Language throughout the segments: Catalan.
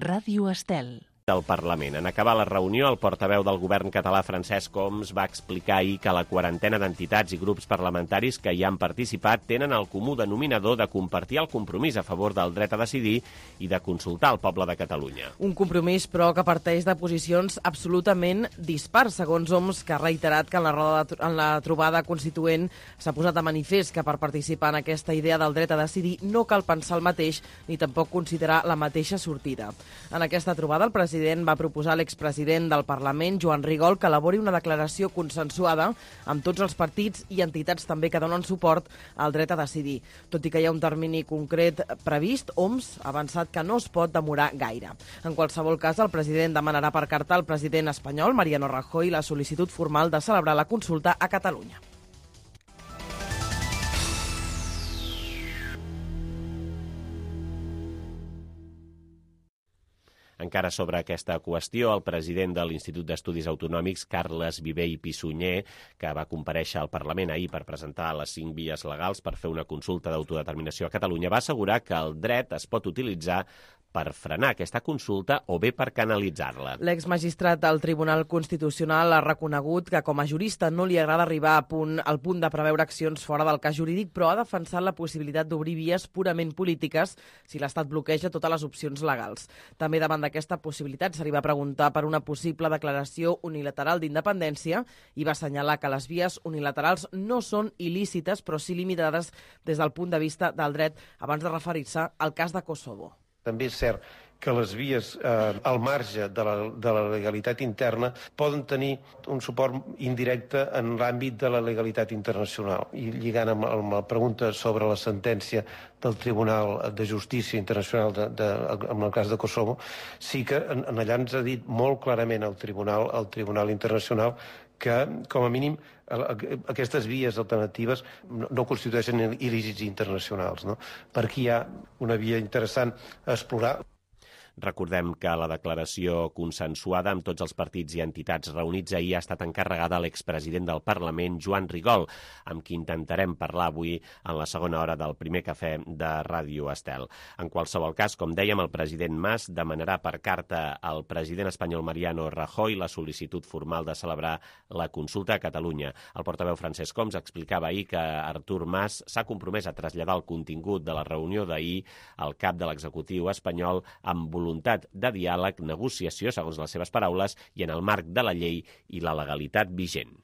Ràdio Estel. Del Parlament. En acabar la reunió, el portaveu del govern català, Francesc Homs, va explicar ahir que la quarantena d'entitats i grups parlamentaris que hi han participat tenen el comú denominador de compartir el compromís a favor del dret a decidir i de consultar el poble de Catalunya. Un compromís, però, que parteix de posicions absolutament dispars, segons Homs, que ha reiterat que en la trobada constituent s'ha posat de manifest que per participar en aquesta idea del dret a decidir no cal pensar el mateix ni tampoc considerar la mateixa sortida. En aquesta trobada, el president va proposar a l'expresident del Parlament, Joan Rigol, que elabori una declaració consensuada amb tots els partits i entitats també que donen suport al dret a decidir. Tot i que hi ha un termini concret previst, Homs ha avançat que no es pot demorar gaire. En qualsevol cas, el president demanarà per carta al president espanyol, Mariano Rajoy, la sol·licitud formal de celebrar la consulta a Catalunya. Encara sobre aquesta qüestió, el president de l'Institut d'Estudis Autonòmics, Carles Viver i Pissunyer, que va comparèixer al Parlament ahir per presentar les 5 vies legals per fer una consulta d'autodeterminació a Catalunya, va assegurar que el dret es pot utilitzar per frenar aquesta consulta o bé per canalitzar-la. L'exmagistrat del Tribunal Constitucional ha reconegut que com a jurista no li agrada arribar al punt de preveure accions fora del cas jurídic, però ha defensat la possibilitat d'obrir vies purament polítiques si l'Estat bloqueja totes les opcions legals. També davant d'aquesta possibilitat se li va preguntar per una possible declaració unilateral d'independència i va assenyalar que les vies unilaterals no són il·lícites però sí limitades des del punt de vista del dret abans de referir-se al cas de Kosovo. També és cert que les vies al marge de la legalitat interna poden tenir un suport indirecte en l'àmbit de la legalitat internacional. I lligant amb la pregunta sobre la sentència del Tribunal de Justícia Internacional en el cas de Kosovo, sí que allà ens ha dit molt clarament el Tribunal Internacional que, com a mínim, aquestes vies alternatives no constitueixen il·lícits internacionals, no? Per aquí hi ha una via interessant a explorar. Recordem que la declaració consensuada amb tots els partits i entitats reunits ahir ha estat encarregada a l'expresident del Parlament, Joan Rigol, amb qui intentarem parlar avui en la segona hora del primer cafè de Ràdio Estel. En qualsevol cas, com dèiem, el president Mas demanarà per carta al president espanyol Mariano Rajoy la sol·licitud formal de celebrar la consulta a Catalunya. El portaveu Francesc Homs explicava ahir que Artur Mas s'ha compromès a traslladar el contingut de la reunió d'ahir al cap de l'executiu espanyol amb voluntat de diàleg, negociació, segons les seves paraules, i en el marc de la llei i la legalitat vigent.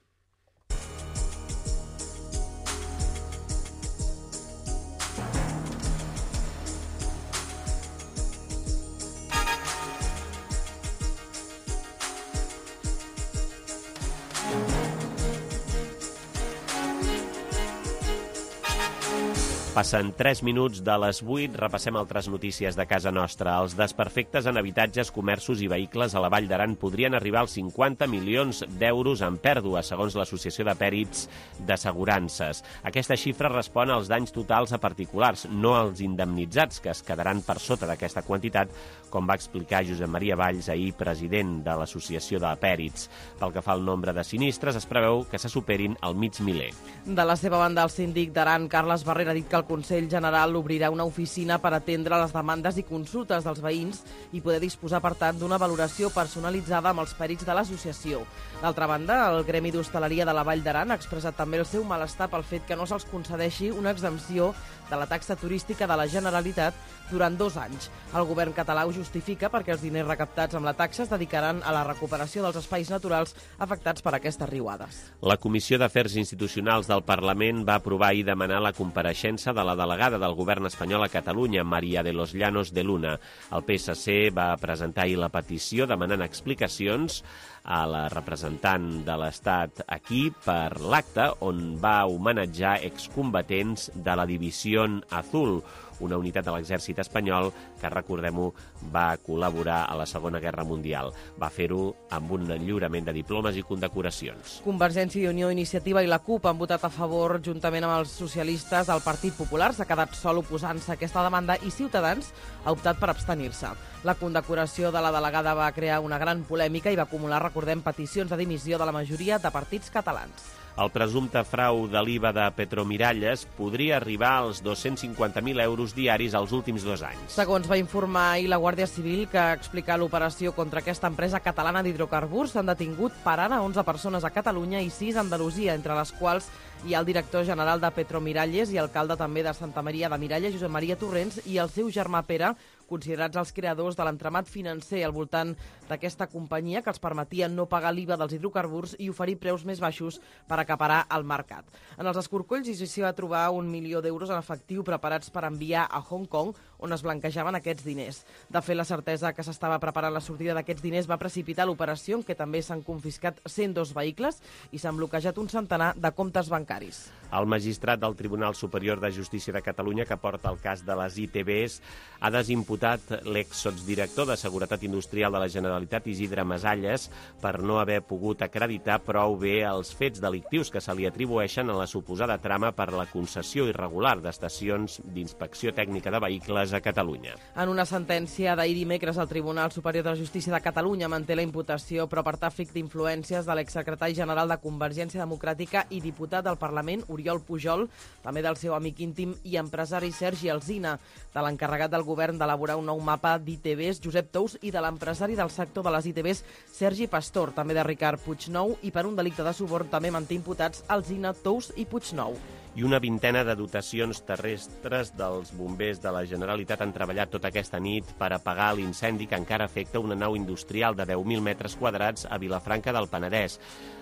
Passen 3 minuts de les 8, repassem altres notícies de casa nostra. Els desperfectes en habitatges, comerços i vehicles a la Vall d'Aran podrien arribar als 50 milions d'euros en pèrdua, segons l'Associació de Pèrits d'Assegurances. Aquesta xifra respon als danys totals a particulars, no als indemnitzats, que es quedaran per sota d'aquesta quantitat, com va explicar Josep Maria Valls, ahir president de l'Associació de Pèrits. Pel que fa al nombre de sinistres, es preveu que se superin el mig miler. De la seva banda, el síndic d'Aran, Carles Barrera, ha dit que el Consell General obrirà una oficina per atendre les demandes i consultes dels veïns i poder disposar, per tant, d'una valoració personalitzada amb els pèrits de l'associació. D'altra banda, el Gremi d'Hostaleria de la Vall d'Aran ha expressat també el seu malestar pel fet que no se'ls concedeixi una exempció de la taxa turística de la Generalitat durant 2 anys. El govern català ho justifica perquè els diners recaptats amb la taxa es dedicaran a la recuperació dels espais naturals afectats per aquestes riuades. La Comissió d'Afers Institucionals del Parlament va aprovar i demanar la compareixença de la delegada del govern espanyol a Catalunya, María de los Llanos de Luna. El PSC va presentar ahir la petició demanant explicacions a la representant de l'Estat aquí per l'acte on va homenatjar excombatents de la Divisió Azul, una unitat de l'exèrcit espanyol que, recordem-ho, va col·laborar a la Segona Guerra Mundial. Va fer-ho amb un lliurament de diplomes i condecoracions. Convergència i Unió, Iniciativa i la CUP han votat a favor, juntament amb els socialistes. El Partit Popular s'ha quedat sol oposant-se a aquesta demanda i Ciutadans ha optat per abstenir-se. La condecoració de la delegada va crear una gran polèmica i va acumular, recordem, peticions de dimissió de la majoria de partits catalans. El presumpte frau de l'IVA de Petromiralles podria arribar als 250.000 euros diaris els últims 2 anys. Segons va informar ahir la Guàrdia Civil, que explica l'operació contra aquesta empresa catalana d'hidrocarburs, s'han detingut per ara 11 persones a Catalunya i 6 a Andalusia, entre les quals hi ha el director general de Petromiralles i alcalde també de Santa Maria de Miralles, Josep Maria Torrents, i el seu germà Pere, considerats els creadors de l'entramat financer al voltant d'aquesta companyia que els permetia no pagar l'IVA dels hidrocarburs i oferir preus més baixos per acaparar el mercat. En els escorcolls s'hi va trobar 1 milió d'euros en efectiu preparats per enviar a Hong Kong, on es blanquejaven aquests diners. De fet, la certesa que s'estava preparant la sortida d'aquests diners va precipitar l'operació, en què també s'han confiscat 102 vehicles i s'han bloquejat un centenar de comptes bancaris. El magistrat del Tribunal Superior de Justícia de Catalunya, que porta el cas de les ITBs, ha desimputat l'exsotsdirector de Seguretat Industrial de la Generalitat, Isidre Masalles, per no haver pogut acreditar prou bé els fets delictius que se li atribueixen a la suposada trama per la concessió irregular d'estacions d'inspecció tècnica de vehicles a Catalunya. En una sentència d'ahir dimecres, el Tribunal Superior de Justícia de Catalunya manté la imputació però per tràfic d'influències de l'exsecretari general de Convergència Democràtica i diputat del Parlament, Oriol Pujol, també del seu amic íntim i empresari Sergi Alsina, de l'encarregat del govern d'elaborar un nou mapa d'ITBs, Josep Tous, i de l'empresari del sector de les ITBs, Sergi Pastor, també de Ricard Puignou, i per un delicte de suborn també manté imputats Alsina, Tous i Puignou. I una vintena de dotacions terrestres dels bombers de la Generalitat han treballat tota aquesta nit per apagar l'incendi que encara afecta una nau industrial de 10.000 metres quadrats a Vilafranca del Penedès.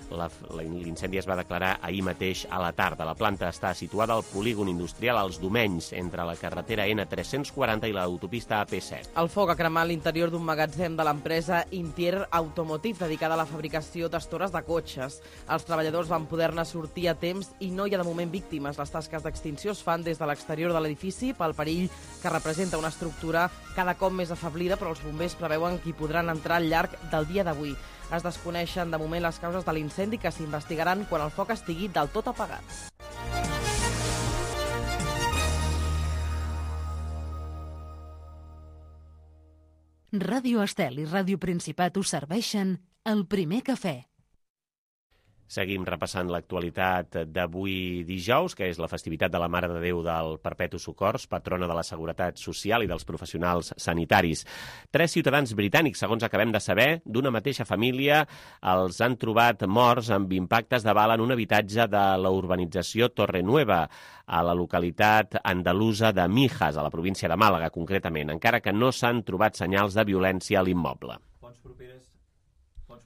L'incendi es va declarar ahir mateix a la tarda. La planta està situada al polígon industrial als Domenys, entre la carretera N340 i l'autopista AP7. El foc ha cremat l'interior d'un magatzem de l'empresa Intier Automotive, dedicada a la fabricació d'estores de cotxes. Els treballadors van poder-ne sortir a temps i no hi ha de moment víctimes. Les tasques d'extinció es fan des de l'exterior de l'edifici pel perill que representa una estructura cada cop més afeblida, però els bombers preveuen que hi podran entrar al llarg del dia d'avui. Es desconeixen de moment les causes de l'incendi, que s'investigaran quan el foc estigui del tot apagat. Ràdio Estel i Ràdio Principat us serveixen el primer cafè. Seguim repassant l'actualitat d'avui dijous, que és la festivitat de la Mare de Déu del Perpetu Socors, patrona de la Seguretat Social i dels professionals sanitaris. 3 ciutadans britànics, segons acabem de saber, d'una mateixa família, els han trobat morts amb impactes de bala en un habitatge de la urbanització Torrenueva, a la localitat andalusa de Mijas, a la província de Màlaga, concretament, encara que no s'han trobat senyals de violència a l'immoble.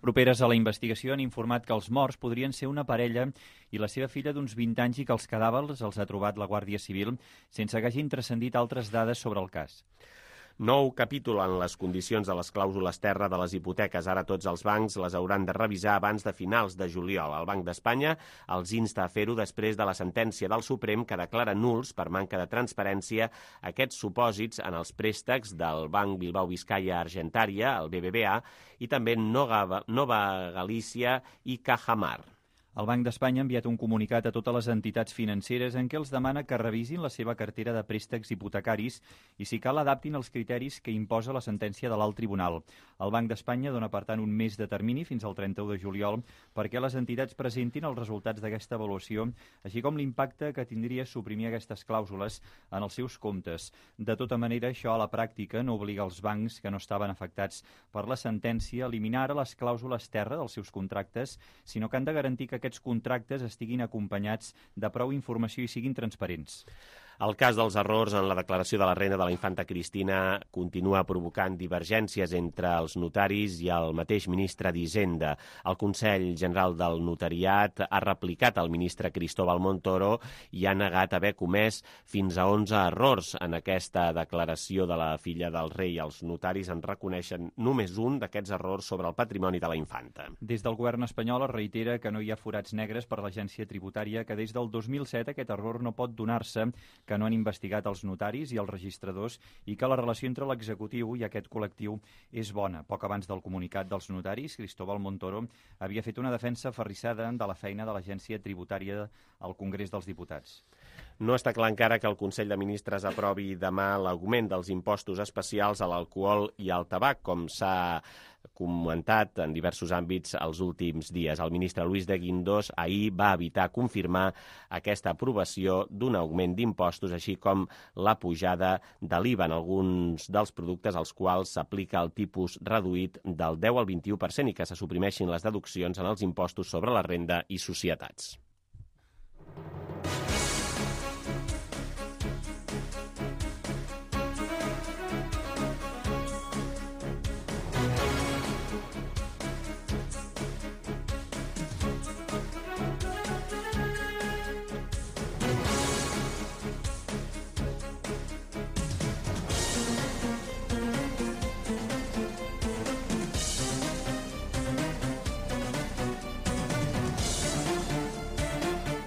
Properes a la investigació han informat que els morts podrien ser una parella i la seva filla d'uns 20 anys i que els cadàvers els ha trobat la Guàrdia Civil sense que hagin transcendit altres dades sobre el cas. Nou capítol en les condicions de les clàusules terra de les hipoteques. Ara tots els bancs les hauran de revisar abans de finals de juliol. El Banc d'Espanya els insta a fer-ho després de la sentència del Suprem que declara nuls per manca de transparència aquests supòsits en els préstecs del Banc Bilbao Vizcaya Argentaria, el BBVA, i també Nova Galícia i Cajamar. El Banc d'Espanya ha enviat un comunicat a totes les entitats financeres en què els demana que revisin la seva cartera de préstecs hipotecaris i, si cal, adaptin els criteris que imposa la sentència de l'Alt Tribunal. El Banc d'Espanya dona, per tant, un mes de termini fins al 31 de juliol perquè les entitats presentin els resultats d'aquesta avaluació, així com l'impacte que tindria suprimir aquestes clàusules en els seus comptes. De tota manera, això a la pràctica no obliga els bancs que no estaven afectats per la sentència a eliminar ara les clàusules terra dels seus contractes, sinó que han de garantir que aquests contractes estiguin acompanyats de prou informació i siguin transparents. El cas dels errors en la declaració de la renda de la infanta Cristina continua provocant divergències entre els notaris i el mateix ministre d'Hisenda. El Consell General del Notariat ha replicat al ministre Cristóbal Montoro i ha negat haver comès fins a 11 errors en aquesta declaració de la filla del rei. Els notaris en reconeixen només un d'aquests errors sobre el patrimoni de la infanta. Des del govern espanyol es reitera que no hi ha forats negres per l'agència tributària, que des del 2007 aquest error no pot donar-se, que no han investigat els notaris i els registradors i que la relació entre l'executiu i aquest col·lectiu és bona. Poc abans del comunicat dels notaris, Cristóbal Montoro havia fet una defensa aferrissada de la feina de l'agència tributària al Congrés dels Diputats. No està clar encara que el Consell de Ministres aprovi demà l'augment dels impostos especials a l'alcohol i al tabac, com s'ha comentat en diversos àmbits els últims dies. El ministre Luis de Guindos ahir va evitar confirmar aquesta aprovació d'un augment d'impostos, així com la pujada de l'IVA en alguns dels productes als quals s'aplica el tipus reduït del 10 al 21% i que se suprimeixin les deduccions en els impostos sobre la renda i societats.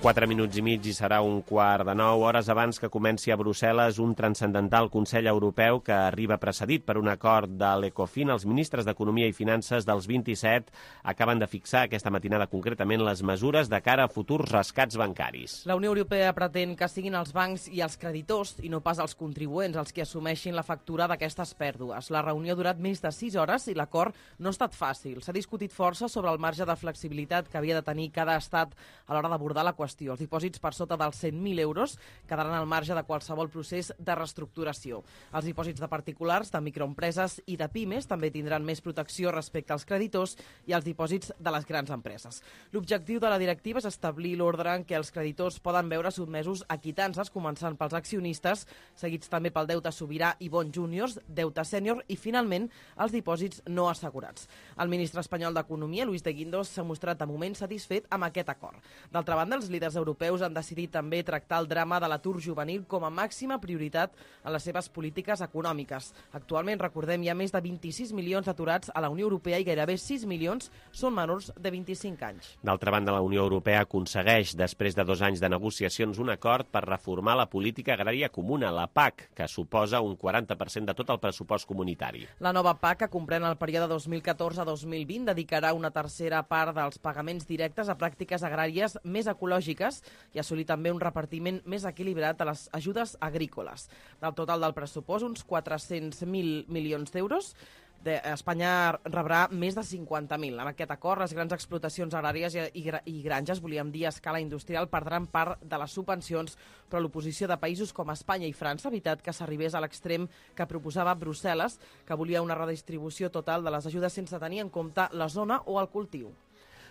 Quatre minuts i mig i serà 8:45, hores abans que comenci a Brussel·les un transcendental Consell Europeu que arriba precedit per un acord de l'Ecofin. Els ministres d'Economia i Finances dels 27 acaben de fixar aquesta matinada concretament les mesures de cara a futurs rescats bancaris. La Unió Europea pretén que siguin els bancs i els creditors, i no pas els contribuents, els que assumeixin la factura d'aquestes pèrdues. La reunió ha durat més de 6 hores i l'acord no ha estat fàcil. S'ha discutit força sobre el marge de flexibilitat que havia de tenir cada estat a l'hora d'abordar la qüestió. Els dipòsits per sota dels 100.000 euros quedaran al marge de qualsevol procés de reestructuració. Els dipòsits de particulars, de microempreses i de pimes també tindran més protecció respecte als creditors i els dipòsits de les grans empreses. L'objectiu de la directiva és establir l'ordre en què els creditors poden veure sotmesos a quitances, començant pels accionistes, seguits també pel deute sobirà i bons júniors, deute sènior i, finalment, els dipòsits no assegurats. El ministre espanyol d'Economia, Luis de Guindos, s'ha mostrat de moment satisfet amb aquest acord. D'altra banda, els líders europeus han decidit també tractar el drama de l'atur juvenil com a màxima prioritat en les seves polítiques econòmiques. Actualment, recordem, hi ha més de 26 milions d'aturats a la Unió Europea i gairebé 6 milions són menors de 25 anys. D'altra banda, la Unió Europea aconsegueix, després de 2 anys de negociacions, un acord per reformar la política agrària comuna, la PAC, que suposa un 40% de tot el pressupost comunitari. La nova PAC, que comprèn el període 2014-2020, dedicarà una tercera part dels pagaments directes a pràctiques agràries més ecològiques i assolir també un repartiment més equilibrat de les ajudes agrícoles. Del total del pressupost, uns 400.000 milions d'euros, Espanya rebrà més de 50.000. Amb aquest acord, les grans explotacions agràries i granges, volíem dir a escala industrial, perdran part de les subvencions, però l'oposició de països com Espanya i França ha evitat que s'arribés a l'extrem que proposava Brussel·les, que volia una redistribució total de les ajudes sense tenir en compte la zona o el cultiu.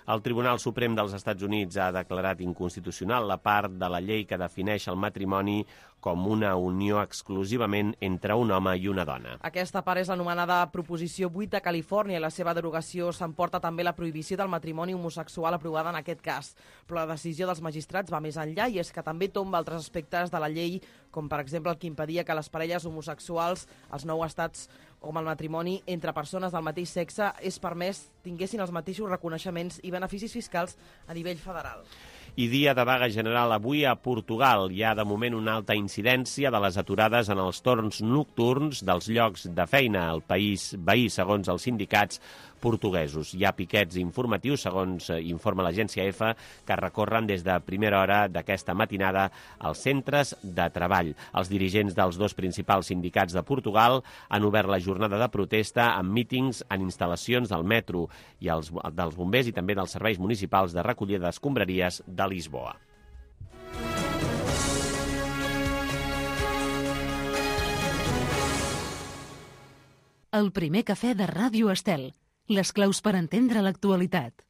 El Tribunal Suprem dels Estats Units ha declarat inconstitucional la part de la llei que defineix el matrimoni com una unió exclusivament entre un home i una dona. Aquesta part és l'anomenada Proposició 8 de Califòrnia i la seva derogació s'emporta també la prohibició del matrimoni homosexual aprovada en aquest cas. Però la decisió dels magistrats va més enllà i és que també tomba altres aspectes de la llei, com per exemple el que impedia que les parelles homosexuals, als 9 estats com el matrimoni entre persones del mateix sexe, és permès tinguessin els mateixos reconeixements i beneficis fiscals a nivell federal. I dia de vaga general avui a Portugal. Hi ha de moment una alta incidència de les aturades en els torns nocturns dels llocs de feina al país veí, segons els sindicats portuguesos. Hi ha piquets informatius, segons informa l'agència EFE, que recorren des de primera hora d'aquesta matinada als centres de treball. Els dirigents dels 2 principals sindicats de Portugal han obert la jornada de protesta amb mítings en instal·lacions del metro i dels bombers i també dels serveis municipals de recollida d'escombraries de Lisboa. El primer cafè de Ràdio Estel. Les claus per entendre l'actualitat.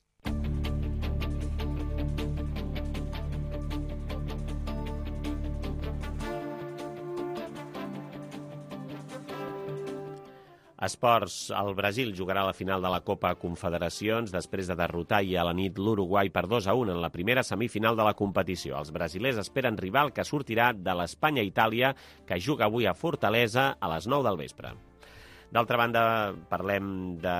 Esports. El Brasil jugarà la final de la Copa Confederacions després de derrotar ahir a la nit l'Uruguai per 2-1 en la primera semifinal de la competició. Els brasilers esperen rival que sortirà de l'Espanya-Itàlia, que juga avui a Fortaleza a les 9 del vespre. D'altra banda, parlem de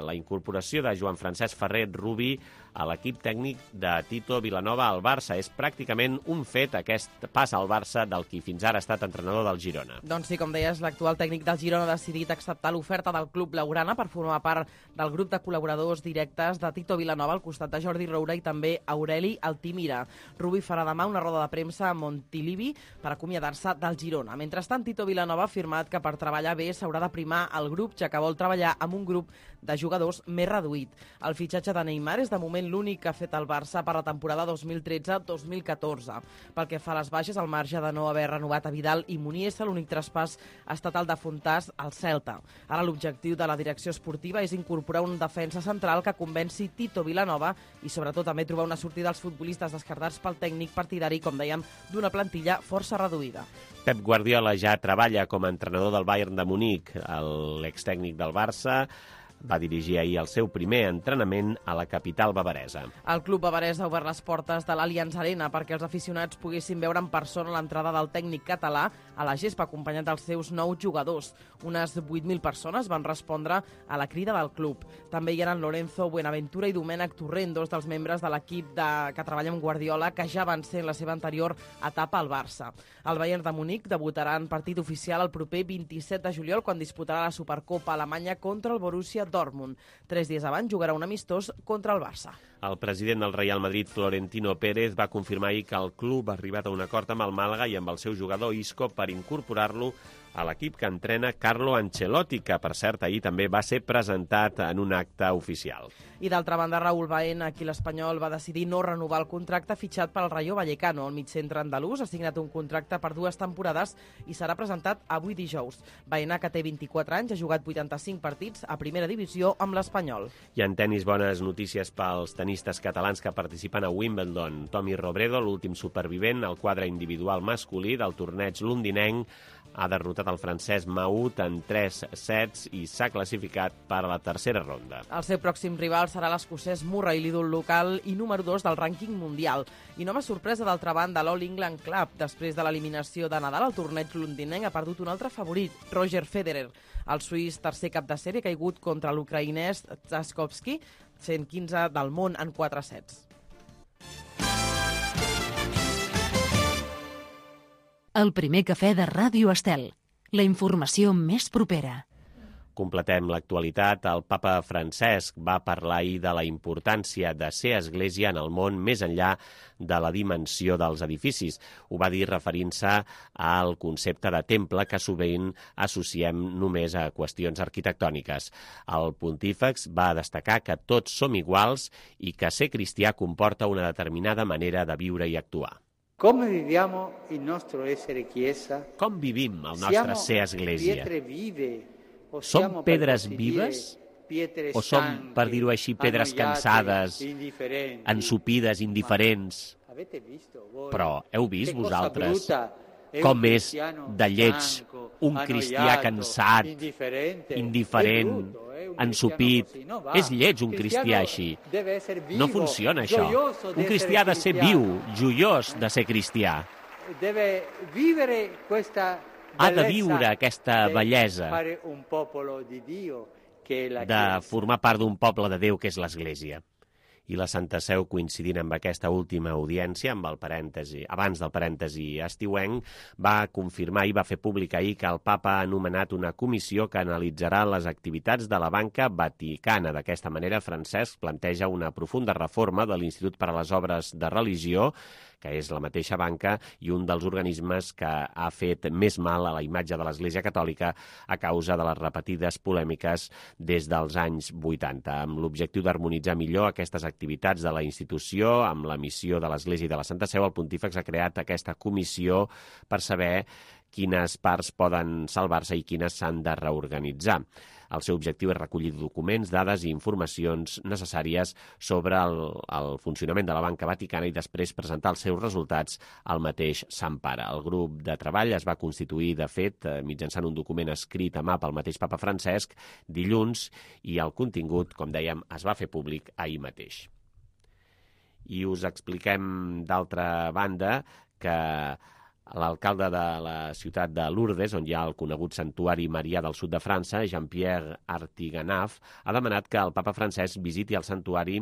la incorporació de Joan Francesc Ferrer Rubí a l'equip tècnic de Tito Vilanova al Barça. És pràcticament un fet aquest pas al Barça del qui fins ara ha estat entrenador del Girona. Doncs sí, com deies, l'actual tècnic del Girona ha decidit acceptar l'oferta del club blaugrana per formar part del grup de col·laboradors directes de Tito Vilanova al costat de Jordi Roura i també Aureli Altimira. Rubi farà demà una roda de premsa a Montilivi per acomiadar-se del Girona. Mentrestant, Tito Vilanova ha afirmat que per treballar bé s'haurà de primar el grup, ja que vol treballar amb un grup de jugadors més reduït. El fitxatge de Neymar és de moment l'únic que ha fet el Barça per la temporada 2013-2014. Pel que fa a les baixes, al marge de no haver renovat a Vidal i Muniesa, l'únic traspàs ha estat el de Fontàs al Celta. Ara l'objectiu de la direcció esportiva és incorporar un defensa central que convenci Tito Vilanova i sobretot també trobar una sortida als futbolistes descartats pel tècnic partidari, com dèiem, d'una plantilla força reduïda. Pep Guardiola ja treballa com a entrenador del Bayern de Munic. L'extècnic del Barça va dirigir ahir el seu primer entrenament a la capital bavaresa. El club bavarès ha obert les portes de l'Allianz Arena perquè els aficionats poguessin veure en persona l'entrada del tècnic català a la gespa, acompanyat dels seus 9 jugadors. Unes 8.000 persones van respondre a la crida del club. També hi eren Lorenzo Buenaventura i Domènec Torrent, dos dels membres de l'equip que treballa amb Guardiola, que ja van ser en la seva anterior etapa al Barça. El Bayern de Munic debutarà en partit oficial el proper 27 de juliol, quan disputarà la Supercopa Alemanya contra el Borussia Dortmund. 3 dies abans jugarà un amistós contra el Barça. El president del Real Madrid, Florentino Pérez, va confirmar ahir que el club ha arribat a un acord amb el Màlaga i amb el seu jugador Isco per incorporar-lo a l'equip que entrena Carlo Ancelotti, que, per cert, ahir també va ser presentat en un acte oficial. I d'altra banda, Raúl Baena, aquí l'Espanyol va decidir no renovar el contracte fitxat pel Rayo Vallecano. El migcentre andalús ha signat un contracte per 2 temporades i serà presentat avui dijous. Baena, que té 24 anys, ha jugat 85 partits a primera divisió amb l'Espanyol. I en tenis, bones notícies pels tenistes catalans que participen a Wimbledon. Tommy Robredo, l'últim supervivent al quadre individual masculí del torneig londinenc, ha derrotat el francès Mahut en 3 sets i s'ha classificat per a la tercera ronda. El seu pròxim rival serà l'escocès Murray, l'ídol local i número 2 del rànquing mundial. I nova sorpresa, d'altra banda, l'All England Club. Després de l'eliminació de Nadal, el torneig londinenc ha perdut un altre favorit, Roger Federer. El suís, tercer cap de sèrie, ha caigut contra l'ucraïnès Tchaikovsky, 115 del món en 4 sets. El primer cafè de Ràdio Estel. La informació més propera. Completem l'actualitat. El papa Francesc va parlar ahir de la importància de ser església en el món més enllà de la dimensió dels edificis. Ho va dir referint-se al concepte de temple que sovint associem només a qüestions arquitectòniques. El pontífex va destacar que tots som iguals i que ser cristià comporta una determinada manera de viure i actuar. Come viviamo il nostro essere chiesa? Com vivim el nostre ser església? Som pedres vives? O som, per dir-ho així, pedres cansades, ensopides, indiferents? Però heu vist vosaltres com és de lleig un cristià cansat, indiferent, ensopit? És lleig un cristià així. No funciona això. Un cristià ha de ser viu, joiós de ser cristià. Ha de viure aquesta bellesa de formar part d'un poble de Déu que és l'Església. I la Santa Seu, coincidint amb aquesta última audiència, amb el parèntesi, abans del parèntesi estiuenc, va confirmar i va fer públic ahir que el papa ha anomenat una comissió que analitzarà les activitats de la banca vaticana. D'aquesta manera, Francesc planteja una profunda reforma de l'Institut per a les Obres de Religió, que és la mateixa banca i un dels organismes que ha fet més mal a la imatge de l'Església Catòlica a causa de les repetides polèmiques des dels anys 80, amb l'objectiu d'harmonitzar millor aquestes activitats de la institució amb la missió de l'Església i de la Santa Seu. El Pontífex ha creat aquesta comissió per saber quines parts poden salvar-se i quines s'han de reorganitzar. El seu objectiu és recollir documents, dades i informacions necessàries sobre el funcionament de la banca vaticana i després presentar els seus resultats al mateix Sant Pare. El grup de treball es va constituir, de fet, mitjançant un document escrit a mà pel mateix papa Francesc dilluns i el contingut, com dèiem, es va fer públic ahir mateix. I us expliquem, d'altra banda, que l'alcalde de la ciutat de Lourdes, on hi ha el conegut santuari marià del sud de França, Jean-Pierre Artiganaf, ha demanat que el papa Francesc visiti el santuari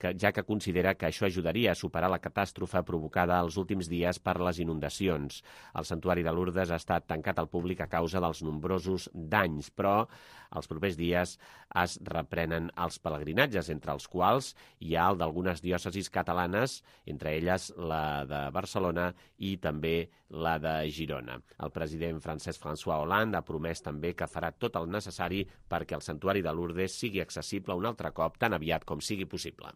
ja que considera que això ajudaria a superar la catàstrofe provocada els últims dies per les inundacions. El Santuari de Lourdes ha estat tancat al públic a causa dels nombrosos danys, però els propers dies es reprenen els pelegrinatges, entre els quals hi ha el d'algunes diòcesis catalanes, entre elles la de Barcelona i també la de Girona. El president francès François Hollande ha promès també que farà tot el necessari perquè el Santuari de Lourdes sigui accessible un altre cop tan aviat com sigui possible.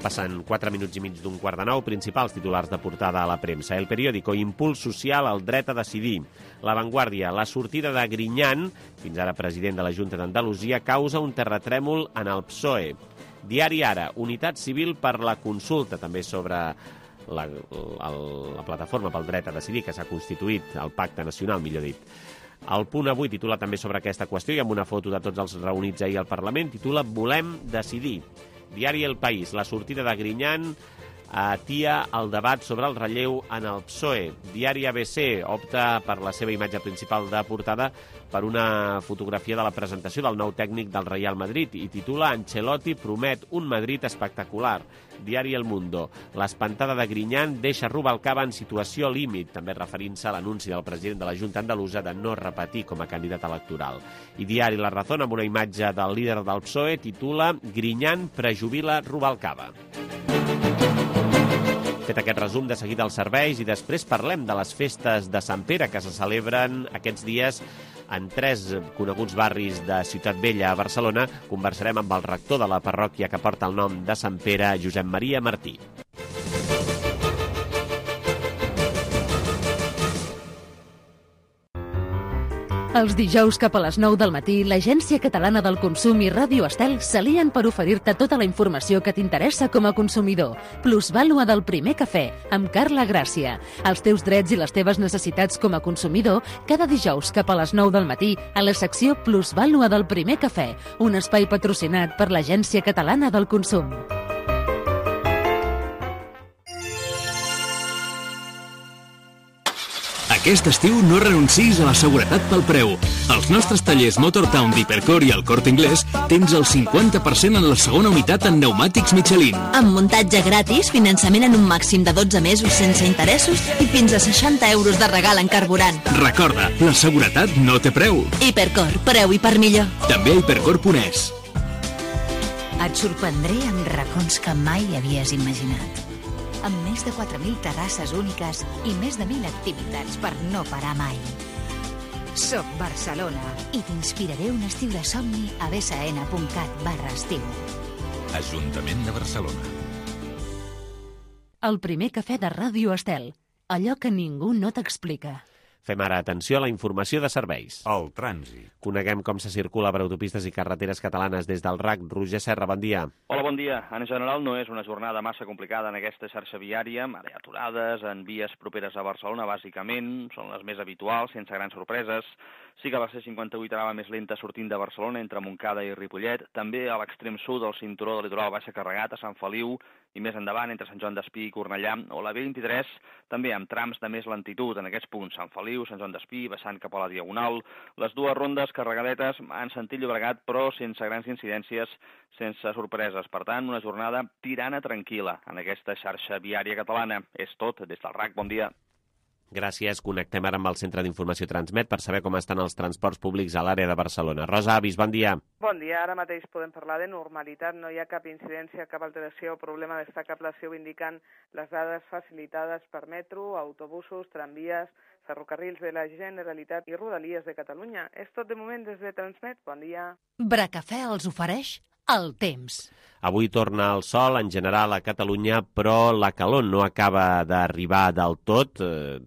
Passen 4 minuts i mig d'un quart de 9, principals titulars de portada a la premsa. El periòdico, impuls social al dret a decidir. La Vanguardia, la sortida de Griñán, fins ara president de la Junta d'Andalusia, causa un terratrèmol en el PSOE. Diari Ara, unitat civil per la consulta, també sobre la plataforma pel dret a decidir que s'ha constituït, el Pacte Nacional, millor dit. El Punt Avui titula també sobre aquesta qüestió i amb una foto de tots els reunits ahir al Parlament titula Volem decidir. Diari El País, la sortida de Griñán atia el debat sobre el relleu en el PSOE. Diari ABC opta per la seva imatge principal de portada per una fotografia de la presentació del nou tècnic del Real Madrid i titula Ancelotti promet un Madrid espectacular. Diari El Mundo, l'espantada de Griñán deixa Rubalcaba en situació límit, també referint-se a l'anunci del president de la Junta Andalusa de no repetir com a candidat electoral. I Diari La Razón, amb una imatge del líder del PSOE, titula Griñán prejubila Rubalcaba. Fet aquest resum, de seguida els serveis i després parlem de les festes de Sant Pere que se celebren aquests dies en 3 coneguts barris de Ciutat Vella a Barcelona. Conversarem amb el rector de la parròquia que porta el nom de Sant Pere, Josep Maria Martí. Els dijous cap a les 9 del matí, l'Agència Catalana del Consum i Ràdio Estel s'alien per oferir-te tota la informació que t'interessa com a consumidor. Plusvàlua del primer cafè, amb Carla Gràcia. Els teus drets i les teves necessitats com a consumidor, cada dijous cap a les 9 del matí, a la secció Plusvàlua del primer cafè, un espai patrocinat per l'Agència Catalana del Consum. Aquest estiu no renuncis a la seguretat pel preu. Als nostres tallers Motortown d'Hipercor i al Corte Inglés tens el 50% en la segona unitat en pneumàtics Michelin. Amb muntatge gratis, finançament en un màxim de 12 mesos sense interessos i fins a 60 euros de regal en carburant. Recorda, la seguretat no té preu. Hipercor, preu i per millor. També a hipercor.es. Et sorprendré amb racons que mai havies imaginat. Amb més de 4.000 terrasses úniques i més de 1.000 activitats per no parar mai. Soc Barcelona i t'inspiraré un estiu de somni a bsn.cat/estiu. Ajuntament de Barcelona. El primer cafè de Ràdio Estel. Allò que ningú no t'explica. Fem ara atenció a la informació de serveis. El trànsit. Coneguem com se circula per autopistes i carreteres catalanes des del RAC. Roger Serra, bon dia. Hola, bon dia. En general no és una jornada massa complicada en aquesta xarxa viària. Hi ha aturades en vies properes a Barcelona, bàsicament. Són les més habituals, sense grans sorpreses. Sí que la C58 anava més lenta sortint de Barcelona entre Montcada i Ripollet. També a l'extrem sud del cinturó del litoral baixa carregat a Sant Feliu i més endavant entre Sant Joan d'Espí i Cornellà, o la B23 també amb trams de més lentitud en aquests punts, Sant Feliu, Sant Joan d'Espí, baixant cap a la Diagonal. Les dues rondes carregadetes en sentit Llobregat, però sense grans incidències, sense sorpreses. Per tant, una jornada tirana tranquil·la en aquesta xarxa viària catalana. És tot, des del RAC, bon dia. Gràcies. Connectem ara amb el Centre d'Informació Transmet per saber com estan els transports públics a l'àrea de Barcelona. Rosa Avis, bon dia. Bon dia. Ara mateix podem parlar de normalitat. No hi ha cap incidència, cap alteració o problema destacable, si ho indiquen les dades facilitades per metro, autobusos, tramvies, ferrocarrils de la Generalitat i Rodalies de Catalunya. És tot de moment des de Transmet. Bon dia. Bracafè els ofereix el temps. Avui torna el sol en general a Catalunya, però la calor no acaba d'arribar del tot,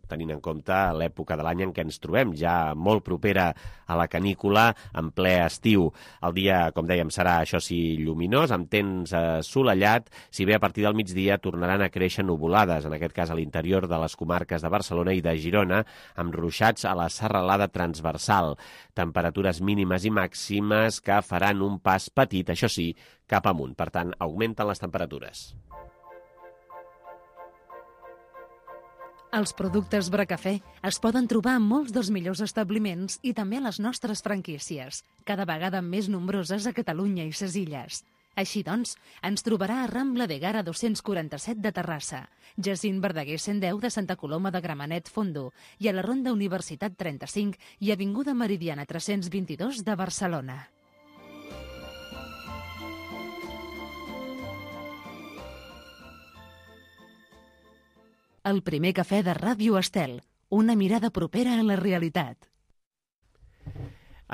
tenint en compte l'època de l'any en què ens trobem, ja molt propera a la canícula, en ple estiu. El dia, com dèiem, serà, això sí, lluminós, amb temps assolellat, si bé a partir del migdia tornaran a créixer nuvolades, en aquest cas a l'interior de les comarques de Barcelona i de Girona, amb ruixats a la serralada transversal. Temperatures mínimes i màximes que faran un pas petit, això sí, cap amunt. Per tant, augmenten les temperatures. Els productes Bracafé es poden trobar en molts dels millors establiments i també a les nostres franquícies, cada vegada més nombroses a Catalunya i ses Illes. Així doncs, ens trobarà a Rambla de Gara 247 de Terrassa, Jacint Verdaguer 110 de Santa Coloma de Gramenet Fondo i a la Ronda Universitat 35 i Avinguda Meridiana 322 de Barcelona. El primer cafè de Ràdio Estel, una mirada propera a la realitat.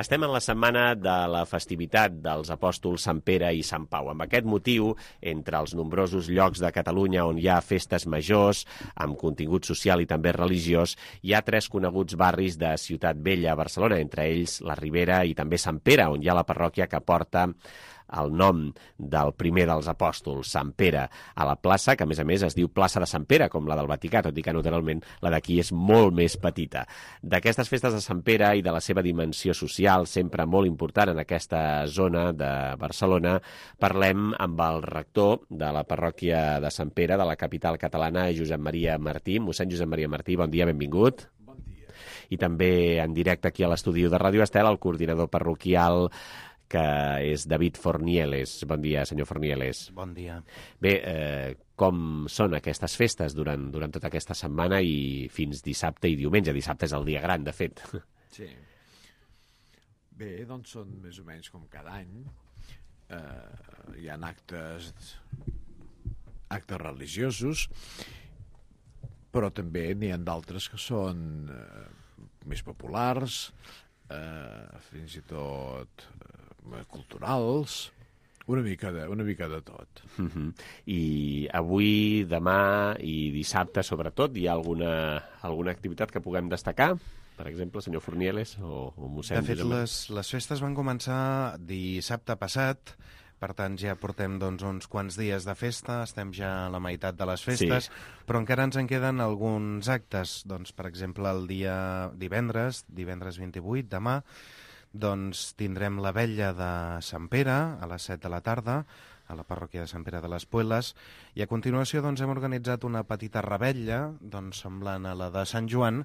Estem en la setmana de la festivitat dels apòstols Sant Pere i Sant Pau. Amb aquest motiu, entre els nombrosos llocs de Catalunya on hi ha festes majors, amb contingut social i també religiós, hi ha 3 coneguts barris de Ciutat Vella a Barcelona, entre ells la Ribera i també Sant Pere, on hi ha la parròquia que porta el nom del primer dels apòstols, Sant Pere, a la plaça, que a més es diu plaça de Sant Pere, com la del Vaticà, tot i que naturalment la d'aquí és molt més petita. D'aquestes festes de Sant Pere i de la seva dimensió social, sempre molt important en aquesta zona de Barcelona, parlem amb el rector de la parròquia de Sant Pere, de la capital catalana, Josep Maria Martí. Mossèn Josep Maria Martí, bon dia, benvingut. Bon dia. I també en directe aquí a l'estudi de Ràdio Estel, el coordinador parroquial, que és David Fornieles. Bon dia, senyor Fornieles. Bon dia. Bé, com són aquestes festes durant tota aquesta setmana i fins dissabte i diumenge? Dissabte és el dia gran, de fet. Sí. Bé, doncs són més o menys com cada any. Hi ha actes religiosos, però també n'hi ha d'altres que són més populars, fins i tot culturals, una mica de tot. I avui, demà i dissabte, sobretot, hi ha alguna activitat que puguem destacar? Per exemple, senyor Fornieles o mossèn? De fet, les festes van començar dissabte passat, per tant ja portem uns quants dies de festa, estem ja a la meitat de les festes, sí. Però encara ens en queden alguns actes. Doncs, per exemple, el dia divendres 28, demà, doncs tindrem la vetlla de Sant Pere a les 7 de la tarda a la parròquia de Sant Pere de les Pueles, i a continuació doncs, hem organitzat una petita revetlla semblant a la de Sant Joan,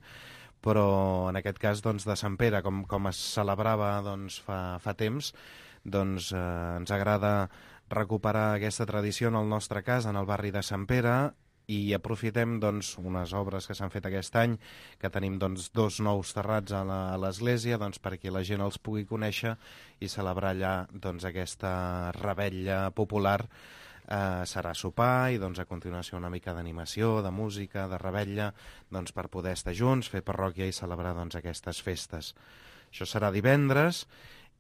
però en aquest cas doncs, de Sant Pere, com es celebrava fa temps, doncs ens agrada recuperar aquesta tradició en el nostre cas, en el barri de Sant Pere, i aprofitem unes obres que s'han fet aquest any, que tenim 2 nous terrats a l'església, perquè la gent els pugui conèixer i celebrar allà aquesta revetlla popular. Serà sopar i a continuació una mica d'animació, de música, de revetlla, per poder estar junts, fer parròquia i celebrar aquestes festes. Això serà divendres,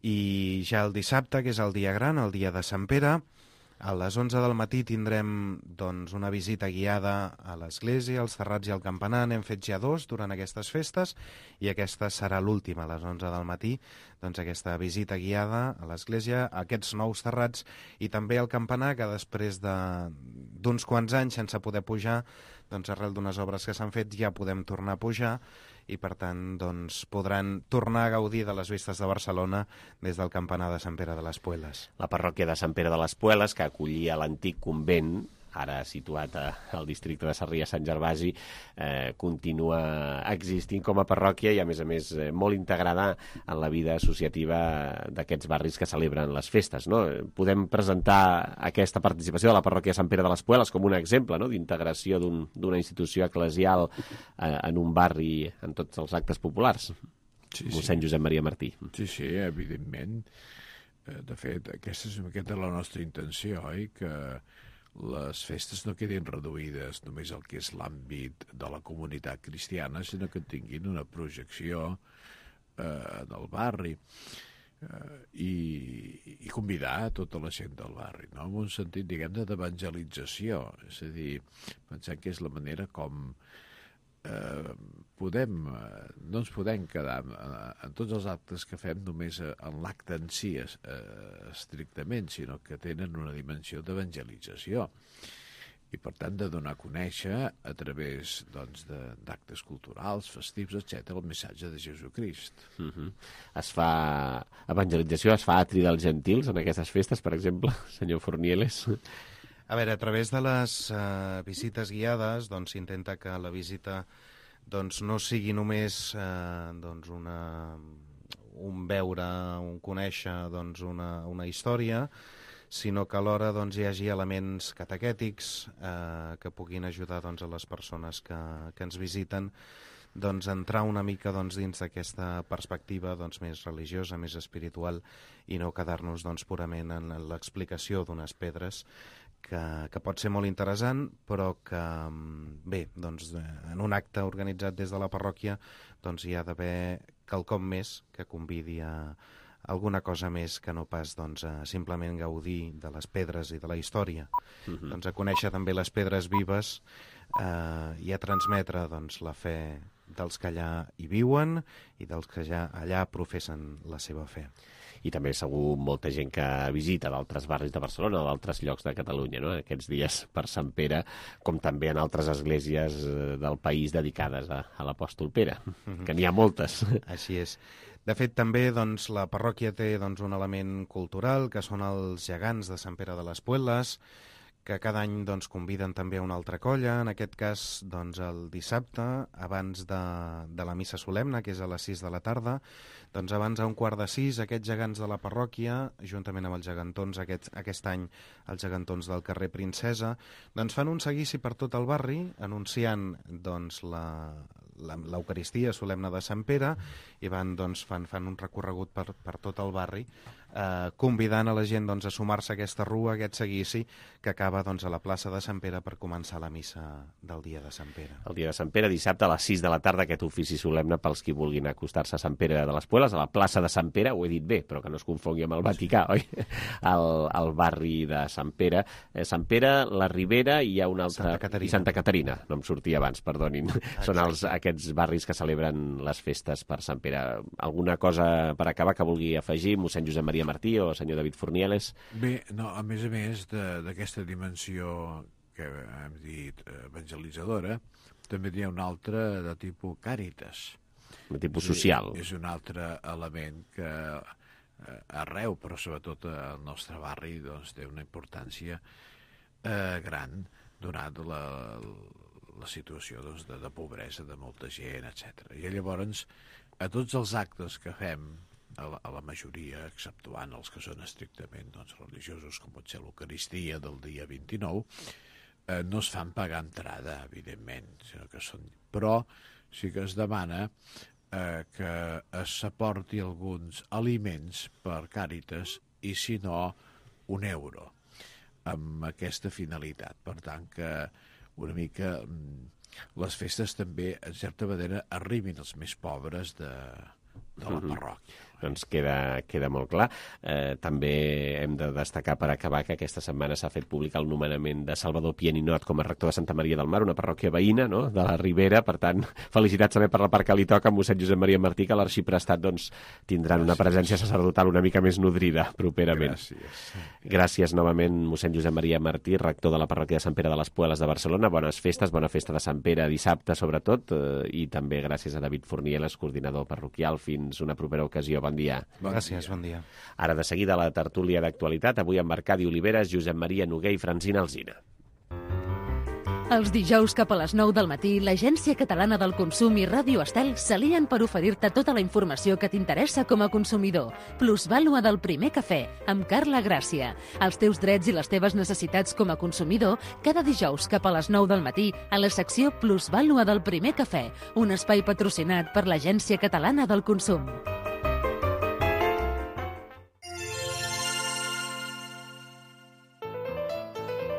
i ja el dissabte, que és el dia gran, el dia de Sant Pere, a les 11 del matí tindrem una visita guiada a l'església, als terrats i al campanar. N'hem fet ja 2 durant aquestes festes i aquesta serà l'última, a les 11 del matí, aquesta visita guiada a l'església, a aquests nous terrats i també al campanar, que després d'uns quants anys sense poder pujar, arrel d'unes obres que s'han fet ja podem tornar a pujar, i per tant podran tornar a gaudir de les vistes de Barcelona des del campanar de Sant Pere de les Pueles. La parròquia de Sant Pere de les Pueles, que acollia l'antic convent, ara situat al districte de Sarrià-Sant Gervasi, continua existint com a parròquia i, a més, molt integrada en la vida associativa d'aquests barris que celebren les festes, no? Podem presentar aquesta participació de la parròquia de Sant Pere de les Pueles com un exemple, no?, d'integració d'una institució eclesial en un barri en tots els actes populars. Sí, mossèn Josep Maria Martí. Sí, evidentment. De fet, aquesta és la nostra intenció, oi?, que les festes no quedin reduïdes només al que és l'àmbit de la comunitat cristiana, sinó que tinguin una projecció del barri i convidar tota la gent del barri, no?, en un sentit, diguem-ne, d'evangelització. És a dir, pensem que és la manera com no ens podem quedar en tots els actes que fem només en l'acte en si estrictament, sinó que tenen una dimensió d'evangelització i per tant de donar a conèixer a través d'actes culturals, festius, etc., el missatge de Jesucrist. Es fa evangelització, es fa atri dels gentils en aquestes festes, per exemple, senyor Fornieles? A veure, a través de les visites guiades s'intenta que la visita no sigui només un veure, un conèixer una història, sinó que alhora hi hagi elements catequètics que puguin ajudar a les persones que ens visiten entrar una mica dins d'aquesta perspectiva més religiosa, més espiritual, i no quedar-nos purament en l'explicació d'unes pedres, que pot ser molt interessant, però que, bé, en un acte organitzat des de la parròquia hi ha d'haver quelcom més que convidi a alguna cosa més que no pas a simplement gaudir de les pedres i de la història. A conèixer també les pedres vives i a transmetre la fe dels que allà hi viuen i dels que ja allà professen la seva fe. I també segur molta gent que visita d'altres barris de Barcelona o d'altres llocs de Catalunya, no? Aquests dies per Sant Pere, com també en altres esglésies del país dedicades a l'apòstol Pere, que n'hi ha moltes. Així és. De fet, també la parròquia té un element cultural, que són els gegants de Sant Pere de les Puelles, que cada any conviden també a una altra colla, en aquest cas el dissabte, abans de la missa solemne, que és a les 6 de la tarda, abans a 5:15, aquests gegants de la parròquia, juntament amb els gegantons, aquest any els gegantons del carrer Princesa, fan un seguici per tot el barri, anunciant l'Eucaristia solemne de Sant Pere, i fan un recorregut per tot el barri, convidant a la gent a sumar-se a aquesta rua, a aquest seguici, que acaba a la plaça de Sant Pere per començar la missa del dia de Sant Pere. El dia de Sant Pere, dissabte a les 6 de la tarda, aquest ofici solemne pels qui vulguin acostar-se a Sant Pere de les Puelles, a la plaça de Sant Pere, ho he dit bé, però que no es confongui amb el Vaticà, oi? Al barri de Sant Pere. Sant Pere, la Ribera, i hi ha una altra... Santa Caterina, no em sortia abans, perdonin. Són aquests barris que celebren les festes per Sant Pere. Alguna cosa per acabar que vulgui afegir, mossèn Josep Maria Martí o senyor David Fornieles? Bé, no, a més d'aquesta dimensió que hem dit evangelitzadora, també hi ha una altra de tipus càritas. De tipus social. És un altre element que arreu, però sobretot al nostre barri, té una importància gran, donat la situació de pobresa de molta gent, etc. I llavors, a tots els actes que fem, a la majoria, exceptuant els que són estrictament religiosos, com pot ser l'Eucaristia del dia 29, no es fan pagar entrada, evidentment, sinó que però sí que es demana que s'aporti alguns aliments per Càritas i, si no, €1, amb aquesta finalitat. Per tant, que una mica les festes també, en certa manera, arribin als més pobres de la parròquia. Doncs queda molt clar. També hem de destacar per acabar que aquesta setmana s'ha fet públic el nomenament de Salvador Pieninot com a rector de Santa Maria del Mar, una parròquia veïna, no?, de la Ribera. Per tant, felicitats també per la part que li toca a mossèn Josep Maria Martí, que a l'arxiprestat tindran una presència sacerdotal una mica més nodrida properament. Gràcies novament, mossèn Josep Maria Martí, rector de la parròquia de Sant Pere de les Puelles de Barcelona. Bones festes, bona festa de Sant Pere dissabte, sobretot, i també gràcies a David Fornieles, coordinador parroquial. Fins una propera ocasió. Bon dia. Gràcies, bon dia. Ara de seguida la tertúlia d'actualitat, avui amb Arcadi Oliveres, Josep Maria Noguer i Francina Alsina. Els dijous cap a les 9 del matí, l'Agència Catalana del Consum i Ràdio Estel s'alien per oferir-te tota la informació que t'interessa com a consumidor. Plusvàlua del primer cafè, amb Carla Gràcia. Els teus drets i les teves necessitats com a consumidor, cada dijous cap a les 9 del matí, a la secció Plusvàlua del primer cafè, un espai patrocinat per l'Agència Catalana del Consum.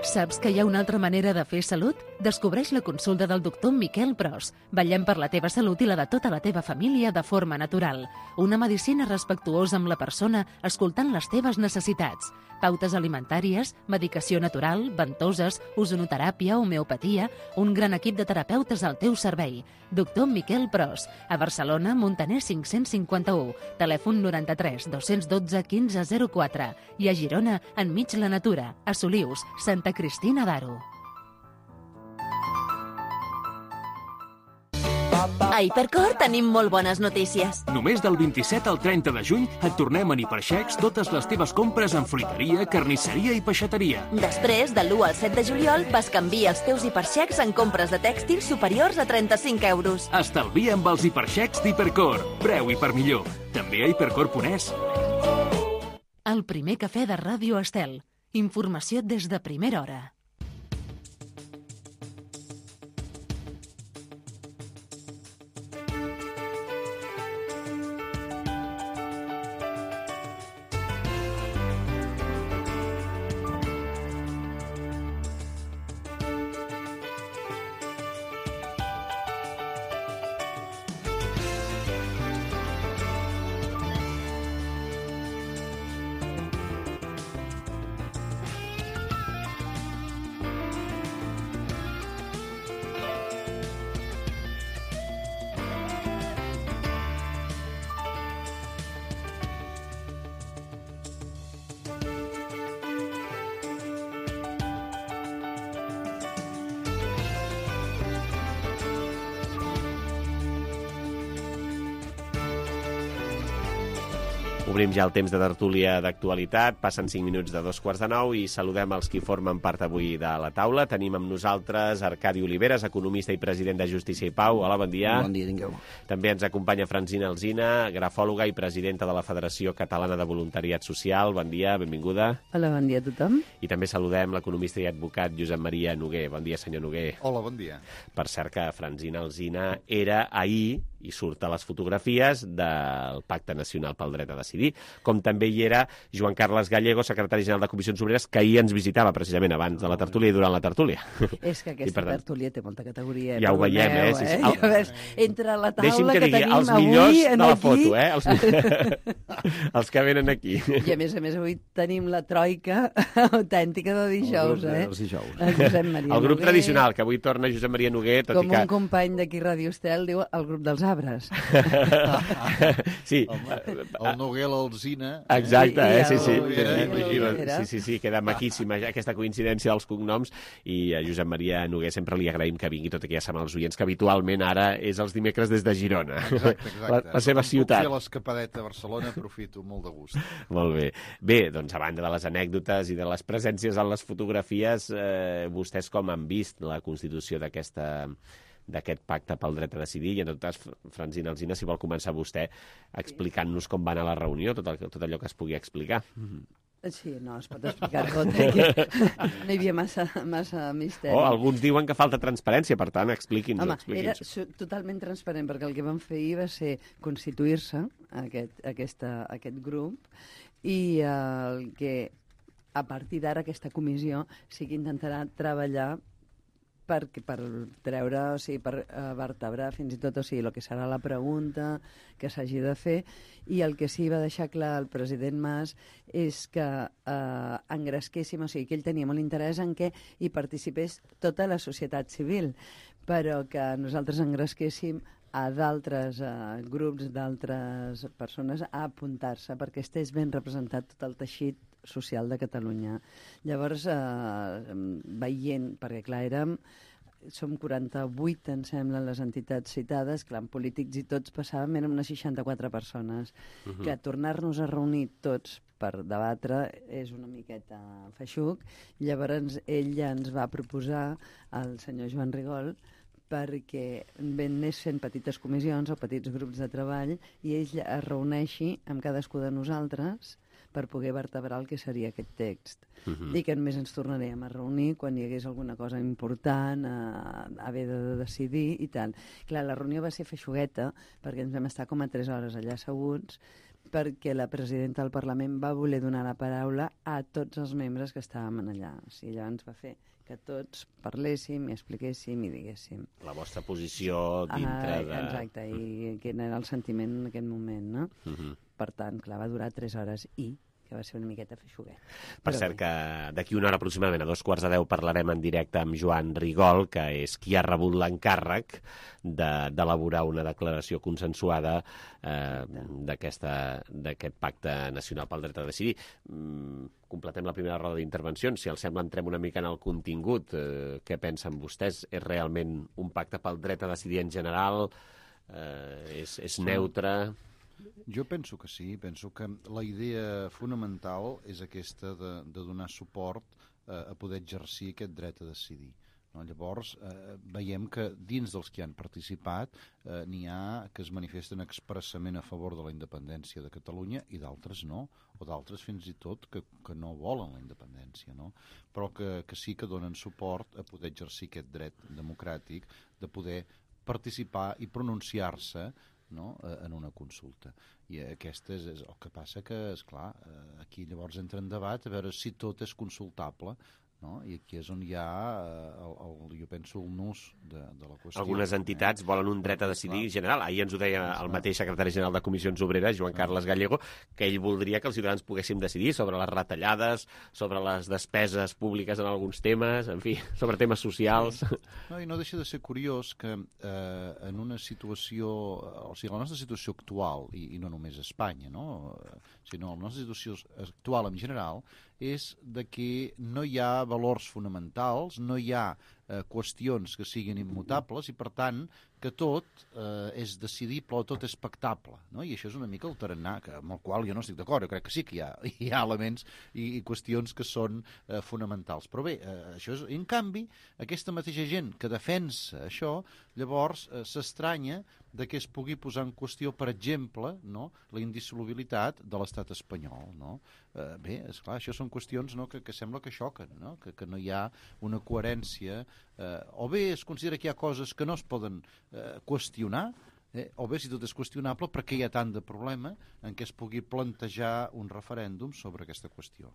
Saps que hi ha una altra manera de fer salut? Descobreix la consulta del doctor Miquel Pros. Vetllem per la teva salut i la de tota la teva família de forma natural. Una medicina respectuosa amb la persona, escoltant les teves necessitats. Pautes alimentàries, medicació natural, ventoses, ozonoteràpia, homeopatia, un gran equip de terapeutes al teu servei. Doctor Miquel Pros. A Barcelona, Montaner 551. Telèfon 93 212 1504. I a Girona, enmig la natura. A Solius, Santa Cristina d'Aro. A Hipercor tenim molt bones notícies. Només del 27 al 30 de juny et tornem en Hiperxecs totes les teves compres en fruiteria, carnisseria i peixateria. Després, de l'1 al 7 de juliol, bescanvia els teus Hiperxecs en compres de tèxtils superiors a 35 euros. Estalvia amb els Hiperxecs d'Hipercor. Preu i per millor. També a hipercor.es. El primer cafè de Ràdio Estel. Informació des de primera hora. Obrim ja el temps de tertúlia d'actualitat, passen 5 minuts de 2:45 i saludem els qui formen part avui de la taula. Tenim amb nosaltres Arcadi Oliveres, economista i president de Justícia i Pau. Hola, bon dia. Bon dia, tingueu. També ens acompanya Francina Alsina, grafòloga i presidenta de la Federació Catalana de Voluntariat Social. Bon dia, benvinguda. Hola, bon dia a tothom. I també saludem l'economista i advocat Josep Maria Noguer. Bon dia, senyor Noguer. Hola, bon dia. Per cert que Francina Alsina era ahir, i surt a les fotografies, del Pacte Nacional pel Dret a Decidir, com també hi era Joan Carles Gallego, secretari general de Comissions Obreres, que ahir ens visitava precisament abans de la tertúlia i durant la tertúlia. És que aquesta tertúlia té molta categoria. Ja ho veiem, Sí. Ja ves, entre la taula que digui, tenim els avui millors de la aquí... foto, els que venen aquí. I a més, avui tenim la troika autèntica de dijous, Els dijous. El grup tradicional, que avui torna Josep Maria Noguer, tot com i que... un company d'aquí Ràdio Estel diu el grup dels arbres. Sí. El Noguer, l'Alsina... Exacte, sí, queda maquíssima aquesta coincidència dels cognoms, i a Josep Maria Noguer sempre li agraïm que vingui, tot i que ja sabem els oients que habitualment ara és els dimecres des de Girona. Exacte. La seva ciutat. Puc fer l'escapadeta a Barcelona, aprofito molt de gust. Molt bé. Bé, doncs a banda de les anècdotes i de les presències en les fotografies, vostès com han vist la constitució d'aquest pacte pel dret a decidir? I en tot cas, Francina Alsina, si vol començar vostè explicant-nos com va anar la reunió, tot allò que es pugui explicar. Sí, no, es pot explicar tot. No hi havia massa misteri. Alguns diuen que falta transparència, per tant, expliqui'ns-ho. Home, era totalment transparent, perquè el que vam fer ahir va ser constituir-se aquest grup, i el que a partir d'ara aquesta comissió sí que intentarà treballar per treure, o sigui, per vertebrar fins i tot, o sigui, el que serà la pregunta que s'hagi de fer, i el que sí va deixar clar el president Mas és que engresquéssim, o sigui, que ell tenia molt interès en què hi participés tota la societat civil, però que nosaltres engresquéssim a d'altres grups, d'altres persones a apuntar-se perquè estés ben representat tot el teixit social de Catalunya. Llavors, veient, perquè clar, som 48, em sembla, les entitats citades, clar, en polítics i tots passàvem, érem unes 64 persones. Que tornar-nos a reunir tots per debatre és una miqueta feixuc. Llavors, ell ja ens va proposar, el senyor Joan Rigol, perquè anés fent petites comissions o petits grups de treball i ell es reuneixi amb cadascú de nosaltres per poder vertebrar el que seria aquest text. I que només ens tornaríem a reunir quan hi hagués alguna cosa important a haver de decidir i tal. Clar, la reunió va ser feixugueta perquè ens vam estar com a 3 hores allà asseguts, perquè la presidenta del Parlament va voler donar la paraula a tots els membres que estàvem allà. O sigui, llavors va fer que tots parléssim i expliquéssim i diguéssim. La vostra posició dintre de... Exacte, i quin era el sentiment en aquest moment, no? Per tant, clar, va durar 3 hores que va ser una miqueta feixuguet. Per cert, que d'aquí una hora aproximadament, a 9:45, parlarem en directe amb Joan Rigol, que és qui ha rebut l'encàrrec d'elaborar una declaració consensuada d'aquest Pacte Nacional pel Dret a Decidir. Completem la primera roda d'intervencions. Si els sembla, entrem una mica en el contingut. Què pensen vostès? És realment un pacte pel dret a decidir en general? És neutre? Jo penso que sí, penso que la idea fonamental és aquesta de donar suport a poder exercir aquest dret a decidir. No? Llavors, veiem que dins dels que han participat n'hi ha que es manifesten expressament a favor de la independència de Catalunya i d'altres no, o d'altres fins i tot que no volen la independència, no? Però que sí que donen suport a poder exercir aquest dret democràtic de poder participar i pronunciar-se, no?, en una consulta. I aquest és el que passa que, esclar, aquí llavors entra en debat a veure si tot és consultable, no? I aquí és on hi ha, jo penso, el nus de la qüestió. Algunes entitats volen un dret a decidir general. Ahir ens ho deia el mateix secretari general de Comissions Obreres, Joan Carles Gallego, que ell voldria que els ciutadans poguéssim decidir sobre les retallades, sobre les despeses públiques en alguns temes, en fi, sobre temes socials. No, i no deixa de ser curiós que en una situació, o sigui, la nostra situació actual, i no només a Espanya, no?, sinó la nostra situació actual en general, és de que no hi ha valors fonamentals, no hi ha qüestions que siguin immutables i, per tant, que tot és decidible o tot és pactable, no? I això és una mica el tarannà, amb el qual jo no estic d'acord. Jo crec que sí que hi ha elements i qüestions que són fonamentals. Però bé, això és... En canvi, aquesta mateixa gent que defensa això, llavors s'estranya de que es pugui posar en qüestió, per exemple, no?, la indissolubilitat de l'estat espanyol, no? Bé, esclar, això són qüestions, no?, que sembla que xoquen, no?, que no hi ha una coherència, o bé es considera que hi ha coses que no es poden qüestionar, o bé si tot és qüestionable, per què hi ha tant de problema en què es pugui plantejar un referèndum sobre aquesta qüestió.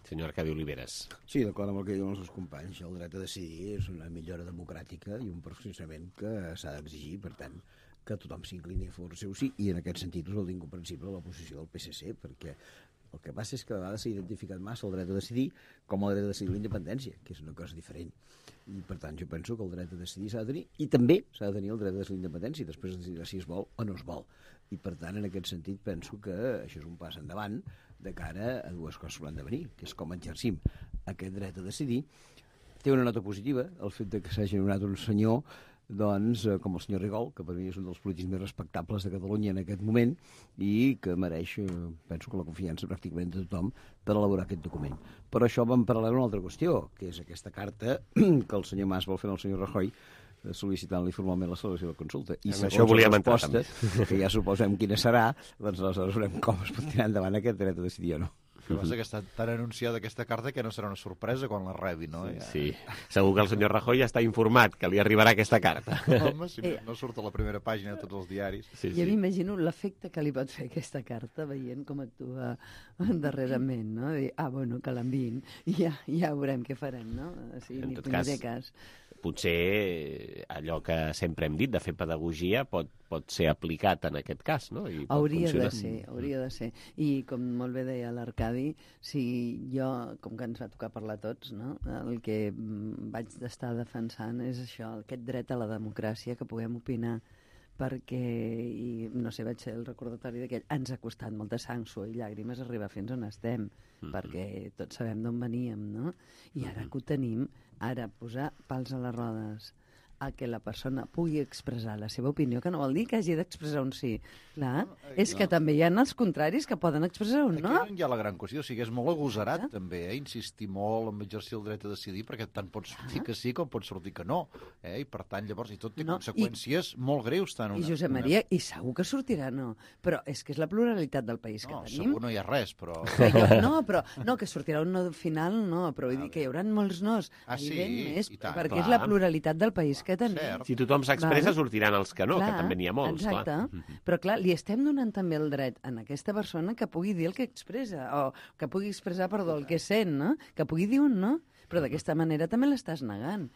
Senyor Arcadi Oliveres. Sí, d'acord amb el que diuen els seus companys. El dret a decidir és una millora democràtica i un perfeccionament que s'ha d'exigir, per tant, que tothom s'inclini a favor seu sí, i en aquest sentit és incomprensible la posició del PSC, perquè el que passa és que a vegades s'ha identificat massa el dret a decidir com el dret a decidir la independència, que és una cosa diferent. I, per tant, jo penso que el dret a decidir s'ha de tenir, i també s'ha de tenir el dret a decidir la independència, i després decidir si es vol o no es vol. I, per tant, en aquest sentit, penso que això és un pas endavant de cara a dues coses que han de venir, que és com exercim aquest dret a decidir. Té una nota positiva, el fet de que s'hagi donat un senyor doncs, com el senyor Rigol, que per mi és un dels polítics més respectables de Catalunya en aquest moment i que mereix, penso que la confiança pràcticament de tothom per elaborar aquest document. Però això va en paral·lel a una altra qüestió, que és aquesta carta que el senyor Mas vol fer al senyor Rajoy sol·licitant-li formalment la celebració de la consulta. I això volíem entrar, també. Que ja suposem quina serà, doncs aleshores veurem com es pot tirar endavant aquest dret a decidir o no. El que passa que està tan anunciada aquesta carta que no serà una sorpresa quan la rebi, no? Sí. Segur que el senyor Rajoy ja està informat que li arribarà aquesta carta. Home, si no surt a la primera pàgina de tots els diaris. Sí. Jo m'imagino l'efecte que li pot fer aquesta carta veient com actua darrerament, no? Dir, bueno, que l'enviïn i ja veurem què farem, no? En tot cas, potser allò que sempre hem dit de fer pedagogia pot ser aplicat en aquest cas, no? I hauria de ser. I com molt bé deia l'Arcadi, si jo, com que ens va tocar parlar tots, no?, el que vaig estar defensant és això, aquest dret a la democràcia, que puguem opinar, perquè, i no sé, vaig ser el recordatori d'aquell, ens ha costat molta sang, suor i llàgrimes arribar fins on estem, perquè tots sabem d'on veníem, no? I ara que ho tenim, ara posar pals a les rodes a que la persona pugui expressar la seva opinió, que no vol dir que hagi d'expressar un sí. Clar, és que també hi ha els contraris que poden expressar un no. Aquí hi ha la gran qüestió, o sigui, és molt agosarat també, insistir molt en exercir el dret a decidir, perquè tant pot sortir que sí com pot sortir que no, i per tant llavors i tot té conseqüències molt greus. I Josep Maria, i segur que sortirà no, però és que és la pluralitat del país que tenim. Segur no hi ha res, però... No, que sortirà un no final, no, però vull dir que hi haurà molts nos, evidentment, perquè és la pluralitat del país que tenim. Si tothom s'expressa, sortiran els que no, que també n'hi ha molts. Exacte, però clar, li estem donant també el dret a aquesta persona que pugui dir el que expressa, o que pugui expressar, el que sent, no? Que pugui dir un no, però d'aquesta manera també l'estàs negant.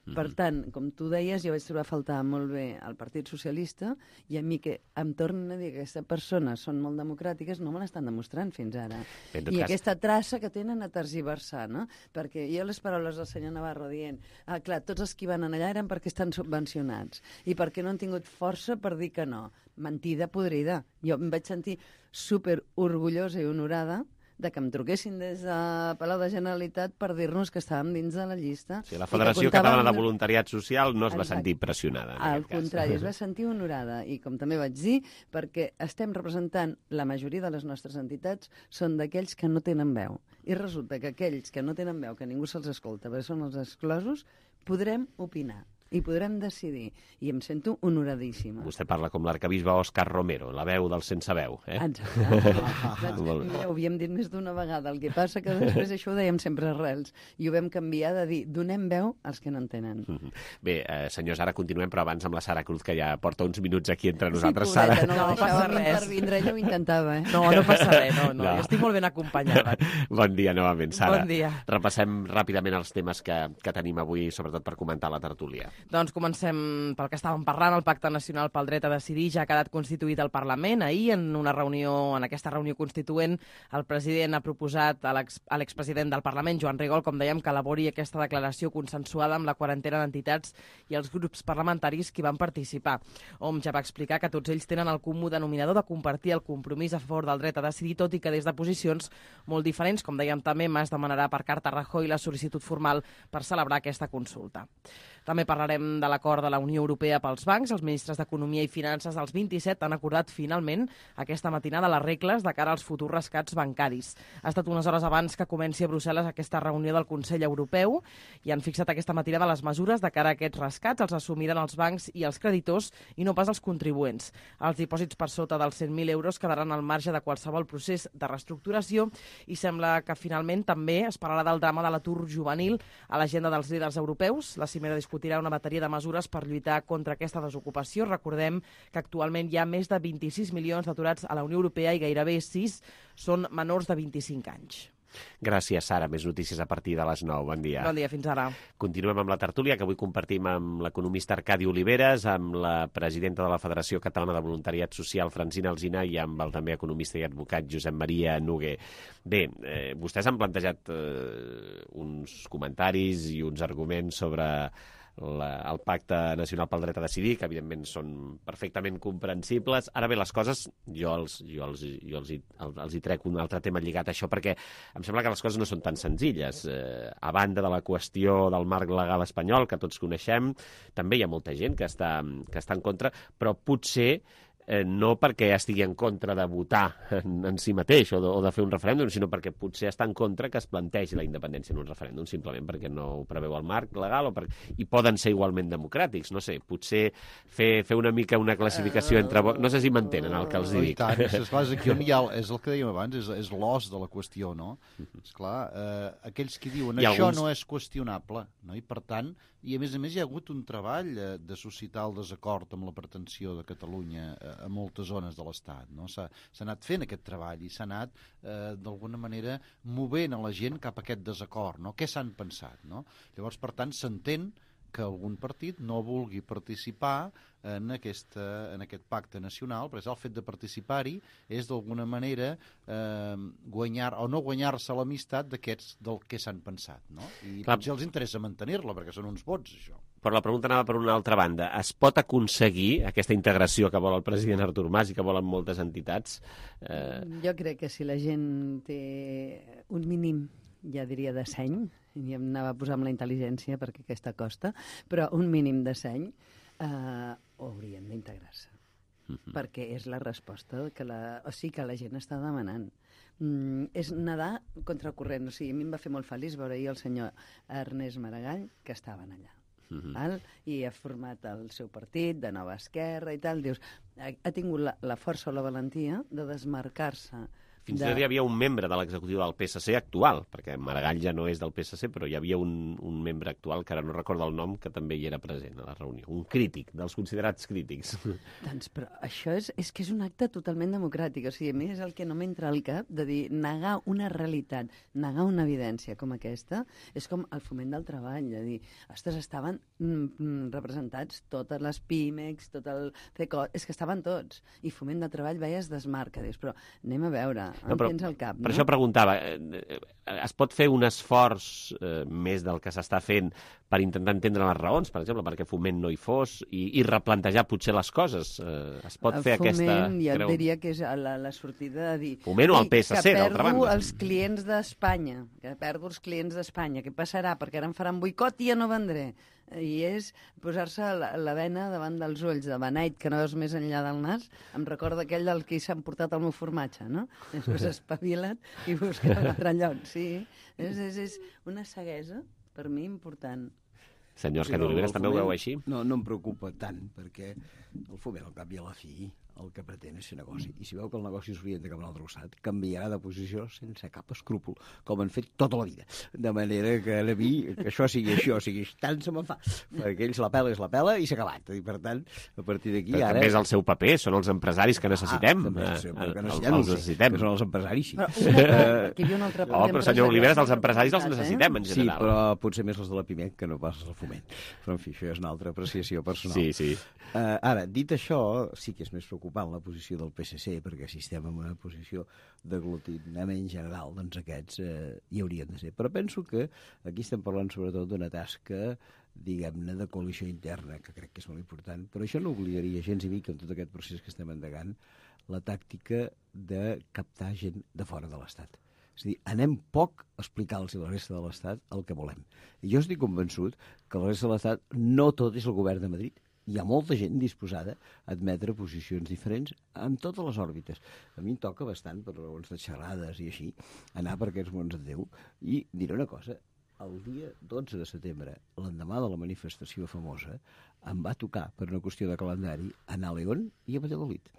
Per tant, com tu deies, jo vaig trobar a faltar molt bé al Partit Socialista i a mi que em tornen a dir que aquestes persones són molt democràtiques no me l'estan demostrant fins ara. I aquesta traça que tenen a tergiversar, no? Perquè jo les paraules del senyor Navarro dient clar, tots els que van allà eren perquè estan subvencionats i perquè no han tingut força per dir que no. Mentida podrida. Jo em vaig sentir super orgullosa i honorada de que em truquessin des de Palau de Generalitat per dir-nos que estàvem dins de la llista. Sí, la Federació Catalana de Voluntariat Social no es va sentir pressionada. Al contrari, es va sentir honorada. I com també vaig dir, perquè estem representant la majoria de les nostres entitats són d'aquells que no tenen veu. I resulta que aquells que no tenen veu, que ningú se'ls escolta, perquè són els exclosos, podrem opinar i podrem decidir. I em sento honoradíssima. Vostè parla com l'arcabisbe Òscar Romero, la veu del sense veu. Exacte. Mira, ho havíem dit més d'una vegada. El que passa que després això ho dèiem sempre arrels. I ho vam canviar de dir, donem veu als que no en tenen. Bé, senyors, ara continuem, però abans amb la Sara Cruz, que ja porta uns minuts aquí entre nosaltres. Sí, pobreta, Sara. no passa res. Intervindre, ella ho intentava, No passa res, no. Jo estic molt ben acompanyada. Bon dia, novament, Sara. Bon dia. Repassem ràpidament els temes que tenim avui, sobretot per comentar la tertúlia. Doncs comencem pel que estàvem parlant. El Pacte Nacional pel Dret a Decidir ja ha quedat constituït al Parlament. Ahir, en aquesta reunió constituent, el president ha proposat a l'expresident del Parlament, Joan Rigol, com dèiem, que elabori aquesta declaració consensuada amb la quarantena d'entitats i els grups parlamentaris que van participar. Hom ja va explicar que tots ells tenen el comú denominador de compartir el compromís a favor del dret a decidir, tot i que des de posicions molt diferents. Com dèiem també, Mas demanarà per carta a Rajoy la sol·licitud formal per celebrar aquesta consulta. També parlarem de l'acord de la Unió Europea pels bancs. Els ministres d'Economia i Finances dels 27 han acordat finalment aquesta matinada les regles de cara als futurs rescats bancaris. Ha estat unes hores abans que comenci a Brussel·les aquesta reunió del Consell Europeu i han fixat aquesta matinada les mesures de cara a aquests rescats. Els assumiran els bancs i els creditors i no pas els contribuents. Els dipòsits per sota dels 100.000 euros quedaran al marge de qualsevol procés de reestructuració i sembla que finalment també es parlarà del drama de l'atur juvenil a l'agenda dels líders europeus. La cimera discutirà una bateria de mesures per lluitar contra aquesta desocupació. Recordem que actualment hi ha més de 26 milions d'aturats a la Unió Europea i gairebé 6 són menors de 25 anys. Gràcies, Sara. Més notícies a partir de les 9. Bon dia. Bon dia, fins ara. Continuem amb la tertúlia, que avui compartim amb l'economista Arcadi Oliveres, amb la presidenta de la Federació Catalana de Voluntariat Social, Francina Alsina, i amb el també economista i advocat Josep Maria Noguer. Bé, vostès han plantejat uns comentaris i uns arguments sobre el Pacte Nacional pel Dret a Decidir, que evidentment són perfectament comprensibles. Ara bé, les coses, jo els hi trec un altre tema lligat a això, perquè em sembla que les coses no són tan senzilles. A banda de la qüestió del marc legal espanyol, que tots coneixem, també hi ha molta gent que està en contra, però potser no perquè estigui en contra de votar en si mateix o de fer un referèndum, sinó perquè potser està en contra que es plantegi la independència en un referèndum, simplement perquè no ho preveu el marc legal i poden ser igualment democràtics. No sé, potser fer una mica una classificació entre... No sé si m'entenen el que els dic. I tant, esclar, és aquí on hi ha... És el que dèiem abans, és l'os de la qüestió, no? Esclar, aquells que diuen això no és qüestionable, no? I per tant, i a més hi ha hagut un treball de suscitar el desacord amb la pretensió de Catalunya a moltes zones de l'Estat, no? S'ha anat fent aquest treball i s'ha anat d'alguna manera movent a la gent cap a aquest desacord, no? Què s'han pensat, no? Llavors, per tant, s'entén que algun partit no vulgui participar en aquest pacte nacional, perquè el fet de participar-hi és d'alguna manera guanyar o no guanyar-se l'amistat d'aquests del que s'han pensat, no? I potser els interessa mantenir-la, perquè són uns vots, això. Però la pregunta anava per una altra banda. Es pot aconseguir aquesta integració que vol el president Artur Mas i que volen moltes entitats? Jo crec que si la gent té un mínim, ja diria, de seny, i em anava a posar amb la intel·ligència perquè aquesta costa, però un mínim de seny haurien d'integrar-se. Perquè és la resposta que la gent està demanant. És nedar contra corrent. O sigui, a mi em va fer molt feliç veure ahir el senyor Ernest Maragall, que estaven allà. I ha format el seu partit de Nova Esquerra i tal. Dius, ha tingut la força o la valentia de desmarcar-se. Fins i tot hi havia un membre de l'executiu del PSC actual, perquè Maragall ja no és del PSC, però hi havia un membre actual, que ara no recordo el nom, que també hi era present a la reunió. Un crític, dels considerats crítics. Doncs, però això és que és un acte totalment democràtic. O sigui, a mi és el que no m'entra al cap de dir, negar una realitat, negar una evidència com aquesta, és com el foment del treball, de dir, ostres, estaven representats totes les PIMEX, tot el CECO, és que estaven tots. I foment del treball, es desmarca, dius, però anem a veure... tens al cap. Per això preguntava, es pot fer un esforç més del que s'està fent per intentar entendre les raons, per exemple, perquè Foment no hi fos, i replantejar potser les coses? Es pot fer aquesta... Foment, ja et diria que és la sortida de dir... Foment o el PSC, d'altra banda. Que perdo els clients d'Espanya, què passarà? Perquè ara em faran boicot i ja no vendré. I és posar-se la bena davant dels ulls de beneit, que no veus més enllà del nas. Em recorda aquell del que s'han portat el meu formatge, no? Després espavila't i busca un altre lloc. Sí, és una ceguesa, per mi, important. Senyor Arcadi Oliveres, també ho veu així? No em preocupa tant, perquè el Foment, al cap i a la fi, el que pretén és fer negoci. I si veu que el negoci s'orienta cap a un altre costat, canviarà de posició sense cap escrúpol, com han fet tota la vida. De manera que a mi, que això sigui això, sigui tant se me'n fa. Perquè ells la pela és la pela i s'ha acabat. I per tant, a partir d'aquí ara... També és el seu paper, són els empresaris que necessitem. Els necessitem. Que són els empresaris, sí. Que hi havia un altre però senyor Oliveres, els empresaris els necessitem, en general. Sí, però potser més els de la Pimec que no pas els del Foment. Però, en fi, això és una altra apreciació personal. Sí. Ara, dit això, sí que és més preocupant la posició del PSC, perquè si estem en una posició d'aglutinament general, doncs aquests hi haurien de ser. Però penso que aquí estem parlant sobretot d'una tasca, diguem-ne, de coalició interna, que crec que és molt important, però això no obligaria gens i mica en tot aquest procés que estem endegant la tàctica de captar gent de fora de l'Estat. És a dir, anem poc a explicar-los a la resta de l'Estat el que volem. I jo estic convençut que la resta de l'Estat no tot és el govern de Madrid. Hi ha molta gent disposada a admetre posicions diferents en totes les òrbites. A mi em toca bastant, per raons de xerrades i així, anar per aquests mons de Déu. I diré una cosa, el dia 12 de setembre, l'endemà de la manifestació famosa, em va tocar, per una qüestió de calendari, anar a León i a Valladolid.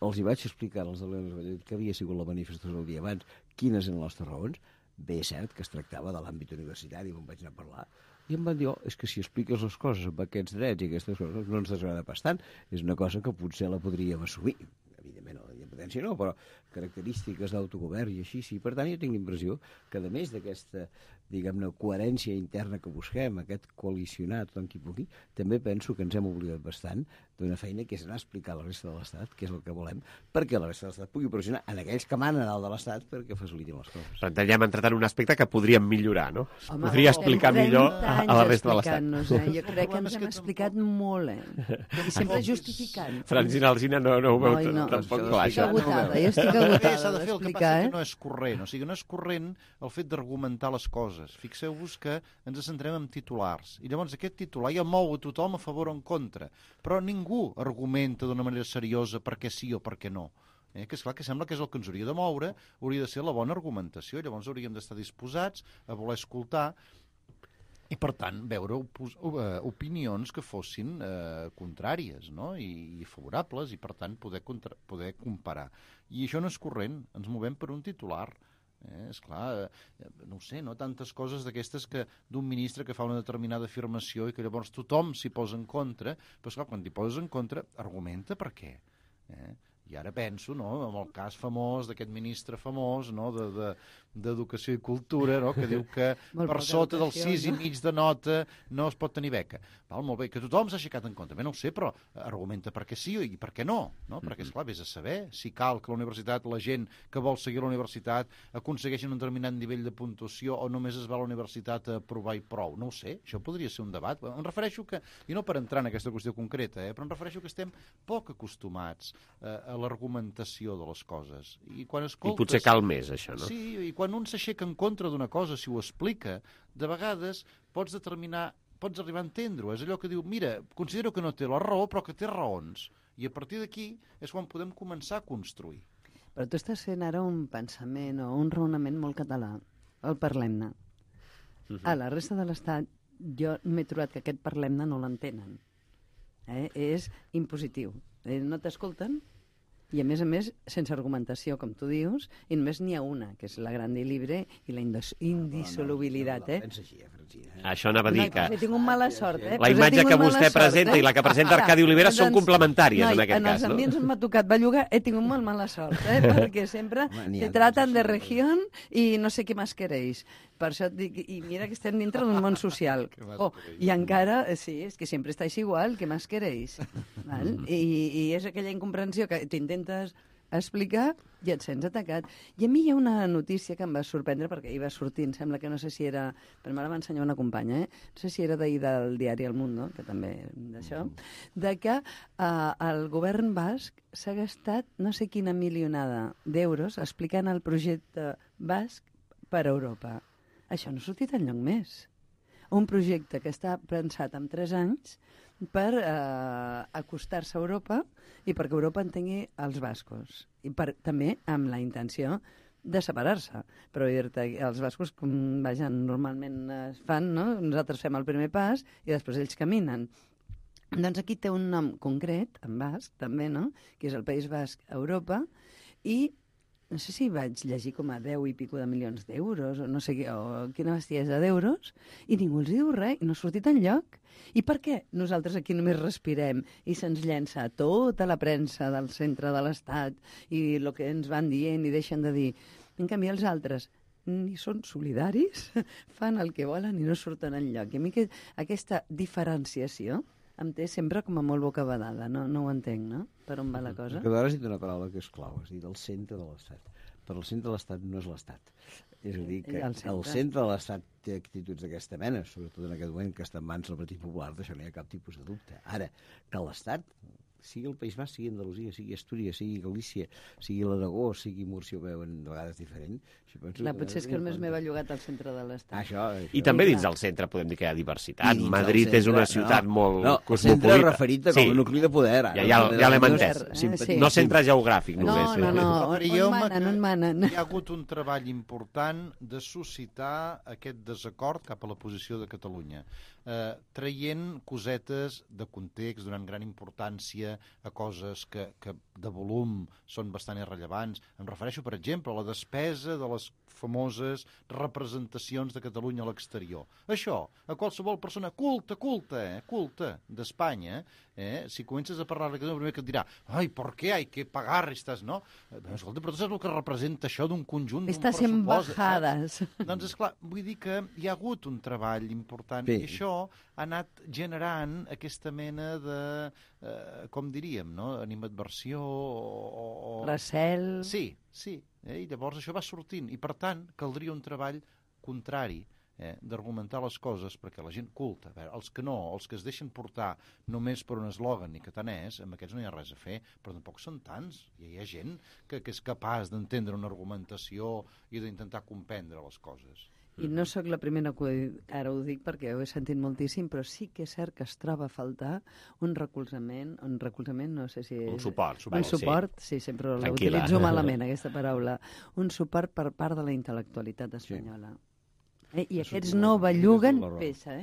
Els hi vaig explicar als de León i Valladolid que havia sigut la manifestació el dia abans, quines eren les raons. Bé, és cert que es tractava de l'àmbit universitari, on vaig anar a parlar, i em van dir, és que si expliques les coses amb aquests drets i aquestes coses no ens desagrada bastant, és una cosa que potser la podríem assumir. Evidentment, la independència no, però característiques d'autogovern i així sí. Per tant, jo tinc l'impressió que, a més d'aquesta, diguem-ne, coherència interna que busquem, aquest coalicionar tothom qui pugui, també penso que ens hem oblidat bastant d'una feina que és anar a explicar a la resta de l'Estat què és el que volem, perquè la resta de l'Estat pugui pressionar en aquells que manen a dalt de l'Estat perquè facilitin les coses. Per tant, ja hem entrat en un aspecte que podríem millorar, no? Podria explicar millor a la resta de l'Estat. Jo crec que ens hem explicat molt, I sempre justificant. Francina Alsina no ho veu tampoc clar, això. Jo estic agotada s'ha de fer, el que passa que no és corrent. O sigui, no és corrent el fet d'argumentar les coses. Fixeu-vos que ens centrem en titulars. I llavors aquest titular ja mou a tothom a favor o en contra. Però ningú argumenta d'una manera seriosa per què sí o per què no. Que és clar que sembla que és el que ens hauria de moure, hauria de ser la bona argumentació. Llavors hauríem d'estar disposats a voler escoltar i, per tant, veure opinions que fossin contràries, no? I favorables, i, per tant, poder comparar. I això no és corrent, ens movem per un titular. És clar, no ho sé, no? Tantes coses d'aquestes que d'un ministre que fa una determinada afirmació i que llavors tothom s'hi posa en contra, però esclar, quan t'hi poses en contra, argumenta per què. I ara penso, no?, en el cas famós d'aquest ministre famós, no?, d'Educació i Cultura, no?, que diu que per sota del 6,5 de nota no es pot tenir beca. Val, molt bé, que tothom s'ha aixecat en contra. Bé, no ho sé, però argumenta per què sí i per què no, no? Perquè, esclar, vés a saber si cal que la universitat, la gent que vol seguir la universitat, aconsegueixin un determinat nivell de puntuació o només es va a la universitat a provar i prou. No ho sé, això podria ser un debat. Em refereixo que, i no per entrar en aquesta qüestió concreta, però em refereixo que estem poc acostumats a l'argumentació de les coses. I quan escoltes... I potser cal més, això, no? Sí, i quan un s'aixeca en contra d'una cosa, si ho explica, de vegades pots arribar a entendre-ho. És allò que diu, mira, considero que no té la raó, però que té raons. I a partir d'aquí és quan podem començar a construir. Però tu estàs fent ara un pensament o un raonament molt català. El parlem-ne. A la resta de l'Estat jo m'he trobat que aquest parlem-ne no l'entenen. És impositiu. No t'escolten i, a més, sense argumentació, com tu dius, i només n'hi ha una, que és la grande i libre i la indissolubilitat. Això anava a dir que... Tinc un mala sort, La imatge que vostè presenta i la que presenta Arcadi Oliveres són complementàries, en aquest cas, no? En els ambients on m'ha tocat bellugar he tingut molt mala sort, perquè sempre te tratan de regió i no sé què més queréis. Per això et dic, i mira que estem dintre d'un món social. I encara, sí, és que sempre estàs igual, què més queréis? I és aquella incomprensió que t'intentes explicar i et sents atacat. I a mi hi ha una notícia que em va sorprendre, perquè ahir va sortir, em sembla que no sé si era... Però me la va ensenyar una companya, no sé si era d'ahir del diari El Mundo, que també d'això, de que el govern basc s'ha gastat no sé quina milionada d'euros explicant el projecte basc per Europa. Això no ha sortit enlloc més. Un projecte que està pensat en 3 anys per acostar-se a Europa i perquè Europa entengui els bascos. I també amb la intenció de separar-se. Però dir-te, els bascos, com normalment es fan, no? Nosaltres fem el primer pas i després ells caminen. Doncs aquí té un nom concret, en basc, també, no?, que és el País Basc a Europa, i no sé si vaig llegir com a 10 i pico de milions d'euros, o no sé quina bestiesa d'euros, i ningú els diu res, i no ha sortit enlloc. I per què nosaltres aquí només respirem i se'ns llença tota la premsa del centre de l'Estat i el que ens van dient i deixen de dir? En canvi, els altres ni són solidaris, fan el que volen i no surten enlloc. I a mi aquesta diferenciació em té sempre com a molt bocabadada, no ho entenc, no? Per on va la cosa? Que d'hora has dit una paraula que és clau, has dit el centre de l'Estat. Però el centre de l'Estat no és l'Estat. És a dir, que el centre de l'Estat té actituds d'aquesta mena, sobretot en aquest moment que està en mans del Partit Popular, d'això no hi ha cap tipus de dubte. Ara, que l'Estat, sigui el País Basc, sigui Andalusia, sigui Astúries, sigui Galícia, sigui l'Aragó, sigui Múrcia, ho veuen de vegades diferent. Clar, potser és que només m'he bellugat al centre de l'Estat. Això. I també dins del centre podem dir que hi ha diversitat. Madrid és una ciutat molt cosmopolita. El centre referit com a nucli de poder. Ja l'hem entès. No centre geogràfic, només. No, on manen. Hi ha hagut un treball important de suscitar aquest desacord cap a la posició de Catalunya, traient cosetes de context, donant gran importància a coses que de volum són bastant irrellevants. Em refereixo, per exemple, a la despesa de les famoses representacions de Catalunya a l'exterior. Això, a qualsevol persona culta d'Espanya, si comences a parlar de Catalunya, el primer que et dirà, ai, ¿por qué hay que pagar estas, no? Escolta, però tu saps el que representa això d'un conjunt, d'un pressupost? Estas embajades. Doncs, esclar, vull dir que hi ha hagut un treball important i això ha anat generant aquesta mena de, com diríem, no? Animadversió o... Recel. Sí. I llavors això va sortint i per tant caldria un treball contrari d'argumentar les coses perquè la gent culta, els que no, els que es deixen portar només per un eslògan i que tant és, amb aquests no hi ha res a fer, però tampoc són tants. Hi ha gent que és capaç d'entendre una argumentació i d'intentar comprendre les coses. I no sóc la primera que ara ho dic perquè ho he sentit moltíssim, però sí que és cert que es troba a faltar un recolzament, no sé si... Un suport, sí, sempre l'utilitzo malament, aquesta paraula. Un suport per part de la intel·lectualitat espanyola. I aquests no belluguen peça,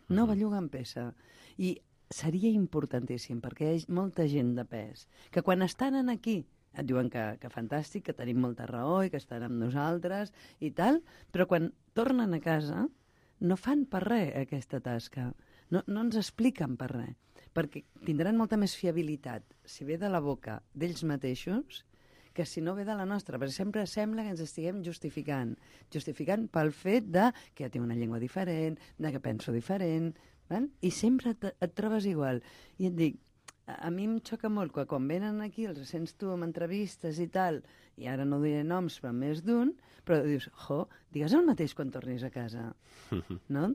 No belluguen peça. I seria importantíssim, perquè hi ha molta gent de pes, que quan estan aquí et diuen que fantàstic, que tenim molta raó i que estan amb nosaltres i tal, però quan tornen a casa no fan per res aquesta tasca. No ens expliquen per res, perquè tindran molta més fiabilitat si ve de la boca d'ells mateixos que si no ve de la nostra, perquè sempre sembla que ens estiguem justificant pel fet de que tinc una llengua diferent, de que penso diferent, i sempre et trobes igual. I et dic, a mi em xoca molt que quan venen aquí els sents tu amb entrevistes i tal, i ara no diré noms, però més d'un, però dius, digues el mateix quan tornis a casa, no?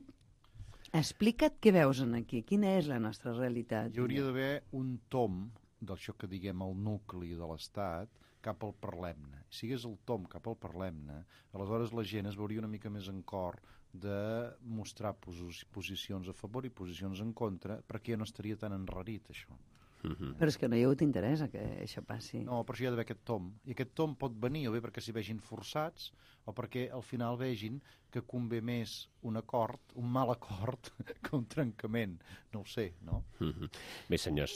Explica't què veus aquí, quina és la nostra realitat. Hi hauria d'haver un tom d'això que diguem el nucli de l'Estat cap al parlem-ne. Si hagués el tom cap al parlem-ne, aleshores la gent es veuria una mica més en cor de mostrar posicions a favor i posicions en contra, perquè ja no estaria tan enrarit, això. Però és que no hi ha hagut interès que això passi. No, però això hi ha d'haver aquest tom. I aquest tom pot venir o bé perquè s'hi vegin forçats o perquè al final vegin que convé més un acord, un mal acord, que un trencament. No ho sé, no? Bé, senyors,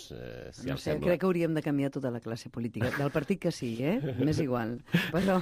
si no sé, crec que hauríem de canviar tota la classe política. Del partit que sigui, m'és igual. Però,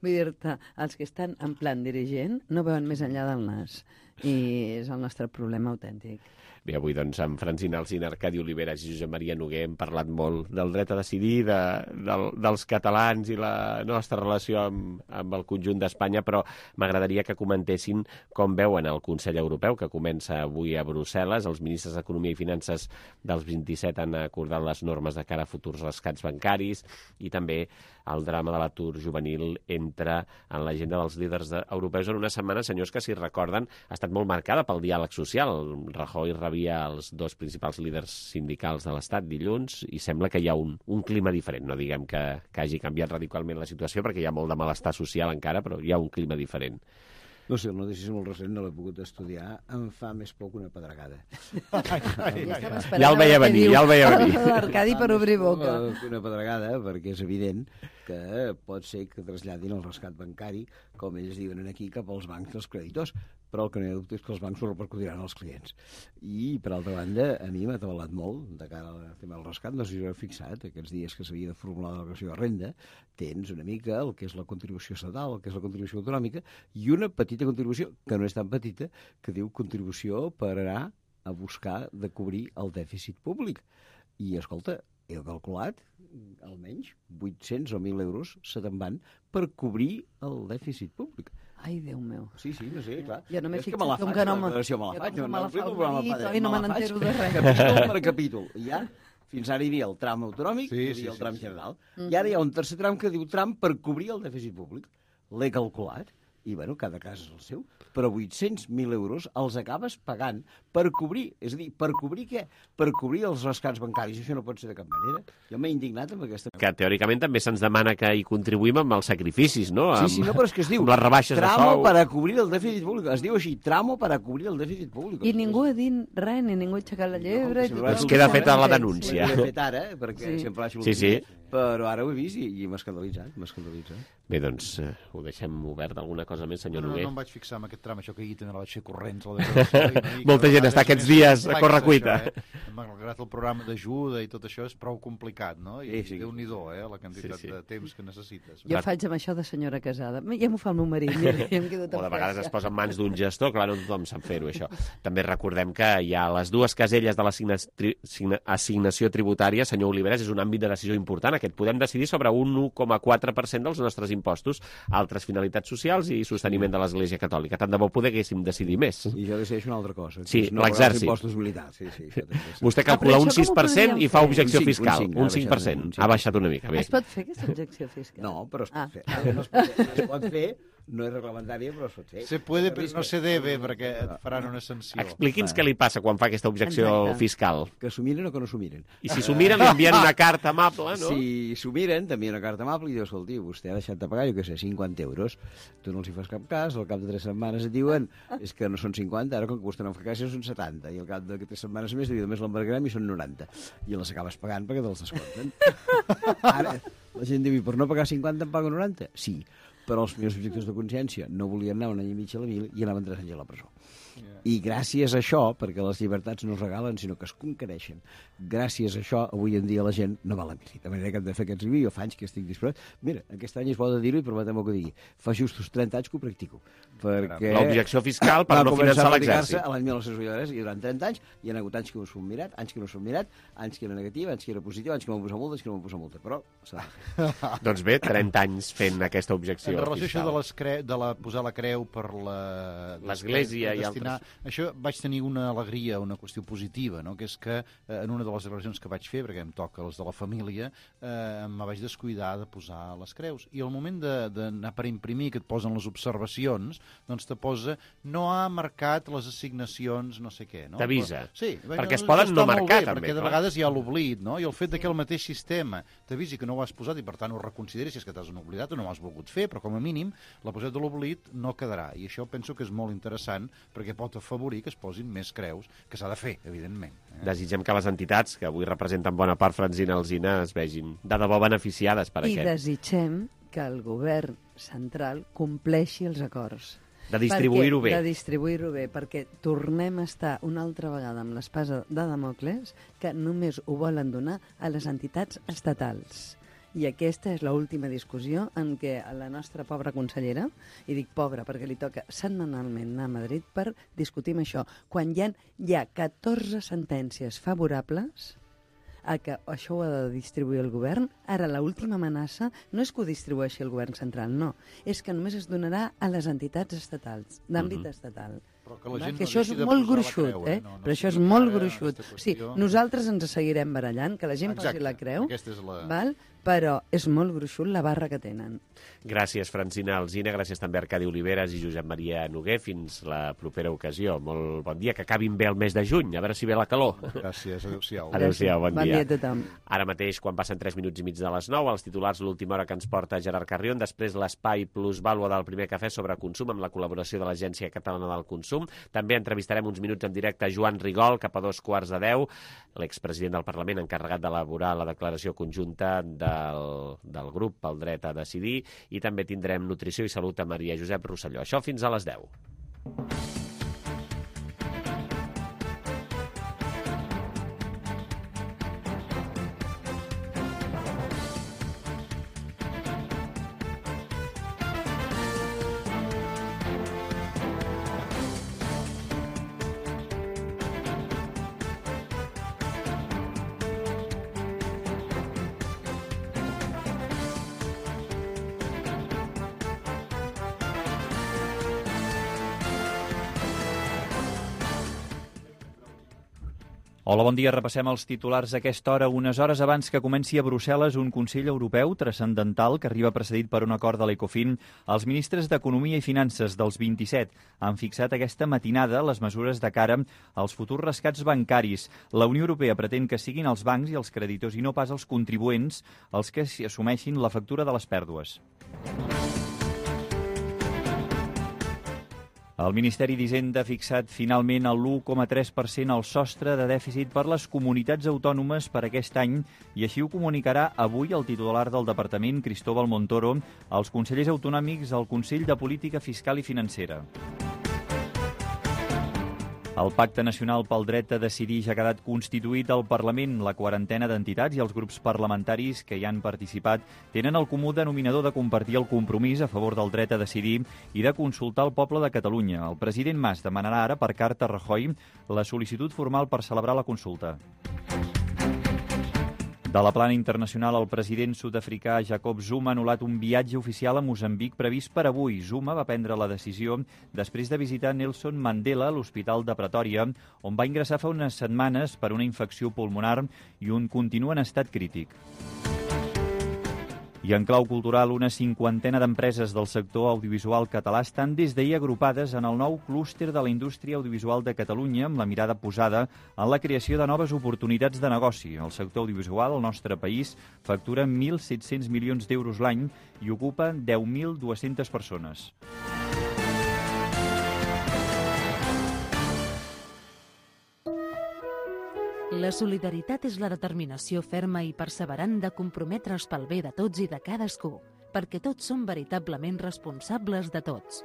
vull dir-te, els que estan en plan dirigent no veuen més enllà del nas. I és el nostre problema autèntic. Bé, avui doncs amb Francina Alsina, Arcadi Oliveres i Josep Maria Noguer hem parlat molt del dret a decidir, dels catalans i la nostra relació amb el conjunt d'Espanya, però m'agradaria que comentessin com veuen el Consell Europeu, que comença avui a Brussel·les. Els ministres d'Economia i Finances dels 27 han acordat les normes de cara a futurs rescats bancaris i també el drama de l'atur juvenil entra en l'agenda dels líders europeus en una setmana, senyors, que, si recorden, ha estat molt marcada pel diàleg social. Rajoy rebia els dos principals líders sindicals de l'Estat dilluns i sembla que hi ha un clima diferent. No diguem que hagi canviat radicalment la situació, perquè hi ha molt de malestar social encara, però hi ha un clima diferent. No sé, el notícia és molt recent, no l'he pogut estudiar, em fa més por que una pedregada. Ja el veia venir, L'Arcadi per obrir boca. Una pedregada, perquè és evident que pot ser que traslladin el rescat bancari, com ells diuen aquí, cap als bancs dels creditors, però el que no hi ha dubte és que els bancs ho repercutiran als clients. I, per altra banda, a mi m'ha atabalat molt de cara al tema del rescat. No sé si ho he fixat, aquests dies que s'havia de formular la declaració de renda, tens una mica el que és la contribució estatal, el que és la contribució autonòmica, i una petita contribució, que no és tan petita, que diu contribució per anar a buscar de cobrir el dèficit públic. I, escolta, he calculat almenys 800 o 1.000 euros se te'n van per cobrir el dèficit públic. Ai, Déu meu. Sí, no sé, clar. Jo no m'he fixat com que no me n'entero de res. Capítol per capítol. I ja, fins ara hi havia el tram autonòmic i hi havia el tram general. I ara hi ha un tercer tram que diu tram per cobrir el dèficit públic. L'he calculat. I, bueno, cada cas és el seu, però 800.000 euros els acabes pagant per cobrir. És a dir, per cobrir què? Per cobrir els rescats bancaris. Això no pot ser de cap manera. Jo m'he indignat amb aquesta... Que teòricament també se'ns demana que hi contribuïm amb els sacrificis, no? Sí, no, però és que es diu... Amb les rebaixes de sou. Tramo para cobrir el dèficit públic. Es diu així, tramo para cobrir el dèficit públic. I ningú ha dit res, ni ningú ha aixecat la llebre... Ens queda feta la denúncia. L'he fet ara, perquè sempre l'ha Sí. Però ara ho he vist i m'ha escandalitzat. Bé, doncs ho deixem obert. Alguna cosa més, senyor Noguer? No em vaig fixar en aquest tram, això que ahir també la vaig fer corrents. Molta gent està aquests dies a correcuita. Malgrat el programa d'ajuda i tot això és prou complicat, no? I Déu-n'hi-do, la quantitat de temps que necessites. Jo faig amb això de senyora casada. Ja m'ho fa el meu marit, mira, ja em quedo tan de vegades es posa en mans d'un gestor, clar, no tothom sap fer-ho, això. També recordem que hi ha les dues caselles de l'assignació tributària, senyor Oliveres, és un àmbit de decisió important. Aquest podem decidir sobre un 1,4% dels nostres impostos, altres finalitats socials i sosteniment de l'Església Catòlica. Tant de bo poguéssim decidir més. I jo decideixo una altra cosa. Sí, l'exèrcit. Impostos militars. Vostè calcula un 6% i fa objecció fiscal. Un 5%. Ha baixat una mica. Es pot fer aquesta objecció fiscal? No, però es pot fer. Es pot fer, no és reglamentària, però es pot fer. Se puede, però no se debe, perquè et faran una sanció. Expliqui'ns què li passa quan fa aquesta objecció fiscal. Que s'ho miren o que no s'ho miren. I si s'ho miren, li envien una carta amable, no? Si s'ho miren, t'envien una carta amable i dius, escolti, vostè ha deixat de pagar, jo què sé, 50 euros. Tu no els hi fas cap cas, al cap de 3 setmanes et diuen és que no són 50, ara com que vostè no en fa cas són 70, i al cap de 3 setmanes més només l'embargarem i són 90. I les acabes pagant perquè te'ls descompten. Ara, la gent diu, per no pagar 50 em pago 90? Sí, però els meus objectors de consciència no volien anar un any i mig a la mil i anaven 3 anys a la presó. I gràcies a això, perquè les llibertats no es regalen, sinó que es conquereixen, gràcies a això, avui en dia la gent no va a la mili. De manera que hem de fer aquests vídeos, fa anys que estic disposat. Mira, aquest any es pot dir-ho i permetem que ho digui. Fa justos 30 anys que ho practico. Perquè l'objecció fiscal per no finançar l'exèrcit. A l'any 1983 i durant 30 anys hi ha hagut anys que no s'ho han mirat, anys que no s'ho han mirat, anys que era negativa, anys que era positiva, anys que m'han posat multa, anys que no m'han posat multa. Però s'ha de fer. Doncs bé, 30 anys fent aquesta objecció fiscal. En relació això de posar la creu per l'Església i altres. Això vaig tenir una alegria, una qüestió positiva, no? Que és que en una de les declaracions que vaig fer, perquè em toca les de la família, em vaig descuidar de posar les creus. I al moment d'anar per imprimir, que et posen les observacions, doncs te posa, no ha marcat les assignacions, no sé què. No? T'avisa. Sí. Perquè es poden no marcar, bé, també. Perquè de vegades hi ha l'oblit, no? I el fet que el mateix sistema t'avisi que no ho has posat i per tant ho reconsideris si és que t'has oblidat o no ho has volgut fer, però com a mínim la posada de l'oblit no quedarà. I això penso que és molt interessant perquè pot afavorir que es posin més creus, que s'ha de fer, evidentment. Desitgem que les entitats, que avui representen bona part Francina Alsina, es vegin de debò beneficiades per aquest. I desitgem que el govern central compleixi els acords. De distribuir-ho bé. De distribuir-ho bé, perquè tornem a estar una altra vegada amb l'espasa de Damocles, que només ho volen donar a les entitats estatals. I aquesta és l'última discussió en què la nostra pobra consellera, i dic pobra perquè li toca setmanalment anar a Madrid per discutir amb això, quan hi ha 14 sentències favorables a que això ho ha de distribuir el govern. Ara, l'última amenaça no és que ho distribueixi el govern central, no. És que només es donarà a les entitats estatals, d'àmbit estatal. Però que la gent que no això és deixi de molt posar la gruixut, creu, no però això és sigui molt ara gruixut. aquesta Sí, qüestió. nosaltres ens seguirem barallant, que la gent posi la creu, aquesta és la... val? Però és molt gruixut la barra que tenen. Gràcies, Francina Alsina, gràcies també a Arcadi Oliveres i Josep Maria Noguer. Fins la propera ocasió. Molt bon dia, que acabin bé el mes de juny, a veure si ve la calor. Gràcies, adéu-siau. Adéu-siau, bon dia. Bon dia a tothom. Ara mateix, quan passen 3 minuts i mig de les 9, els titulars l'última hora que ens porta Gerard Carrion, després l'espai plusvàlua del primer cafè sobre consum amb la col·laboració de l'Agència Catalana del Consum. També entrevistarem uns minuts en directe a Joan Rigol, cap a 2:15, l'expresident del Parlament encarregat d'elaborar la declaració conjunta del grup pel dret a decidir, i també tindrem nutrició i salut a Maria Josep Rosselló. Això fins a les 10. Hola, bon dia. Repassem els titulars a aquesta hora. Unes hores abans que comenci a Brussel·les un Consell Europeu transcendental que arriba precedit per un acord de l'Ecofin, els ministres d'Economia i Finances dels 27 han fixat aquesta matinada les mesures de cara als futurs rescats bancaris. La Unió Europea pretén que siguin els bancs i els creditors i no pas els contribuents els que assumeixin la factura de les pèrdues. El Ministeri d'Hisenda ha fixat finalment el 1,3% al sostre de dèficit per les comunitats autònomes per aquest any i així ho comunicarà avui el titular del departament, Cristóbal Montoro, als consellers autonòmics al Consell de Política Fiscal i Financera. El Pacte Nacional pel Dret a Decidir ja ha quedat constituït al Parlament. La quarantena d'entitats i els grups parlamentaris que hi han participat tenen el comú denominador de compartir el compromís a favor del dret a decidir i de consultar el poble de Catalunya. El president Mas demanarà ara per carta a Rajoy la sol·licitud formal per celebrar la consulta. De la plana internacional, el president sud-africà Jacob Zuma ha anul·lat un viatge oficial a Moçambic previst per avui. Zuma va prendre la decisió després de visitar Nelson Mandela a l'Hospital de Pretòria, on va ingressar fa unes setmanes per una infecció pulmonar i on continua en estat crític. I en clau cultural, una cinquantena d'empreses del sector audiovisual català estan des d'ahir agrupades en el nou clúster de la indústria audiovisual de Catalunya amb la mirada posada en la creació de noves oportunitats de negoci. El sector audiovisual al nostre país factura 1.700 milions d'euros l'any i ocupa 10.200 persones. La solidaritat és la determinació ferma i perseverant de comprometre's pel bé de tots i de cadascú, perquè tots som veritablement responsables de tots.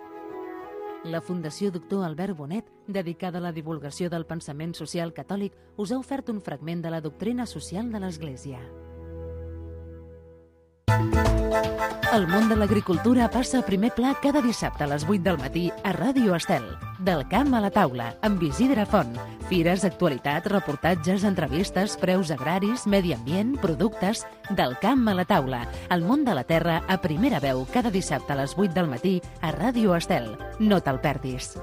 La Fundació Doctor Albert Bonet, dedicada a la divulgació del pensament social catòlic, us ha ofert un fragment de la doctrina social de l'Església. El món de l'agricultura passa a primer pla cada dissabte a les 8 del matí a Ràdio Estel. Del camp a la taula, amb Isidre Font. Fires, actualitat, reportatges, entrevistes, preus agraris, medi ambient, productes... Del camp a la taula. El món de la terra a primera veu cada dissabte a les 8 del matí a Ràdio Estel. No te'l perdis.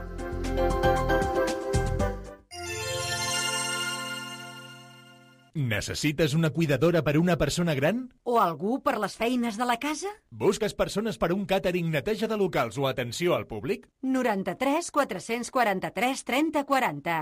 Necessites una cuidadora per a una persona gran? O algú per les feines de la casa? Busques persones per a un càtering, neteja de locals o atenció al públic? 93 443 30 40.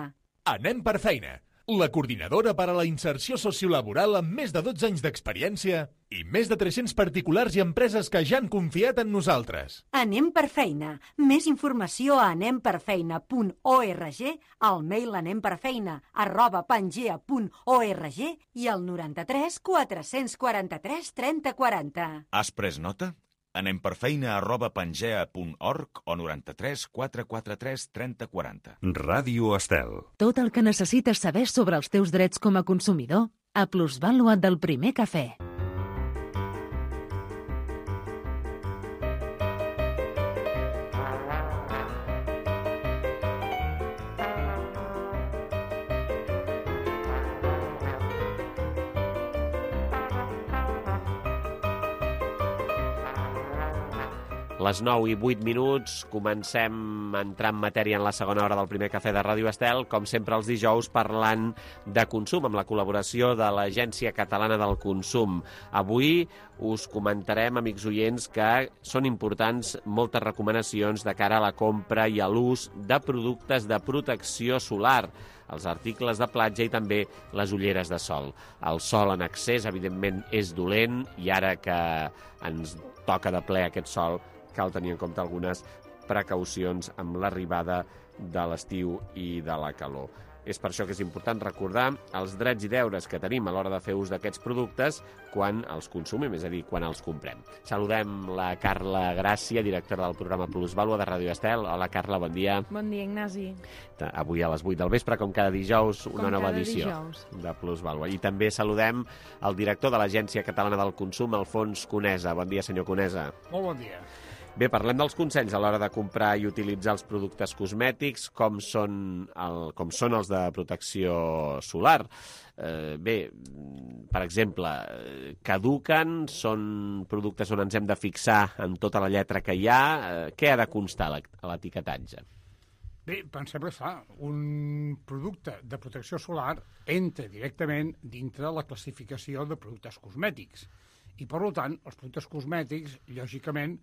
Anem per feina. La coordinadora per a la inserció sociolaboral amb més de 12 anys d'experiència i més de 300 particulars i empreses que ja han confiat en nosaltres. Anem per feina. Més informació a anemperfeina.org, al mail anemperfeina@pangea.org i al 93 443 30 40. Has pres nota? anemperfeina@pangea.org o 93 443 30 40. Ràdio Estel. Tot el que necessites saber sobre els teus drets com a consumidor a Plusvàlua del primer cafè. Les 9:08, comencem a entrar en matèria en la segona hora del primer cafè de Ràdio Estel, com sempre els dijous, parlant de consum, amb la col·laboració de l'Agència Catalana del Consum. Avui us comentarem, amics oients, que són importants moltes recomanacions de cara a la compra i a l'ús de productes de protecció solar, els articles de platja i també les ulleres de sol. El sol en excés, evidentment, és dolent i ara que ens toca de ple aquest sol, cal tenir en compte algunes precaucions amb l'arribada de l'estiu i de la calor. És per això que és important recordar els drets i deures que tenim a l'hora de fer ús d'aquests productes quan els consumim, és a dir, quan els comprem. Saludem la Carla Gràcia, directora del programa Plusvàlua de Ràdio Estel. Hola, Carla, bon dia. Bon dia, Ignasi. Avui a les 8 del vespre, com cada dijous, una nova edició de Plusvàlua. I també saludem el director de l'Agència Catalana del Consum, Alfons Conesa. Bon dia, senyor Conesa. Molt bon dia. Bé, parlem dels consells a l'hora de comprar i utilitzar els productes cosmètics, com són els de protecció solar. Bé, per exemple, caduquen, són productes on ens hem de fixar en tota la lletra que hi ha. Què ha de constar a l'etiquetatge? Bé, pensem que un producte de protecció solar entra directament dintre la classificació de productes cosmètics. I, per tant, els productes cosmètics, lògicament,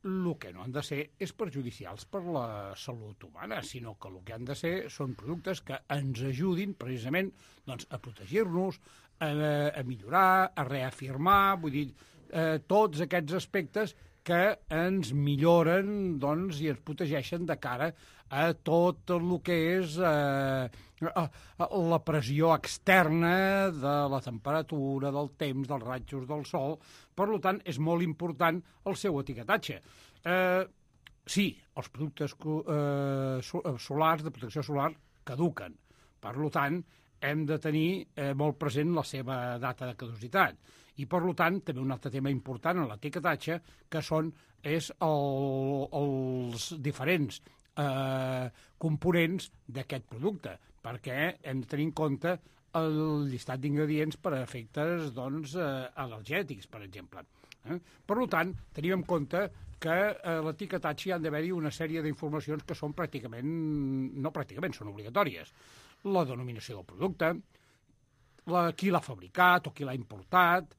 el que no han de ser és perjudicials per la salut humana, sinó que el que han de ser són productes que ens ajudin precisament a protegir-nos, a millorar, a reafirmar, vull dir, tots aquests aspectes que ens milloren i ens protegeixen de cara a tot el que és la pressió externa de la temperatura, del temps, dels rajos del sol. Per tant, és molt important el seu etiquetatge. Sí, els productes solars, de protecció solar, caduquen. Per tant, hem de tenir molt present la seva data de caducitat. I, per tant, també un altre tema important en l'etiquetatge, que és els diferents components d'aquest producte, perquè hem de tenir en compte el llistat d'ingredients per a efectes al·lèrgics, per exemple. Per tant, tenim en compte que a l'etiquetatge hi ha d'haver-hi una sèrie d'informacions que són són obligatòries. La denominació del producte, qui l'ha fabricat o qui l'ha importat,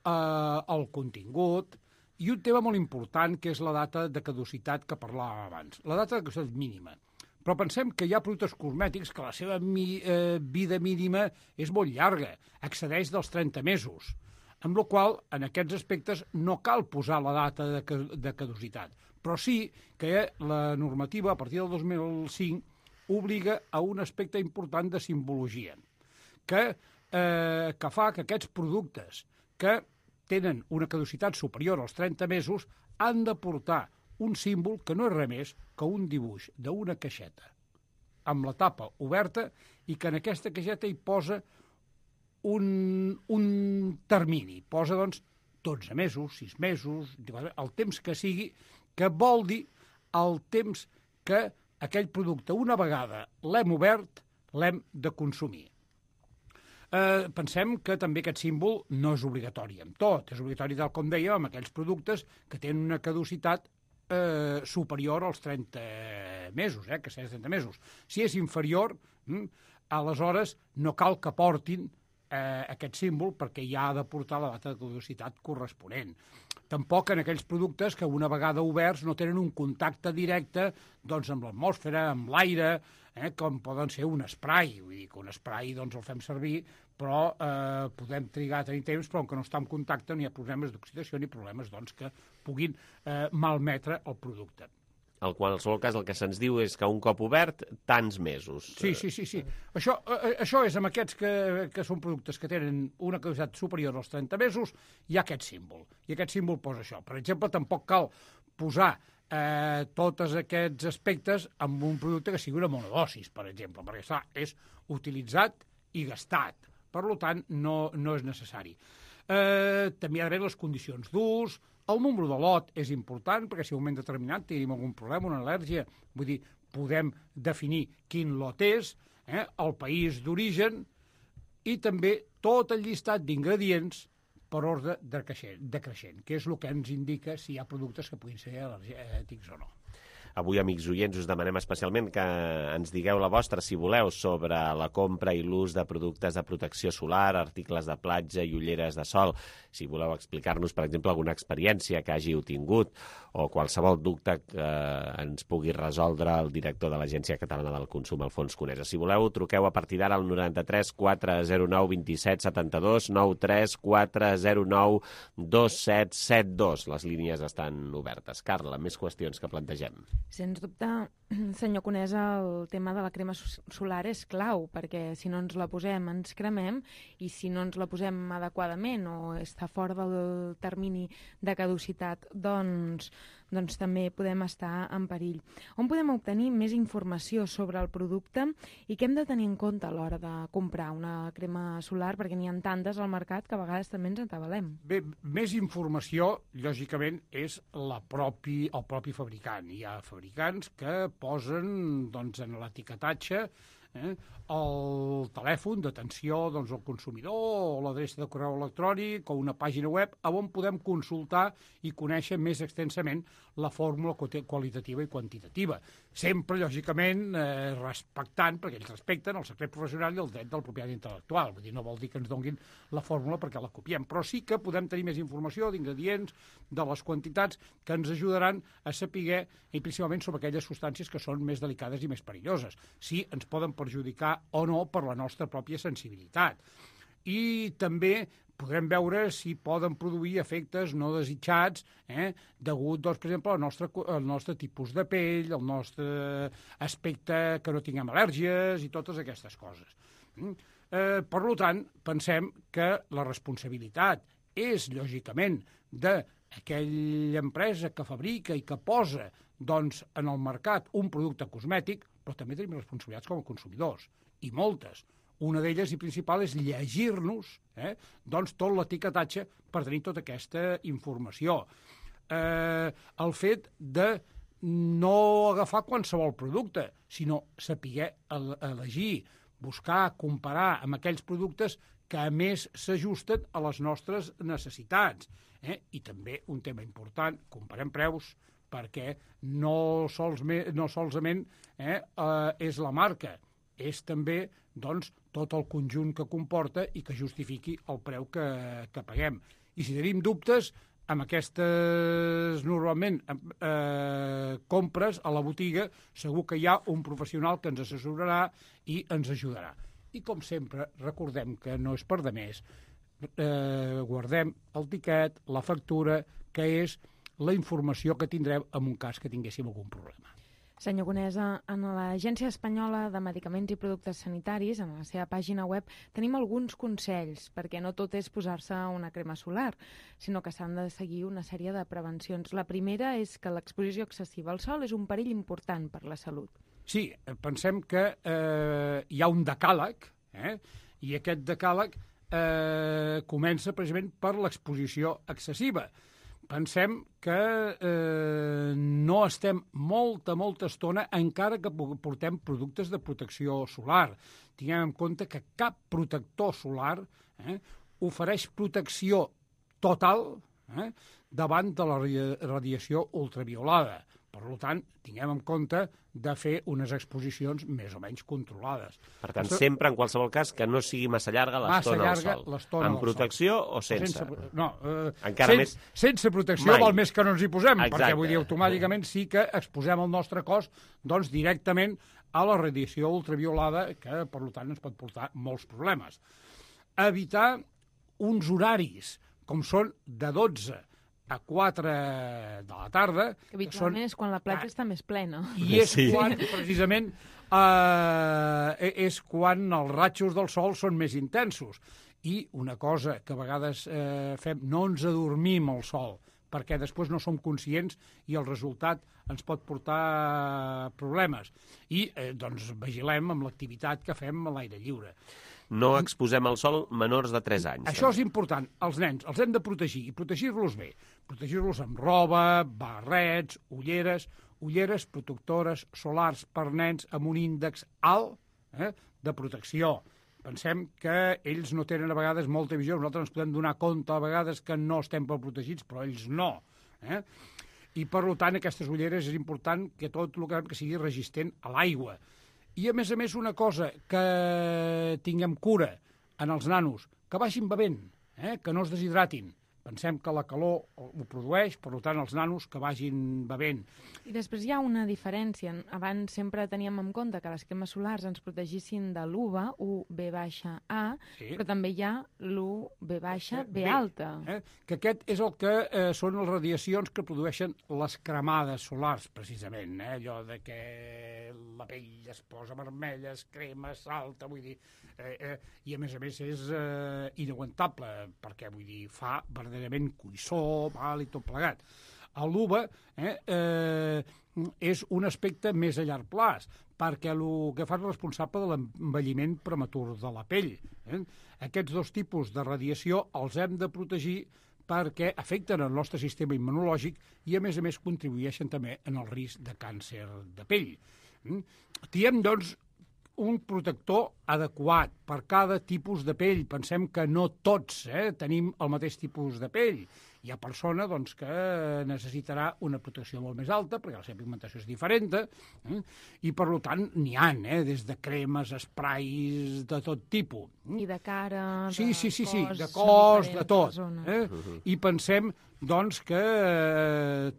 el contingut, i un tema molt important, que és la data de caducitat que parlàvem abans. La data de caducitat mínima. Però pensem que hi ha productes cosmètics que la seva vida mínima és molt llarga, excedeix dels 30 mesos, amb la qual cosa, en aquests aspectes, no cal posar la data de caducitat. Però sí que la normativa, a partir del 2005, obliga a un aspecte important de simbologia, que fa que aquests productes que tenen una caducitat superior als 30 mesos han de portar un símbol que no és res més que un dibuix d'una caixeta amb la tapa oberta i que en aquesta caixeta hi posa un termini. Posa, 12 mesos, 6 mesos, el temps que sigui, que vol dir el temps que aquell producte, una vegada l'hem obert, l'hem de consumir. Pensem que també aquest símbol no és obligatori amb tot. És obligatori, tal com dèiem, amb aquells productes que tenen una caducitat superior als 30 mesos, que és 30 mesos. Si és inferior, aleshores no cal que portin aquest símbol perquè ja ha de portar la data de caducitat corresponent. Tampoc en aquells productes que una vegada oberts no tenen un contacte directe amb l'atmosfera, amb l'aire, com poden ser un spray. Vull dir que un spray el fem servir, però podem trigar a tenir temps, però que no està en contacte no hi ha problemes d'oxidació ni problemes que puguin malmetre el producte. En qualsevol cas, el que se'ns diu és que un cop obert, tants mesos. Sí. Això és amb aquests que són productes que tenen una caducitat superior als 30 mesos, hi ha aquest símbol. I aquest símbol posa això. Per exemple, tampoc cal posar tots aquests aspectes amb un producte que sigui una monodosis, per exemple, perquè és utilitzat i gastat. Per tant, no és necessari. També hi ha d'haver les condicions d'ús. El número de lot és important, perquè si en un moment determinat tenim algun problema, una al·lèrgia, vull dir, podem definir quin lot és, el país d'origen i també tot el llistat d'ingredients per ordre decreixent, que és el que ens indica si hi ha productes que puguin ser al·lèrgics o no. Avui, amics oients, us demanem especialment que ens digueu la vostra, si voleu, sobre la compra i l'ús de productes de protecció solar, articles de platja i ulleres de sol. Si voleu explicar-nos, per exemple, alguna experiència que hàgiu tingut o qualsevol dubte que ens pugui resoldre el director de l'Agència Catalana del Consum, Alfons Conesa. Si voleu, truqueu a partir d'ara al 93 409 27 72, 93 409 2772. Les línies estan obertes. Carla, més qüestions que plantegem. Sens dubte, senyor Conesa, el tema de la crema solar és clau, perquè si no ens la posem ens cremem, i si no ens la posem adequadament o està fora del termini de caducitat, doncs també podem estar en perill. On podem obtenir més informació sobre el producte i què hem de tenir en compte a l'hora de comprar una crema solar, perquè n'hi ha tantes al mercat que a vegades també ens atabalem? Bé, més informació, lògicament, és el propi fabricant. Hi ha fabricants que posen en l'etiquetatge el telèfon d'atenció al consumidor o l'adreça de correu electrònic o una pàgina web on podem consultar i conèixer més extensament la fórmula qualitativa i quantitativa. Sempre, lògicament, respectant, perquè ells respecten el secret professional i el dret del propietat intel·lectual. Vull dir, no vol dir que ens donguin la fórmula perquè la copiem, però sí que podem tenir més informació d'ingredients, de les quantitats, que ens ajudaran a saber, i principalment sobre aquelles substàncies que són més delicades i més perilloses, si ens poden perjudicar o no per la nostra pròpia sensibilitat. I també podrem veure si poden produir efectes no desitjats degut, per exemple, al nostre tipus de pell, al nostre aspecte, que no tinguem al·lèrgies i totes aquestes coses. Per tant, pensem que la responsabilitat és, lògicament, d'aquella empresa que fabrica i que posa en el mercat un producte cosmètic, però també tenim responsabilitats com a consumidors, i moltes. Una d'elles i principal és llegir-nos tot l'etiquetatge per tenir tota aquesta informació. El fet de no agafar qualsevol producte, sinó saber elegir, buscar, comparar amb aquells productes que a més s'ajusten a les nostres necessitats. I també un tema important, comparem preus, perquè no solament és la marca, és també tot el conjunt que comporta i que justifiqui el preu que paguem. I si tenim dubtes, amb aquestes, normalment, compres a la botiga, segur que hi ha un professional que ens assessorarà i ens ajudarà. I, com sempre, recordem que no és per demés, guardem el tiquet, la factura, que és la informació que tindrem en un cas que tinguéssim algun problema. Senyor Conesa, en l'Agència Espanyola de Medicaments i Productes Sanitaris, en la seva pàgina web, tenim alguns consells, perquè no tot és posar-se una crema solar, sinó que s'han de seguir una sèrie de prevencions. La primera és que l'exposició excessiva al sol és un perill important per la salut. Sí, pensem que hi ha un decàleg, i aquest decàleg comença precisament per l'exposició excessiva. Pensem que no estem molta estona encara que portem productes de protecció solar. Tinguem en compte que cap protector solar ofereix protecció total davant de la radiació ultraviolada. Per tant, tinguem en compte de fer unes exposicions més o menys controlades. Per tant, sempre, en qualsevol cas, que no sigui massa llarga l'estona al sol. Amb protecció o sense? No, sense protecció vol més que no ens hi posem, perquè vull dir, automàticament sí que exposem el nostre cos directament a la radiació ultraviolada, que, per tant, ens pot portar molts problemes. Evitar uns horaris, com són de 12 a 4 de la tarda. Que habitualment és quan la platja està més plena. I és quan, precisament, és quan els ratxos del sol són més intensos. I una cosa que a vegades fem, no ens adormim al sol, perquè després no som conscients i el resultat ens pot portar problemes. I, vigilem amb l'activitat que fem a l'aire lliure. No exposem al sol menors de 3 anys. Això és important. Els nens els hem de protegir, i protegir-los bé. Protegir-los amb roba, barrets, ulleres protectores solars per nens amb un índex alt de protecció, Pensem que ells no tenen a vegades molta visió, nosaltres ens podem donar compte a vegades que no estem prou protegits, però ells no. I, per tant, aquestes ulleres és important que tot el que sigui resistent a l'aigua. I, a més, una cosa que tinguem cura en els nanos, que vagin bevent, que no es deshidratin. Pensem que la calor ho produeix, per tant, els nanos que vagin bevent. I després hi ha una diferència. Abans sempre teníem en compte que les cremes solars ens protegissin de l'UVA, UV-A, però també hi ha l'UV-B alta. Que aquest és el que són les radiacions que produeixen les cremades solars, precisament. Allò de que la pell es posa vermella, es crema, salta, vull dir... I, a més, és inaguantable, perquè, vull dir, fa verdaderament cuissó, mal i tot plegat. L'UVA és un aspecte més a llarg plaç, perquè el que fa és responsable de l'envelliment prematur de la pell. Aquests dos tipus de radiació els hem de protegir perquè afecten el nostre sistema immunològic i, a més, contribueixen també en el risc de càncer de pell. Tiem, doncs, un protector adequat per cada tipus de pell. Pensem que no tots tenim el mateix tipus de pell. Hi ha persona que necessitarà una protecció molt més alta, perquè la seva pigmentació és diferent, i per tant n'hi ha, des de cremes, esprais, de tot tipus. I de cara, de cos, de tot. I pensem, que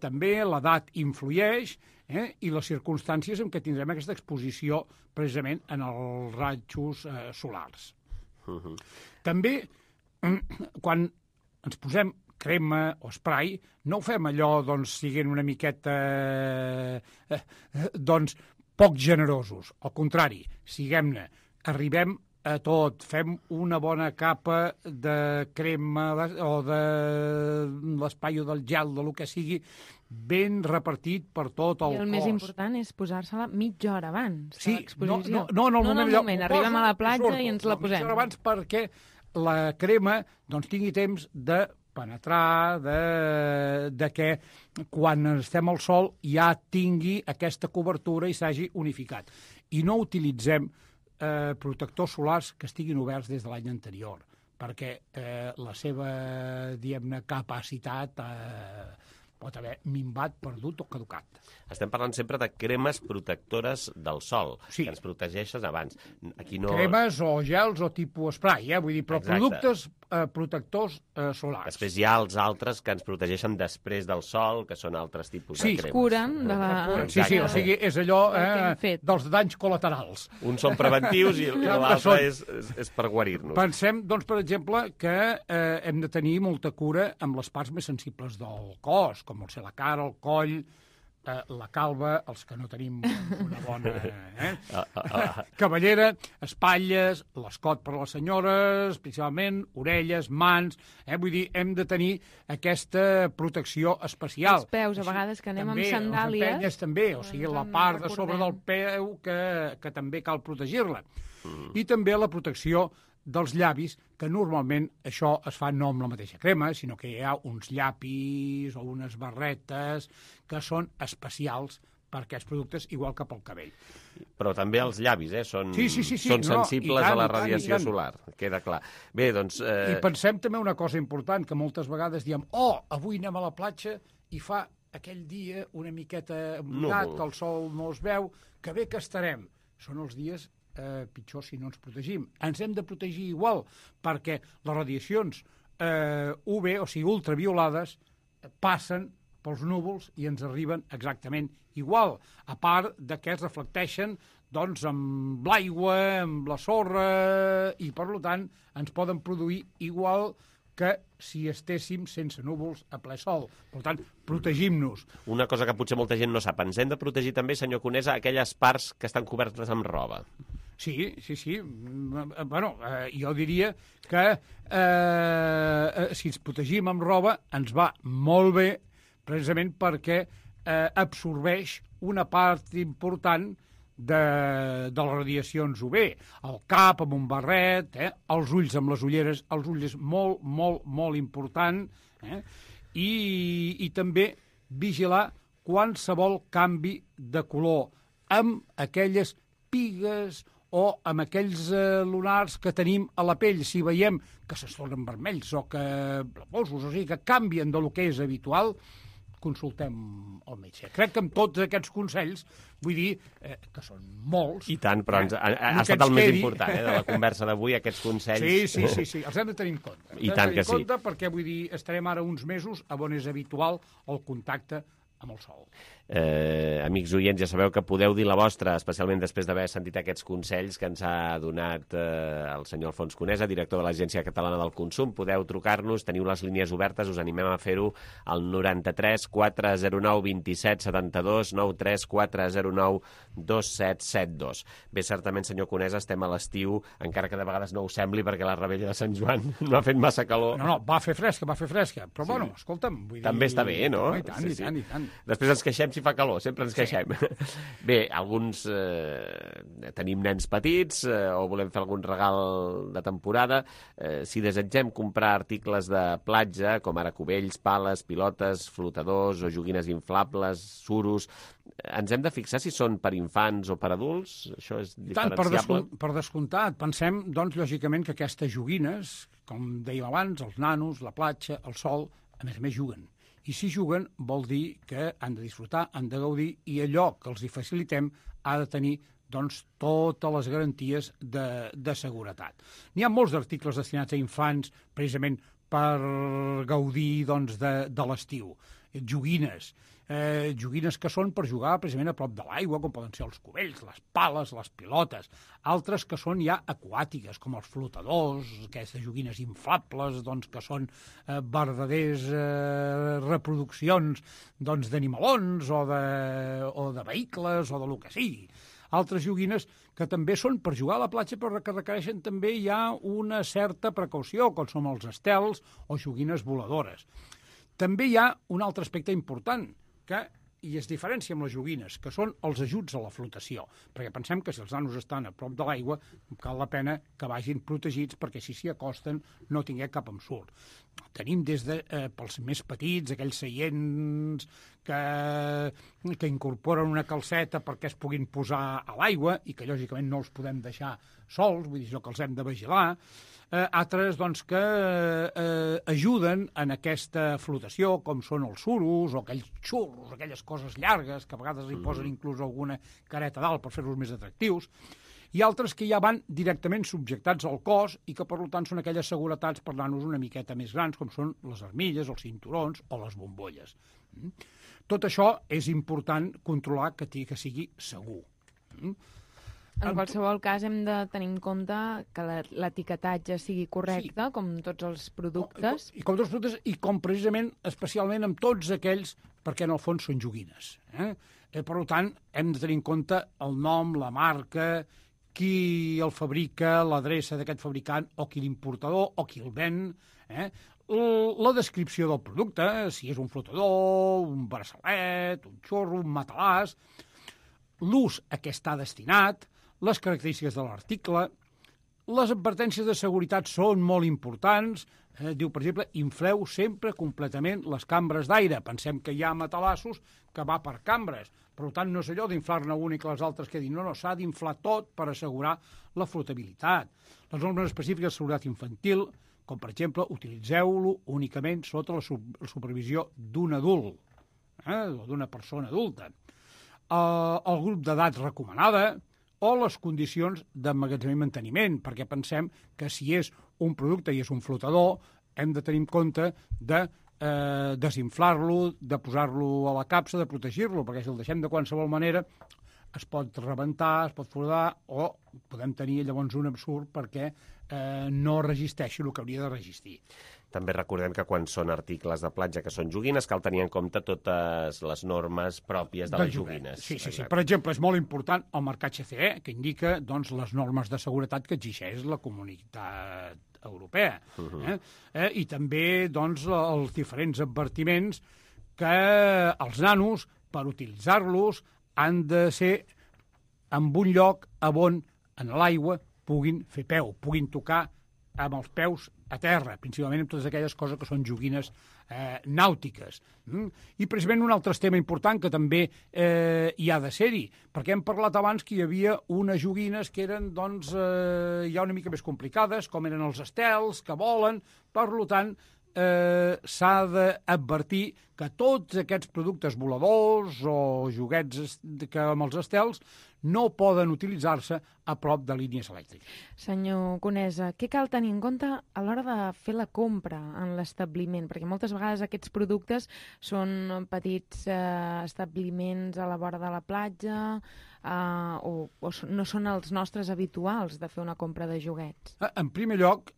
també l'edat influeix, i les circumstàncies en què tindrem aquesta exposició precisament en els rajos solars. També, quan ens posem crema o spray, no ho fem allò, siguent una miqueta, poc generosos. Al contrari, siguem-ne, arribem a tot, fem una bona capa de crema o de l'espai o del gel, del que sigui, ben repartit per tot el cos. I el més important és posar-se-la mitja hora abans de l'exposició. No, en el moment. Arribem a la platja i ens la posem. Mitja hora abans perquè la crema tingui temps de penetrar, de que quan estem al sol ja tingui aquesta cobertura i s'hagi unificat. I no utilitzem protectors solars que estiguin oberts des de l'any anterior, perquè la seva, diguem-ne, capacitat pot haver minvat, perdut o caducat. Estem parlant sempre de cremes protectores del sol, que ens protegeixen abans. Aquí no... Cremes o gels o tipus spray, vull dir, però productes protectors solars. Després hi ha els altres que ens protegeixen després del sol, que són altres tipus de cremes. Curen de la... Sí, o sigui, és allò dels danys col·laterals. Uns són preventius i l'altre és per guarir-nos. Pensem, per exemple, que hem de tenir molta cura amb les parts més sensibles del cos, com pot ser la cara, el coll, la calva, els que no tenim una bona cabellera, espatlles, l'escot per a les senyores, principalment, orelles, mans... Vull dir, hem de tenir aquesta protecció especial. Els peus, a vegades, que anem amb sandàlies... Les empenyes també, o sigui, la part de sobre del peu que també cal protegir-la. I també la protecció dels llavis, que normalment això es fa no amb la mateixa crema, sinó que hi ha uns llapis o unes barretes que són especials per aquests productes, igual que pel cabell. Però també els llavis, són sensibles a la radiació solar, queda clar. Bé, doncs... I pensem també una cosa important, que moltes vegades diem avui anem a la platja i fa aquell dia una miqueta mudat, que el sol no es veu, que bé que estarem. Són els dies pitjor si no ens protegim. Ens hem de protegir igual, perquè les radiacions UV, o sigui, ultraviolades, passen pels núvols i ens arriben exactament igual, a part de que es reflecteixen amb l'aigua, amb la sorra, i per tant ens poden produir igual que si estéssim sense núvols a ple sol. Per tant, protegim-nos. Una cosa que potser molta gent no sap, ens hem de protegir també, senyor Conesa, aquelles parts que estan cobertes amb roba. Sí. Bueno, jo diria que si ens protegim amb roba ens va molt bé, precisament perquè absorbeix una part important de les radiacions UV. El cap amb un barret, els ulls amb les ulleres, els ulls és molt, molt, molt important, i també vigilar qualsevol canvi de color amb aquelles pigues o amb aquells lunars que tenim a la pell, si veiem que se tornen vermells o que blavosos, o sigui, que canvien del que és habitual, consultem el metge. Crec que amb tots aquests consells, vull dir que són molts. I tant, però ha estat el més important de la conversa d'avui, aquests consells. Sí, els hem de tenir en compte. I tant que sí. Perquè, vull dir, estarem ara uns mesos on és habitual el contacte amb el sol. Amics oients, ja sabeu que podeu dir la vostra, especialment després d'haver sentit aquests consells que ens ha donat el senyor Alfons Conesa, director de l'Agència Catalana del Consum. Podeu trucar-nos, teniu les línies obertes, us animem a fer-ho al 93 409 27 72, 93 409 2772. Bé, certament, senyor Conesa, estem a l'estiu, encara que de vegades no ho sembli, perquè la Rebella de Sant Joan no ha fet massa calor. No, va fer fresca, però sí. Bueno, escolta'm, vull dir... També està bé, no? I tant. Després ens queixem si fa calor, sempre ens queixem. Bé, alguns tenim nens petits o volem fer algun regal de temporada. Si desitgem comprar articles de platja, com ara cubells, pales, pilotes, flotadors o joguines inflables, suros, ens hem de fixar si són per infants o per adults? Això és diferenciable? Per descomptat. Pensem, doncs, lògicament, que aquestes joguines, com dèiem abans, els nanos, la platja, el sol, a més juguen. I si juguen vol dir que han de disfrutar, han de gaudir, i allò que els hi facilitem ha de tenir doncs, totes les garanties de seguretat. N'hi ha molts articles destinats a infants precisament per gaudir doncs, de l'estiu. Joguines que són per jugar precisament a prop de l'aigua, com poden ser els cubells, les pales, les pilotes. Altres que són ja aquàtiques, com els flotadors, aquestes joguines inflables, doncs, que són verdaders reproduccions d'animalons o de vehicles o de lo que sigui. Altres joguines que també són per jugar a la platja, però que requereixen també ja una certa precaució, com són els estels o joguines voladores. També hi ha un altre aspecte important, que hi es diferència amb les joguines, que són els ajuts a la flotació, perquè pensem que si els nanos estan a prop de l'aigua, cal la pena que vagin protegits perquè si s'hi acosten no tinguem cap ensurt. Tenim des de, pels més petits, aquells seients que incorporen una calceta perquè es puguin posar a l'aigua i que lògicament no els podem deixar sols, vull dir que els hem de vigilar. Altres doncs, que ajuden en aquesta flotació, com són els suros o aquells xurros, aquelles coses llargues, que a vegades hi posen inclús alguna careta dalt per fer-los més atractius, i altres que ja van directament subjectats al cos i que, per tant, són aquelles seguretats per nanos una miqueta més grans, com són les armilles, els cinturons o les bombolles. Tot això és important controlar que sigui segur. En qualsevol cas, hem de tenir en compte que l'etiquetatge sigui correcte, sí, com tots els productes. I com tots els productes, i com precisament, especialment amb tots aquells, perquè en el fons són joguines. Per tant, hem de tenir en compte el nom, la marca, qui el fabrica, l'adreça d'aquest fabricant, o qui l'importador, o qui el ven, la descripció del producte, si és un flotador, un braçalet, un xorro, un matalàs, l'ús a què està destinat, les característiques de l'article, les advertències de seguretat són molt importants. Diu, per exemple, infleu sempre completament les cambres d'aire. Pensem que hi ha matalassos que va per cambres. Per tant, no és allò d'inflar-ne una i que les altres quedin. No, s'ha d'inflar tot per assegurar la flotabilitat. Les normes específiques de seguretat infantil, com per exemple, utilitzeu-lo únicament sota la supervisió d'un adult, o d'una persona adulta. El grup d'edat recomanada, o les condicions d'emmagatzemament i manteniment, perquè pensem que si és un producte i és un flotador, hem de tenir en compte de desinflar-lo, de posar-lo a la capsa, de protegir-lo, perquè si el deixem de qualsevol manera es pot rebentar, es pot foradar, o podem tenir llavors un absurd perquè no resisteixi el que hauria de resistir. També recordem que quan són articles de platja que són joguines cal tenir en compte totes les normes pròpies de les joguines. Sí. Per exemple, és molt important el marcatge CE, que indica doncs, les normes de seguretat que exigeix la Comunitat Europea. I també doncs, els diferents advertiments que els nanos, per utilitzar-los, han de ser en un lloc on en l'aigua puguin fer peu, puguin tocar amb els peus a terra, principalment amb totes aquelles coses que són joguines nàutiques. I precisament un altre tema important que també hi ha de ser-hi, perquè hem parlat abans que hi havia unes joguines que eren doncs, ja una mica més complicades, com eren els estels, que volen, per tant, s'ha d'advertir que tots aquests productes voladors o joguets que amb els estels no poden utilitzar-se a prop de línies elèctriques. Senyor Conesa, què cal tenir en compte a l'hora de fer la compra en l'establiment? Perquè moltes vegades aquests productes són petits establiments a la vora de la platja o no són els nostres habituals de fer una compra de joguets. En primer lloc,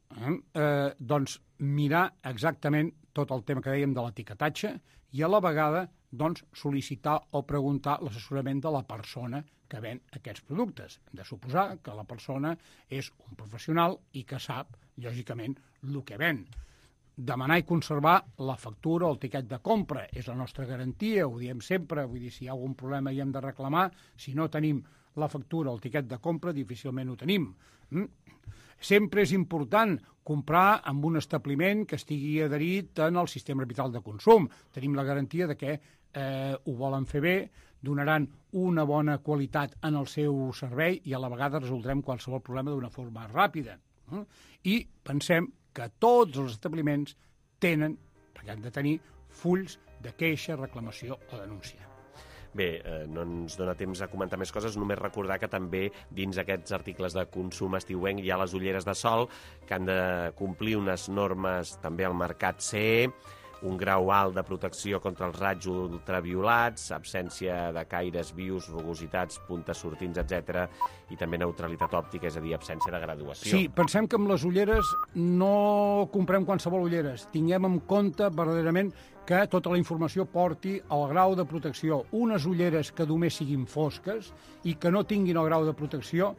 doncs, mirar exactament tot el tema que dèiem de l'etiquetatge i a la vegada doncs, sol·licitar o preguntar l'assessorament de la persona que ven aquests productes. Hem de suposar que la persona és un professional i que sap, lògicament, el que ven. Demanar i conservar la factura o el tiquet de compra és la nostra garantia, ho diem sempre, vull dir, si hi ha algun problema hi hem de reclamar, si no tenim la factura o el tiquet de compra, difícilment ho tenim. Sempre és important comprar amb un establiment que estigui adherit en el sistema arbitral de consum. Tenim la garantia de que ho volen fer bé, donaran una bona qualitat en el seu servei i a la vegada resoldrem qualsevol problema d'una forma ràpida. I pensem que tots els establiments tenen, perquè han de tenir, fulls de queixa, reclamació o denúncia. Bé, no ens dona temps a comentar més coses, només recordar que també dins aquests articles de consum estiuenc hi ha les ulleres de sol que han de complir unes normes també al mercat CE, un grau alt de protecció contra els raigs ultraviolats, absència de caires vius, rugositats, puntes sortints, etc. I també neutralitat òptica, és a dir, absència de graduació. Sí, pensem que amb les ulleres no comprem qualsevol ulleres. Tinguem en compte verdaderament que tota la informació porti el grau de protecció. Unes ulleres que només siguin fosques i que no tinguin el grau de protecció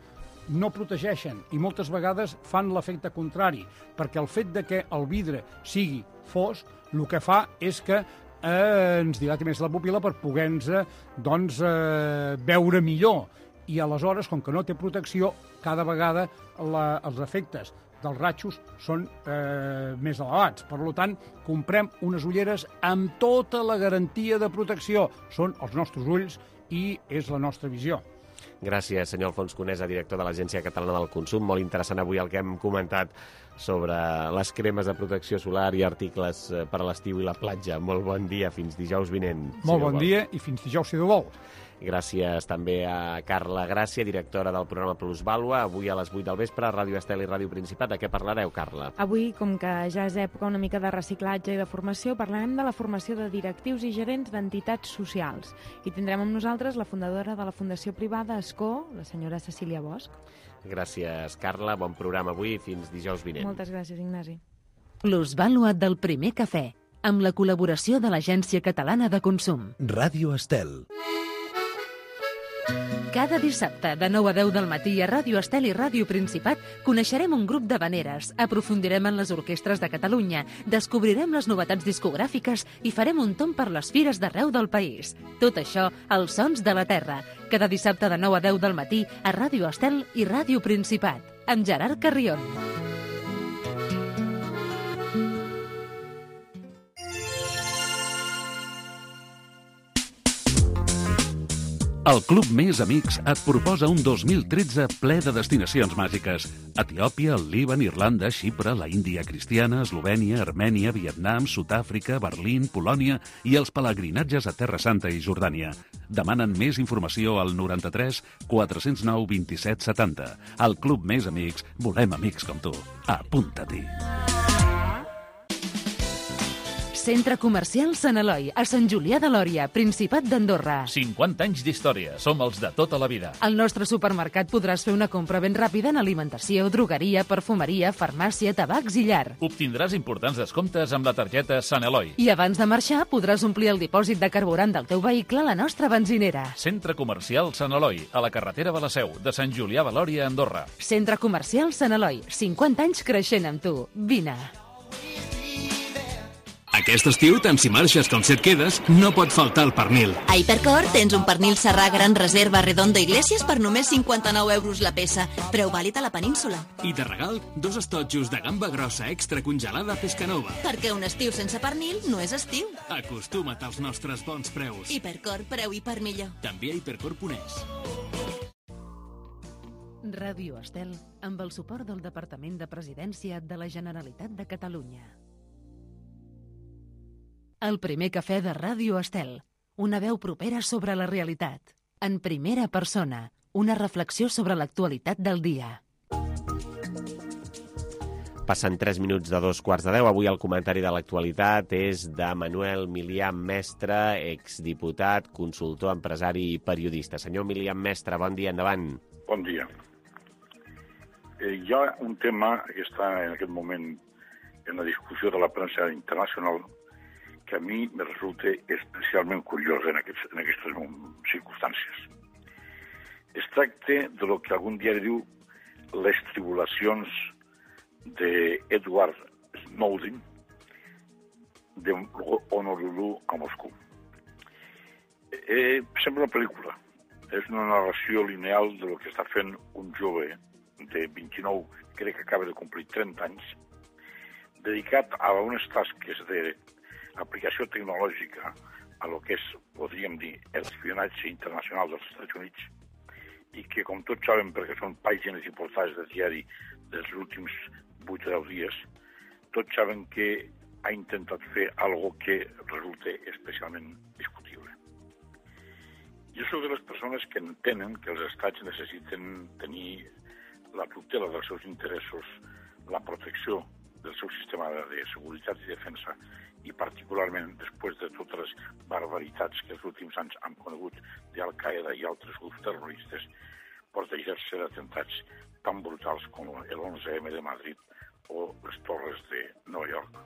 no protegeixen i moltes vegades fan l'efecte contrari, perquè el fet de que el vidre sigui fosc el que fa és que ens dilati més la pupil·la per poder-nos veure millor. I aleshores, com que no té protecció, cada vegada els efectes dels ratxos són més elevats. Per tant, comprem unes ulleres amb tota la garantia de protecció. Són els nostres ulls i és la nostra visió. Gràcies, senyor Alfons Conesa, director de l'Agència Catalana del Consum. Molt interessant avui el que hem comentat sobre les cremes de protecció solar i articles per a l'estiu i la platja. Molt bon dia, fins dijous vinent. Molt bon dia i fins dijous, si Déu vol. Gràcies també a Carla Gràcia, directora del programa Plusvàlua. Avui a les 8 del vespre a Ràdio Estel i Ràdio Principat. De què parlareu, Carla? Avui, com que ja és època una mica de reciclatge i de formació, parlarem de la formació de directius i gerents d'entitats socials. I tindrem amb nosaltres la fundadora de la Fundació Privada Escó, la senyora Cecília Bosch. Gràcies, Carla. Bon programa avui i fins dijous vinent. Moltes gràcies, Ignasi. Plusvàlua del primer cafè, amb la col·laboració de l'Agència Catalana de Consum. Ràdio Estel. Cada dissabte, de 9 a 10 del matí a Ràdio Estel i Ràdio Principat, coneixerem un grup d'havaneres, aprofundirem en les orquestres de Catalunya, descobrirem les novetats discogràfiques i farem un tomb per les fires d'arreu del país. Tot això, als Sons de la Terra. Cada dissabte de 9 a 10 del matí a Ràdio Estel i Ràdio Principat, amb Gerard Carrion. El Club Més Amics et proposa un 2013 ple de destinacions màgiques. Etiòpia, el Líban, Irlanda, Xipre, la Índia cristiana, Eslovènia, Armènia, Vietnam, Sud-àfrica, Berlín, Polònia i els pelegrinatges a Terra Santa i Jordània. Demanen més informació al 93 409 27 70. Al Club Més Amics volem amics com tu. Apunta-t'hi. Centre Comercial Sant Eloi, a Sant Julià de Lòria, Principat d'Andorra. 50 anys d'història, som els de tota la vida. Al nostre supermercat podràs fer una compra ben ràpida en alimentació, drogueria, perfumeria, farmàcia, tabacs i llar. Obtindràs importants descomptes amb la targeta Sant Eloi. I abans de marxar podràs omplir el dipòsit de carburant del teu vehicle a la nostra benzinera. Centre Comercial Sant Eloi, a la carretera de la Seu, de Sant Julià de Lòria, Andorra. Centre Comercial Sant Eloi, 50 anys creixent amb tu. Vine. Aquest estiu, tant si marxes com si et quedes, no pot faltar el pernil. A Hipercor tens un pernil serrà gran reserva Redondo Iglesias per només 59 euros la peça. Preu vàlid a la península. I de regal, 2 estotjos de gamba grossa extra congelada Pescanova. Perquè un estiu sense pernil no és estiu. Acostuma't als nostres bons preus. Hipercor, preu i per millor. També a hipercor.es. Ràdio Estel, amb el suport del Departament de Presidència de la Generalitat de Catalunya. El primer cafè de Ràdio Estel, una veu propera sobre la realitat. En primera persona, una reflexió sobre l'actualitat del dia. Passen 3 minuts de 2:15. Avui el comentari de l'actualitat és de Manuel Milián Mestre, exdiputat, consultor, empresari i periodista. Senyor Milián Mestre, bon dia, endavant. Bon dia. Hi ha un tema que està en aquest moment en la discussió de la premsa internacional que a mi me resulta especialment curiós en aquestes circumstàncies. Es tracta de lo que algun diari diu les tribulacions d'Edward Snowden de Honolulu a Moscou. Sembla una pel·lícula. És una narració lineal de lo que està fent un jove de 29, crec que acaba de complir 30 anys, dedicat a unes tasques d'aplicació tecnològica a lo que és, podríem dir, l'espionatge internacional dels Estats Units i que, com tots saben, perquè són pàgines i portades de diari dels últims 8 o 10 dies, tots saben que ha intentat fer algo que resulta especialment discutible. Jo soc de les persones que entenen que els estats necessiten tenir la tutela dels seus interessos, la protecció del seu sistema de seguretat i defensa, i particularment després de totes les barbaritats que els últims anys han conegut d'Al-Qaeda i altres grups terroristes, protegir-se d'atemptats tan brutals com el 11M de Madrid o les torres de Nova York.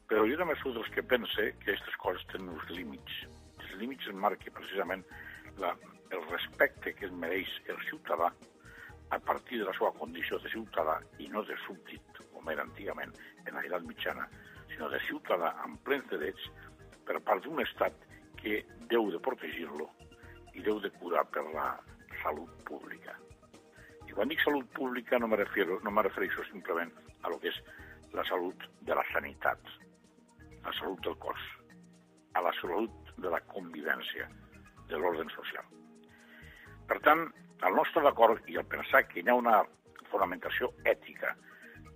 Però jo també soc dels que pense que aquestes coses tenen uns límits. Els límits es marca precisament el respecte que es mereix el ciutadà a partir de la seva condició de ciutadà i no de súbdit, com era antigament en l'edat mitjana, sinó de ciutadà amb plens drets per part d'un estat que deu de protegir-lo i deu de curar per la salut pública. I quan dic salut pública no me refereixo simplement a lo que és la salut de la sanitat, la salut del cos, a la salut de la convivència, de l'ordre social. Per tant, el nostre d'acord i el pensar que hi ha una fonamentació ètica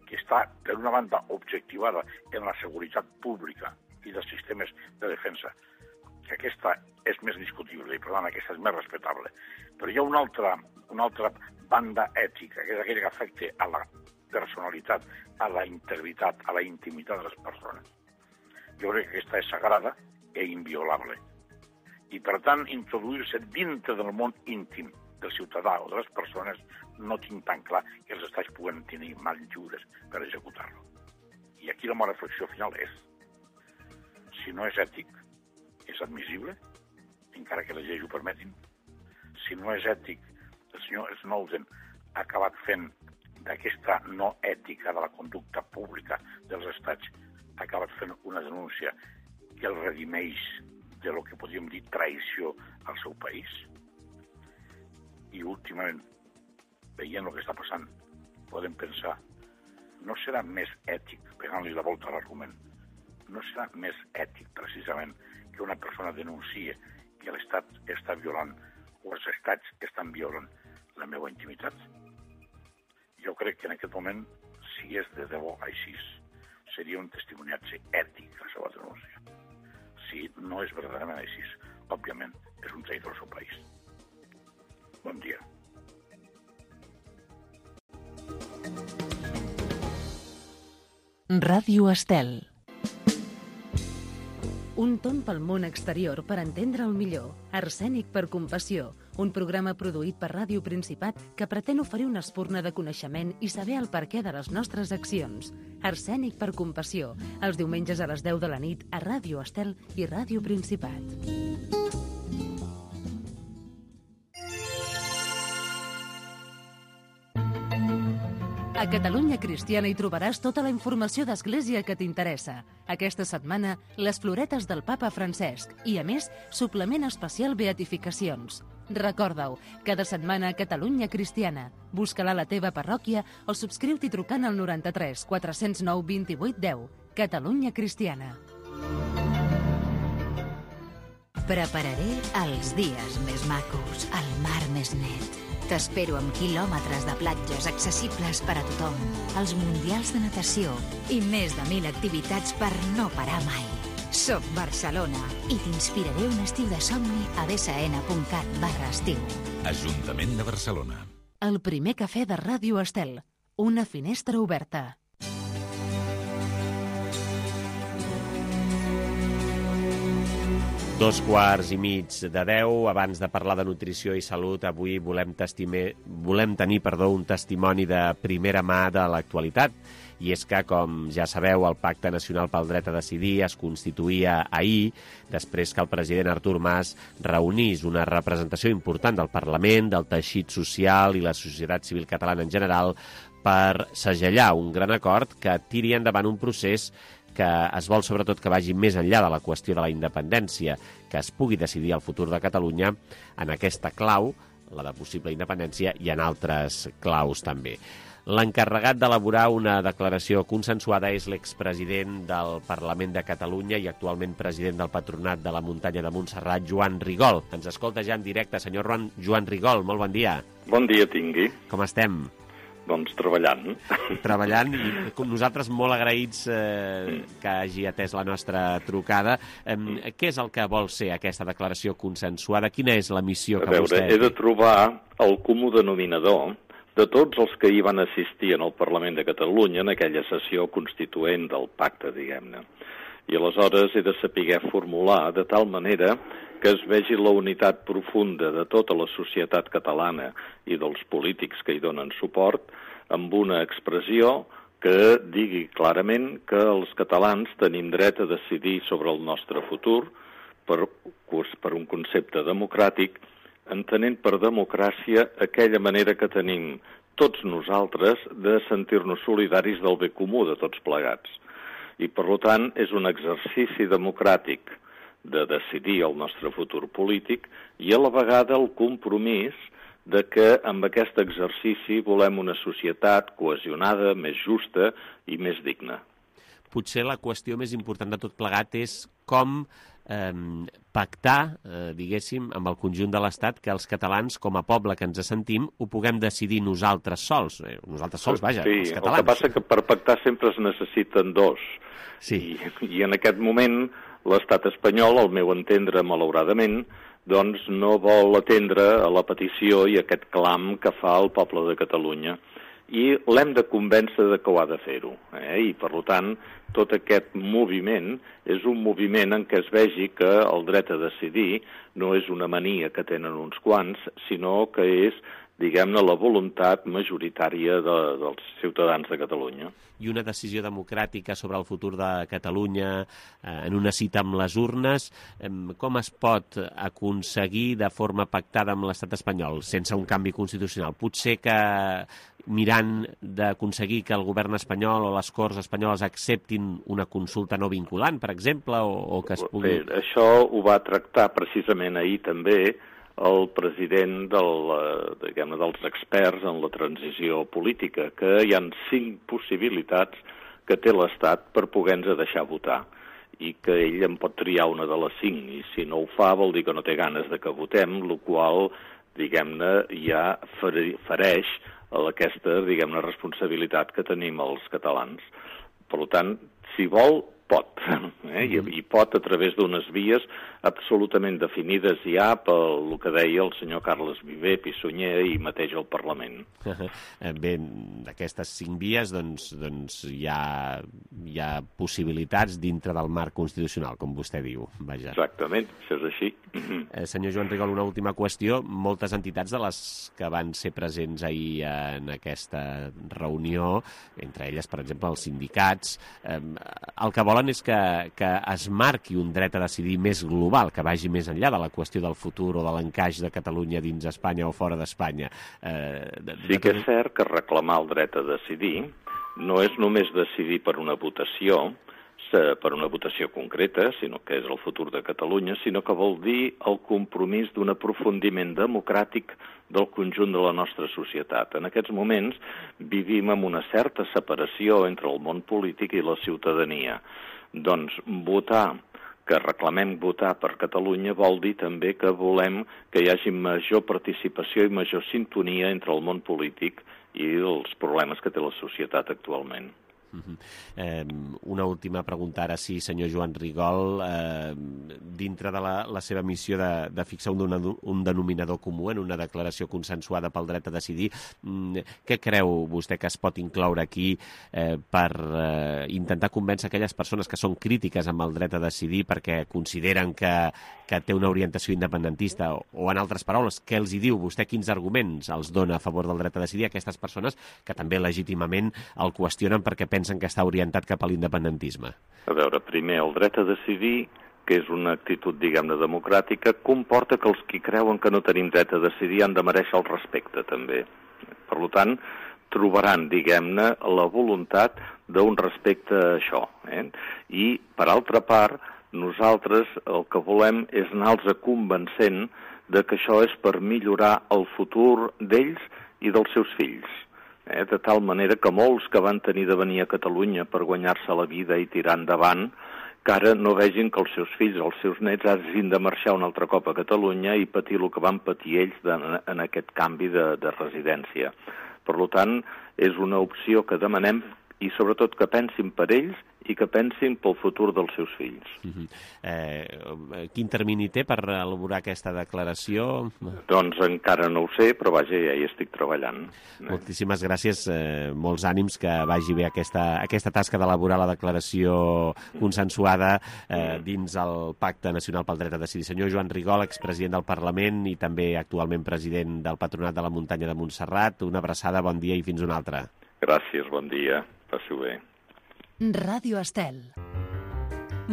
que està, per una banda, objectivada en la seguretat pública i dels sistemes de defensa, que aquesta és més discutible i, per tant, aquesta és més respectable. Però hi ha una altra banda ètica, que és aquella que afecta a la personalitat, a la integritat, a la intimitat de les persones. Jo crec que aquesta és sagrada i inviolable. I, per tant, introduir-se dintre del món íntim del ciutadà o de les persones no tinc tan clar que els estats puguen tenir mans lliures per executar-lo. I aquí la meva reflexió final és: si no és ètic, és admissible, encara que les lleis ho permetin. Si no és ètic, el senyor Snowden ha acabat fent d'aquesta no ètica de la conducta pública dels estats, ha acabat fent una denúncia que el redimeix de lo que podríem dir traïció al seu país. I últimament, veient el que està passant, podem pensar, no serà més ètic, pegant-li la volta a l'argument, no serà més ètic, precisament, que una persona denunciï que l'Estat està violant o els estats estan violant la meva intimitat? Jo crec que en aquest moment, si és de debò així, seria un testimoniatge ètic la seva denúncia. Si no és verdaderament així, òbviament, és un traïdor al seu país. Bon dia. Ràdio Estel. Un tomb pel món exterior per entendre'l millor. Arsènic per compassió, un programa produït per Ràdio Principat que pretén oferir una espurna de coneixement i saber el perquè de les nostres accions. Arsènic per compassió, els diumenges a les 10 de la nit a Ràdio Estel i Ràdio Principat. A Catalunya Cristiana hi trobaràs tota la informació d'Església que t'interessa. Aquesta setmana, les floretes del papa Francesc i, a més, suplement especial Beatificacions. Recorda-ho, cada setmana a Catalunya Cristiana. Busca-la a la teva parròquia o subscriu-t'hi trucant al 93 409 28 10. Catalunya Cristiana. Prepararé els dies més macos, el mar més net. T'espero amb quilòmetres de platges accessibles per a tothom, els mundials de natació i més de 1.000 activitats per no parar mai. Soc Barcelona i t'inspiraré un estiu de somni a bsn.cat/estiu. Ajuntament de Barcelona. El primer cafè de Ràdio Estel. Una finestra oberta. 9:15. Abans de parlar de nutrició i salut, avui volem tenir un testimoni de primera mà de l'actualitat. I és que, com ja sabeu, el Pacte Nacional pel Dret a Decidir es constituïa ahir, després que el president Artur Mas reunís una representació important del Parlament, del teixit social i la societat civil catalana en general per segellar un gran acord que tiri endavant un procés que es vol sobretot que vagi més enllà de la qüestió de la independència, que es pugui decidir el futur de Catalunya en aquesta clau, la de possible independència, i en altres claus també. L'encarregat d'elaborar una declaració consensuada és l'expresident del Parlament de Catalunya i actualment president del Patronat de la Muntanya de Montserrat, Joan Rigol. Ens escolta ja en directe. Senyor Joan Rigol, molt bon dia. Bon dia tingui. Com estem? Doncs treballant. Treballant, i nosaltres molt agraïts que hagi atès la nostra trucada. Què és el que vol ser aquesta declaració consensuada? Quina és la missió que vostè... He de trobar el comú denominador de tots els que hi van assistir en el Parlament de Catalunya en aquella sessió constituent del pacte, diguem-ne. I aleshores he de saber formular de tal manera que es vegi la unitat profunda de tota la societat catalana i dels polítics que hi donen suport amb una expressió que digui clarament que els catalans tenim dret a decidir sobre el nostre futur per un concepte democràtic, entenent per democràcia aquella manera que tenim tots nosaltres de sentir-nos solidaris del bé comú de tots plegats. I, per tant, és un exercici democràtic de decidir el nostre futur polític i a la vegada el compromís de que amb aquest exercici volem una societat cohesionada, més justa i més digna. Potser la qüestió més important de tot plegat és com pactar, diguéssim, amb el conjunt de l'Estat que els catalans, com a poble que ens sentim, ho puguem decidir nosaltres sols. Nosaltres sols, vaja, els catalans. El que passa que per pactar sempre es necessiten dos. Sí. I en aquest moment l'estat espanyol, al meu entendre, malauradament, doncs no vol atendre a la petició i aquest clam que fa el poble de Catalunya. I l'hem de convèncer de que ho ha de fer-ho. I, per tant, tot aquest moviment és un moviment en què es vegi que el dret a decidir no és una mania que tenen uns quants, sinó que és, diguem-ne, la voluntat majoritària dels ciutadans de Catalunya. I una decisió democràtica sobre el futur de Catalunya en una cita amb les urnes, com es pot aconseguir de forma pactada amb l'estat espanyol sense un canvi constitucional? Potser que mirant d'aconseguir que el govern espanyol o les Corts espanyoles acceptin una consulta no vinculant, per exemple, o que es pugui... Bé, això ho va tractar precisament ahir també el president dels experts en la transició política, que hi ha 5 possibilitats que té l'Estat per poder-nos deixar votar i que ell en pot triar una de les 5, i si no ho fa vol dir que no té ganes de que votem, el qual, diguem-ne, ja fereix aquesta, diguem-ne, responsabilitat que tenim els catalans. Per tant, si vol, pot, i pot a través d'unes vies absolutament definides ja pel que deia el senyor Carles Viver, Pissunyer i mateix al Parlament. Bé, d'aquestes 5 vies doncs hi ha possibilitats dintre del marc constitucional, com vostè diu. Vaja. Exactament, això és així. Senyor Joan Rigol, una última qüestió. Moltes entitats de les que van ser presents ahir en aquesta reunió, entre elles, per exemple, els sindicats, el que volen volen és que es marqui un dret a decidir més global, que vagi més enllà de la qüestió del futur o de l'encaix de Catalunya dins Espanya o fora d'Espanya. Sí que és cert que reclamar el dret a decidir no és només decidir per una votació concreta, sinó que és el futur de Catalunya, sinó que vol dir el compromís d'un aprofundiment democràtic del conjunt de la nostra societat. En aquests moments vivim amb una certa separació entre el món polític i la ciutadania. Doncs que reclamem votar per Catalunya vol dir també que volem que hi hagi major participació i major sintonia entre el món polític i els problemes que té la societat actualment. Una última pregunta ara sí, senyor Joan Rigol. Dintre de la seva missió de fixar un denominador comú en una declaració consensuada pel dret a decidir, què creu vostè que es pot incloure aquí per intentar convèncer aquelles persones que són crítiques amb el dret a decidir perquè consideren que té una orientació independentista, o en altres paraules, què els hi diu vostè, quins arguments els dona a favor del dret a decidir a aquestes persones que també legítimament el qüestionen perquè pensen que està orientat cap a l'independentisme? A veure, primer, el dret a decidir, que és una actitud, diguem-ne, democràtica, comporta que els qui creuen que no tenim dret a decidir han de mereixer el respecte, també. Per tant, trobaran, diguem-ne, la voluntat d'un respecte a això. I, per altra part, nosaltres el que volem és anar-los convencent de que això és per millorar el futur d'ells i dels seus fills. De tal manera que molts que van tenir de venir a Catalunya per guanyar-se la vida i tirar endavant, que ara no vegin que els seus fills o els seus nets hagin de marxar un altre cop a Catalunya i patir el que van patir ells en aquest canvi de residència. Per tant, és una opció que demanem i sobretot que pensin per ells i que pensin pel futur dels seus fills. Quin termini té per elaborar aquesta declaració? Doncs encara no ho sé, però vaja, ja hi estic treballant. Moltíssimes gràcies, molts ànims, que vagi bé aquesta tasca d'elaborar la declaració consensuada dins el Pacte Nacional pel Dret a Decidir. Senyor Joan Rigol, expresident del Parlament i també actualment president del Patronat de la Muntanya de Montserrat, una abraçada, bon dia i fins una altra. Gràcies, bon dia, passi-ho bé. Ràdio Estel.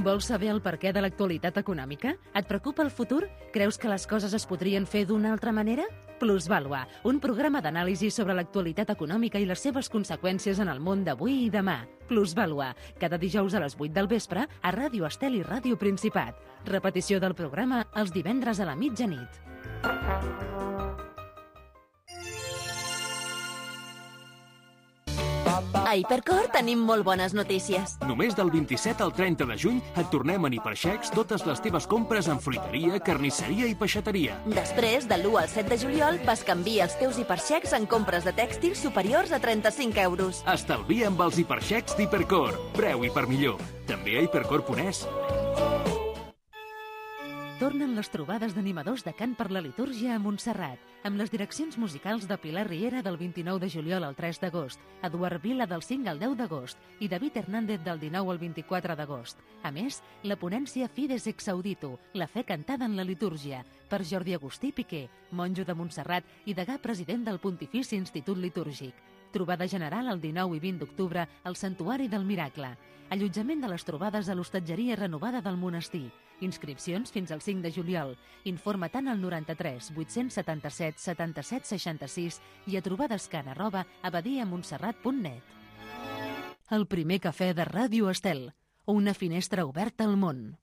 Vols saber el perquè de l'actualitat econòmica? Et preocupa el futur? Creus que les coses es podrien fer d'una altra manera? Plusvàlua, un programa d'anàlisi sobre l'actualitat econòmica i les seves conseqüències en el món d'avui i demà. Plusvàlua, cada dijous a les 8 del vespre a Ràdio Estel i Ràdio Principat. Repetició del programa els divendres a la mitjanit. A Hipercor tenim molt bones notícies. Només del 27 al 30 de juny et tornem en hiperxecs totes les teves compres en fruiteria, carnisseria i peixateria. Després, de l'1 al 7 de juliol, bescanvia els teus hiperxecs en compres de tèxtils superiors a 35 euros. Estalvia amb els hiperxecs d'Hipercor. Preu i per millor. També a hipercor.es. Tornen les trobades d'animadors de cant per la litúrgia a Montserrat, amb les direccions musicals de Pilar Riera del 29 de juliol al 3 d'agost, Eduard Vila del 5 al 10 d'agost i David Hernández del 19 al 24 d'agost. A més, la ponència Fides ex Audito, la fe cantada en la litúrgia, per Jordi Agustí Piqué, monjo de Montserrat i degà president del Pontifici Institut Litúrgic. Trobada general el 19 i 20 d'octubre al Santuari del Miracle. Allotjament de les trobades a l'hostatgeria renovada del monestir. Inscripcions fins al 5 de juliol. Informa tant al 93 877 77 66 i a trobadescan@abadiamontserrat.net. El primer cafè de Ràdio Estel. Una finestra oberta al món.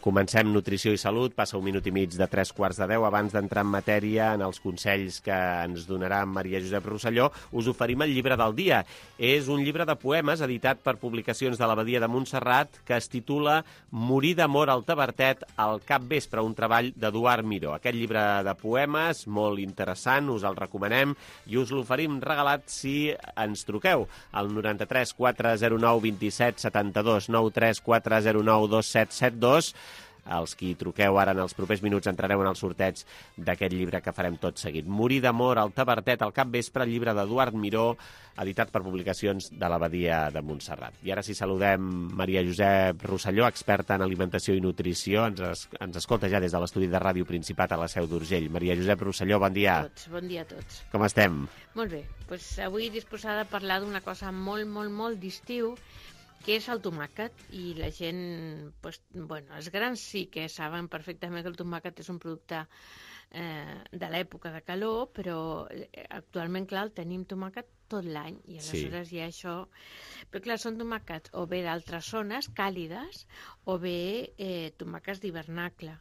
Comencem Nutrició i Salut, passa un minut i mig de 3:45. Abans d'entrar en matèria, en els consells que ens donarà Maria Josep Rosselló, us oferim el llibre del dia. És un llibre de poemes editat per Publicacions de l'Abadia de Montserrat que es titula Morir d'amor al Tavertet al capvespre, un treball d'Eduard Miró. Aquest llibre de poemes, molt interessant, us el recomanem i us l'oferim regalat si ens truqueu al 93 409 27 72, 93 409 2772. els qui truqueu ara en els propers minuts entrareu en el sorteig d'aquest llibre que farem tot seguit. Morir d'amor al Tavertet al capvespre, llibre d'Eduard Miró, editat per Publicacions de l'Abadia de Montserrat. I ara sí saludem Maria Josep Rosselló, experta en alimentació i nutrició. Ens escolta ja des de l'estudi de Ràdio Principat a la Seu d'Urgell. Maria Josep Rosselló, bon dia. Bon dia a tots. Com estem? Molt bé. Avui disposada a parlar d'una cosa molt d'estiu, que és el tomàquet, i la gent, els grans sí que saben perfectament que el tomàquet és un producte de l'època de calor, però actualment, clar, tenim tomàquet tot l'any, i aleshores hi ha això. Però clar, són tomàquets o bé d'altres zones càlides o bé tomàquets d'hivernacle.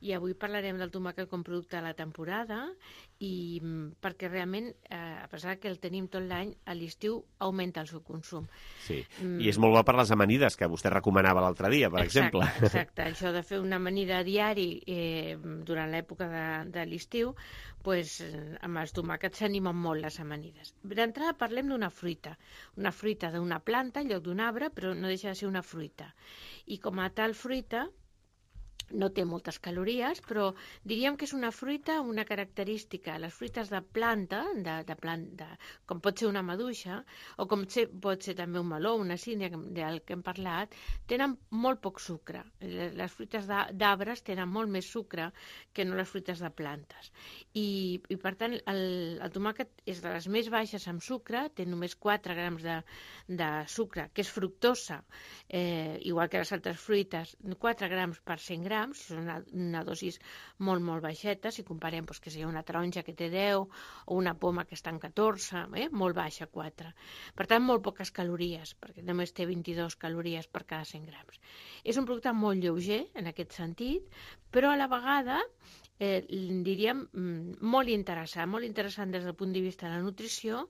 I avui parlarem del tomàquet com producte de la temporada, i perquè realment, a pesar que el tenim tot l'any, a l'estiu augmenta el seu consum. Sí, i és molt bo per les amanides, que vostè recomanava l'altre dia, per exemple. Exacte, això de fer una amanida a diari durant l'època de l'estiu, amb els tomàquets s'animen molt les amanides. D'entrada parlem d'una fruita d'una planta en lloc d'un arbre, però no deixa de ser una fruita. I com a tal fruita, no té moltes calories, però diríem que és una fruita amb una característica. Les fruites de planta, com pot ser una maduixa, o com pot ser també un meló, una sínia, del que hem parlat, tenen molt poc sucre. Les fruites d'arbres tenen molt més sucre que no les fruites de plantes. I per tant, el tomàquet és de les més baixes amb sucre, té només 4 grams de sucre, que és fructosa, igual que les altres fruites, 4 grams per 100 grams, és una dosis molt baixeta, si comparem que sigui una taronja que té 10 o una poma que està en 14, molt baixa, 4. Per tant, molt poques calories, perquè només té 22 calories per cada 100 grams. És un producte molt lleuger, en aquest sentit, però a la vegada, diríem, molt interessant des del punt de vista de la nutrició,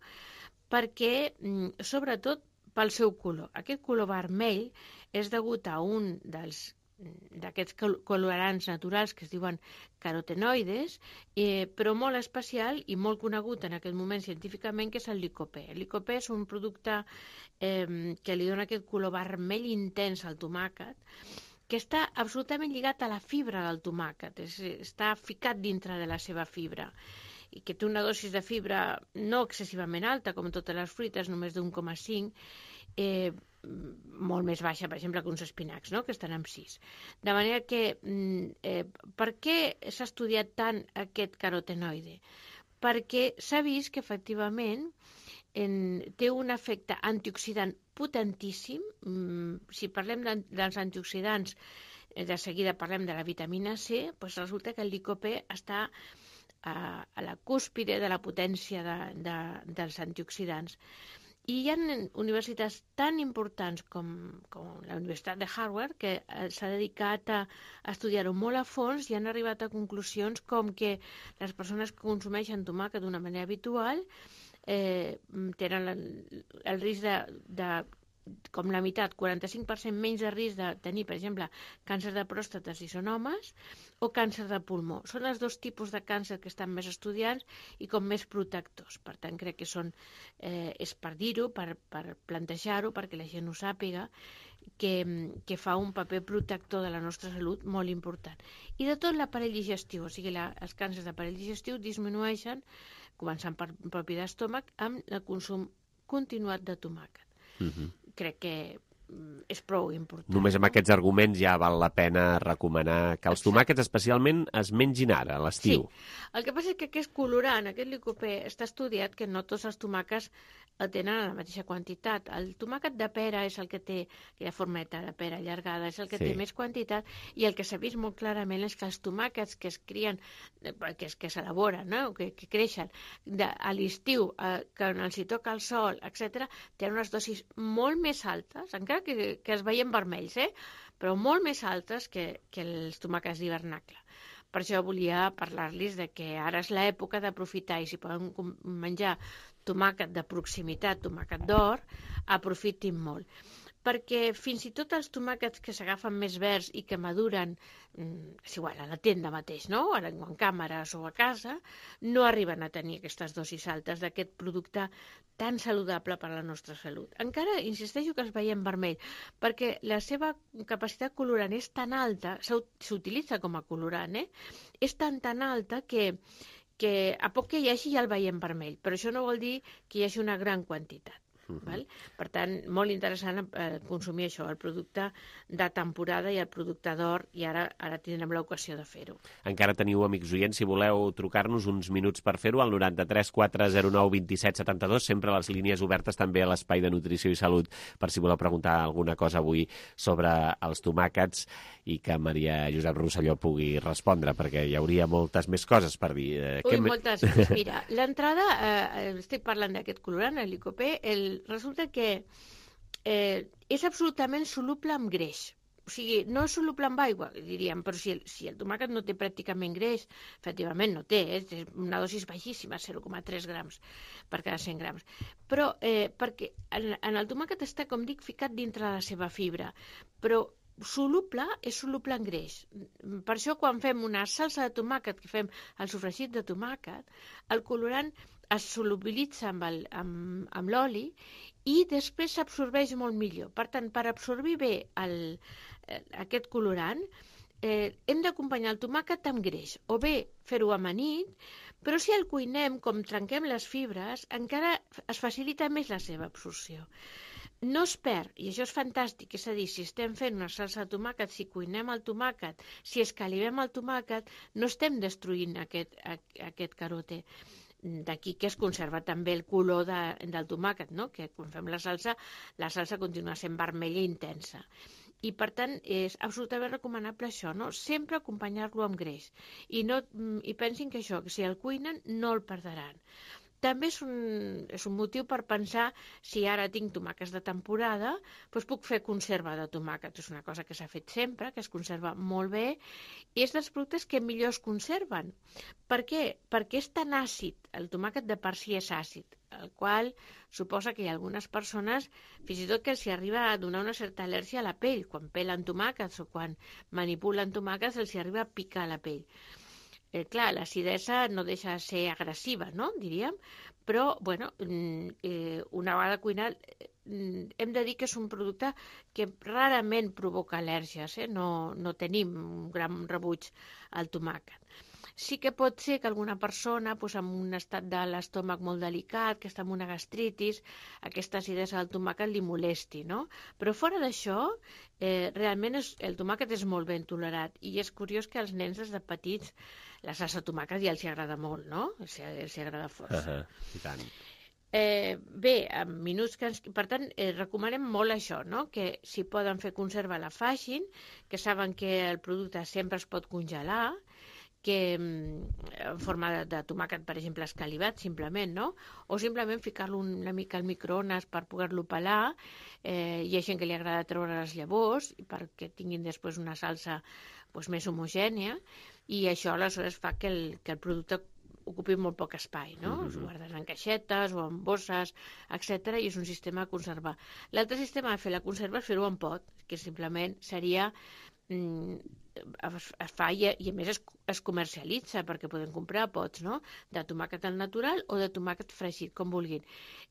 perquè, sobretot, pel seu color. Aquest color vermell és degut a un d'aquests colorants naturals que es diuen carotenoides, però molt especial i molt conegut en aquest moment científicament, que és el licopè. El licopè és un producte que li dona aquest color vermell intens al tomàquet, que està absolutament lligat a la fibra del tomàquet, està ficat dintre de la seva fibra, i que té una dosis de fibra no excessivament alta, com totes les fruites, només d'1,5, molt més baixa, per exemple, que uns espinacs, que estan amb 6. De manera que, per què s'ha estudiat tant aquest carotenoide? Perquè s'ha vist que, efectivament, té un efecte antioxidant potentíssim. Si parlem dels antioxidants, de seguida parlem de la vitamina C, doncs resulta que el licopè està a la cúspide de la potència dels antioxidants. I hi ha universitats tan importants com la Universitat de Harvard, que s'ha dedicat a estudiar-ho molt a fons i han arribat a conclusions com que les persones que consumeixen tomàquet d'una manera habitual tenen el risc com la meitat, 45% menys de risc de tenir, per exemple, càncer de pròstata si són homes, o càncer de pulmó. Són els dos tipus de càncer que estan més estudiats i com més protectors. Per tant, crec que és per dir-ho, per plantejar-ho, perquè la gent ho sàpiga, que fa un paper protector de la nostra salut molt important. I de tot l'aparell digestiu, o sigui, els càncers d'aparell digestiu disminueixen, començant per propi d'estómac, amb el consum continuat de tomàquet. Crec que és prou important. Només amb aquests arguments ja val la pena recomanar que els tomàquets especialment es mengin ara, a l'estiu. Sí. El que passa és que aquest colorant, aquest licopè, està estudiat que no tots els tomàquets el tenen a la mateixa quantitat. El tomàquet de pera és el que té aquella formeta de pera allargada, és el que té més quantitat, i el que s'ha vist molt clarament és que els tomàquets que es crien, que s'elaboren, que creixen a l'estiu, que els hi toca el sol, etc., tenen unes dosis molt més altes, encara que es veien vermells, però molt més altes que els tomàquets d'hivernacle. Per això volia parlar-los de que ara és l'època d'aprofitar, i si poden menjar tomàquet de proximitat, tomàquet d'or, aprofitin molt. perquè fins i tot els tomàquets que s'agafen més verds i que maduren, és igual, a la tenda mateix, no? En càmeres o a casa, no arriben a tenir aquestes dosis altes d'aquest producte tan saludable per a la nostra salut. Encara insisteixo que els veiem vermell, perquè la seva capacitat colorant és tan alta, s'utilitza com a colorant, és tan alta que a poc que hi hagi ja el veiem vermell, però això no vol dir que hi hagi una gran quantitat. Val? Per tant, molt interessant consumir això, el producte de temporada i el producte d'or, i ara tindrem l'ocasió de fer-ho. Encara teniu, amics oients, si voleu trucar-nos uns minuts per fer-ho, al 93 409 27 72, sempre les línies obertes també a l'Espai de Nutrició i Salut, per si voleu preguntar alguna cosa avui sobre els tomàquets i que Maria Josep Rosselló pugui respondre, perquè hi hauria moltes més coses per dir. Moltes. Mira, l'entrada, estic parlant d'aquest colorant, el licopè, resulta que és absolutament soluble amb greix. O sigui, no és soluble amb aigua, diríem, però si el tomàquet no té pràcticament greix, efectivament no té, és una dosis baixíssima, 0,3 grams per cada 100 grams. Però perquè en el tomàquet està, com dic, ficat dintre de la seva fibra, però soluble és soluble en greix. Per això quan fem una salsa de tomàquet, que fem el sofregit de tomàquet, el colorant es solubilitza amb l'oli i després s'absorbeix molt millor. Per tant, per absorbir bé aquest colorant, hem d'acompanyar el tomàquet amb greix, o bé fer-ho amanit, però si el cuinem, com trenquem les fibres, encara es facilita més la seva absorció. No es perd, i això és fantàstic, és a dir, si estem fent una salsa de tomàquet, si cuinem el tomàquet, si escalivem el tomàquet, no estem destruint aquest carote. D'aquí que es conserva també el color del tomàquet, no? Que quan fem la salsa continua sent vermella intensa. I, per tant, és absolutament recomanable això, no? Sempre acompanyar-lo amb greix. I pensin que això, que si el cuinen, no el perdran. També és un motiu per pensar, si ara tinc tomàquets de temporada, doncs puc fer conserva de tomàquet. És una cosa que s'ha fet sempre, que es conserva molt bé, i és dels productes que millor es conserven. Per què? Perquè és tan àcid, el tomàquet de per si és àcid, el qual suposa que hi ha algunes persones, fins i tot que els arriba a donar una certa al·lèrgia a la pell, quan pelen tomàquets o quan manipulen tomàquets els arriba a picar la pell. Clar, l'acidesa no deixa de ser agressiva, no? Diríem, però, bueno, una vegada cuinat, hem de dir que és un producte que rarament provoca al·lèrgies, no tenim un gran rebuig al tomàquet. Sí que pot ser que alguna persona, amb un estat de l'estómac molt delicat, que està amb una gastritis, aquesta acidesa del tomàquet li molesti, no? Però fora d'això, realment el tomàquet és molt ben tolerat, i és curiós que als nens des de petits la salsa de tomàquet ja els agrada molt, no? Els agrada força. I tant. Bé, en minuts per tant, recomanem molt això, no? Que si poden fer conserva la facin, que saben que el producte sempre es pot congelar, que en forma de tomàquet, per exemple, escalivat, simplement, no? O simplement ficar-lo una mica al microones per poder-lo pelar. Hi ha gent que li agrada treure les llavors perquè tinguin després una salsa més homogènia, i això aleshores fa que el producte ocupi molt poc espai, no? Es guarden en caixetes o en bosses, etc. i és un sistema de conservar. L'altre sistema de fer la conserva és fer-ho en pot, que simplement seria es fa i a més es comercialitza, perquè podem comprar pots, no? De tomàquet al natural o de tomàquet fregit, com vulguin.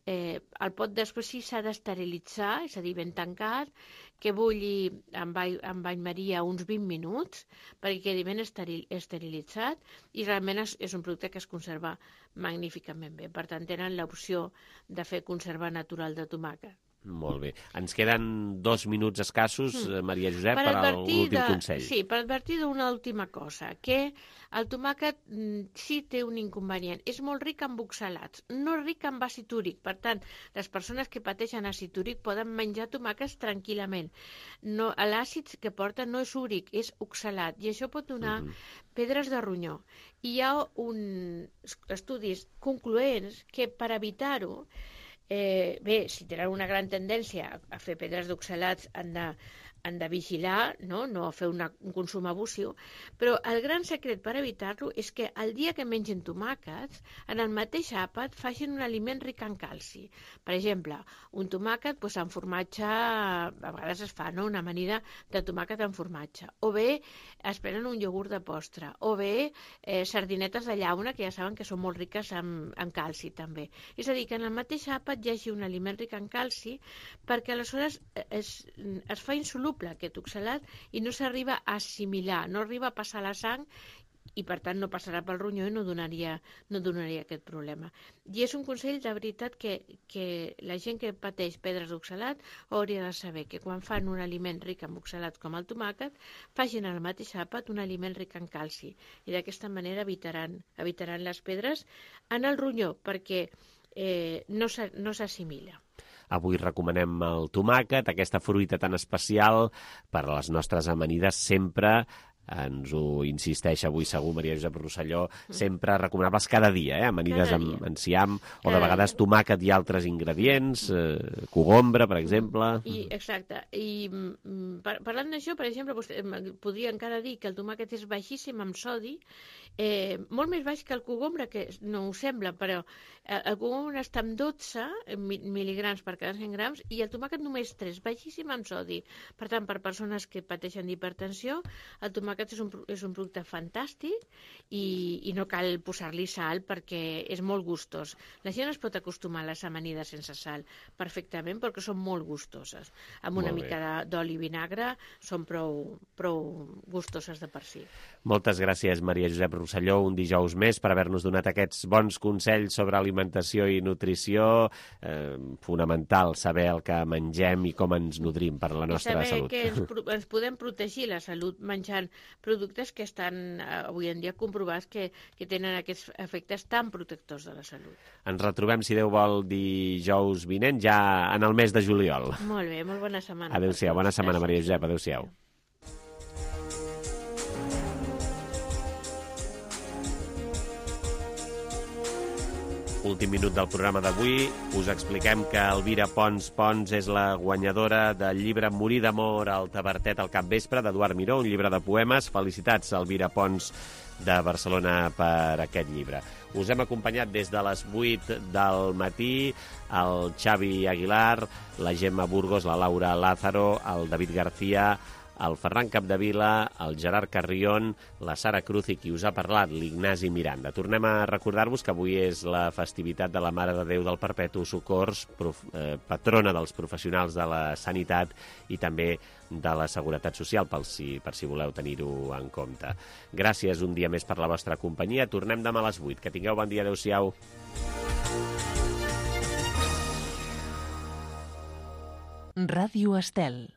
El pot després sí s'ha d'esterilitzar, és a dir, ben tancat, que bulli amb bany maria uns 20 minuts perquè quedi ben esterilitzat, i realment és un producte que es conserva magníficament bé. Per tant, tenen l'opció de fer conserva natural de tomàquet. Molt bé. Ens queden 2 minuts escassos, Maria Josep, per a l'últim consell. Sí, per advertir d'una última cosa, que el tomàquet sí té un inconvenient. És molt ric en oxalats, no ric en àcid úric. Per tant, les persones que pateixen àcid úric poden menjar tomàquets tranquil·lament. L'àcid que porta no és úric, és oxalat, i això pot donar pedres de ronyó. I hi ha estudis concloents que per evitar-ho, bé, si tenen una gran tendència a fer pedres d'oxalats han han de vigilar, no fer un consum abusiu, però el gran secret per evitar-lo és que el dia que mengin tomàquets, en el mateix àpat facin un aliment ric en calci. Per exemple, un tomàquet amb formatge, a vegades es fa una amanida de tomàquet amb formatge, o bé es prenen un iogurt de postre, o bé sardinetes de llauna, que ja saben que són molt riques en calci també. És a dir, que en el mateix àpat hi hagi un aliment ric en calci, perquè aleshores es fa insoluble aquest oxalat i no s'arriba a assimilar, no arriba a passar la sang i per tant no passarà pel ronyó i no donaria aquest problema. I és un consell de veritat que la gent que pateix pedres d'oxalat hauria de saber que quan fan un aliment ric en oxalat com el tomàquet, facin al mateix àpat un aliment ric en calci i d'aquesta manera evitaran les pedres en el ronyó perquè no s'assimila. Avui recomanem el tomàquet, aquesta fruita tan especial per a les nostres amanides sempre. Ens ho insisteix avui segur Maria Josep Rosselló, sempre recomanables cada dia, amanides amb enciam, o de vegades tomàquet i altres ingredients, cogombra, per exemple. Exacte. I parlant d'això, per exemple, podria encara dir que el tomàquet és baixíssim en sodi, molt més baix que el cogombre, que no ho sembla, però el cogombre està amb 12 mil·ligrams per cada 100 grams i el tomàquet només 3, baixíssim en sodi. Per tant, per persones que pateixen d'hipertensió, el tomàquet és un producte fantàstic i no cal posar-li sal perquè és molt gustós. La gent es pot acostumar a les amanides sense sal perfectament perquè són molt gustoses. Amb una mica d'oli i vinagre són prou gustoses de per si. Moltes gràcies, Maria Josep Rosselló, un dijous més per haver-nos donat aquests bons consells sobre alimentació i nutrició. Fonamental saber el que mengem i com ens nodrim per a la nostra salut. I saber que ens podem protegir la salut menjant productes que estan avui en dia comprovats que tenen aquests efectes tan protectors de la salut. Ens retrobem, si Déu vol, dijous vinent, ja en el mes de juliol. Molt bé, molt bona setmana. Adéu-siau, bona setmana, Maria Josep, adéu-siau. Últim minut del programa d'avui. Us expliquem que Elvira Pons és la guanyadora del llibre Morir d'amor al Tavertet al capvespre, d'Eduard Miró, un llibre de poemes. Felicitats, Elvira Pons, de Barcelona, per aquest llibre. Us hem acompanyat des de les 8 del matí el Xavi Aguilar, la Gemma Burgos, la Laura Lázaro, el David García, el Ferran Capdevila, el Gerard Carrión, la Sara Cruz i qui us ha parlat, l'Ignasi Miranda. Tornem a recordar-vos que avui és la festivitat de la Mare de Déu del Perpetu Socors, patrona dels professionals de la sanitat i també de la Seguretat Social, per si voleu tenir-ho en compte. Gràcies un dia més per la vostra companyia. Tornem demà a les 8. Que tingueu bon dia. Adéu-siau. Ràdio Estel.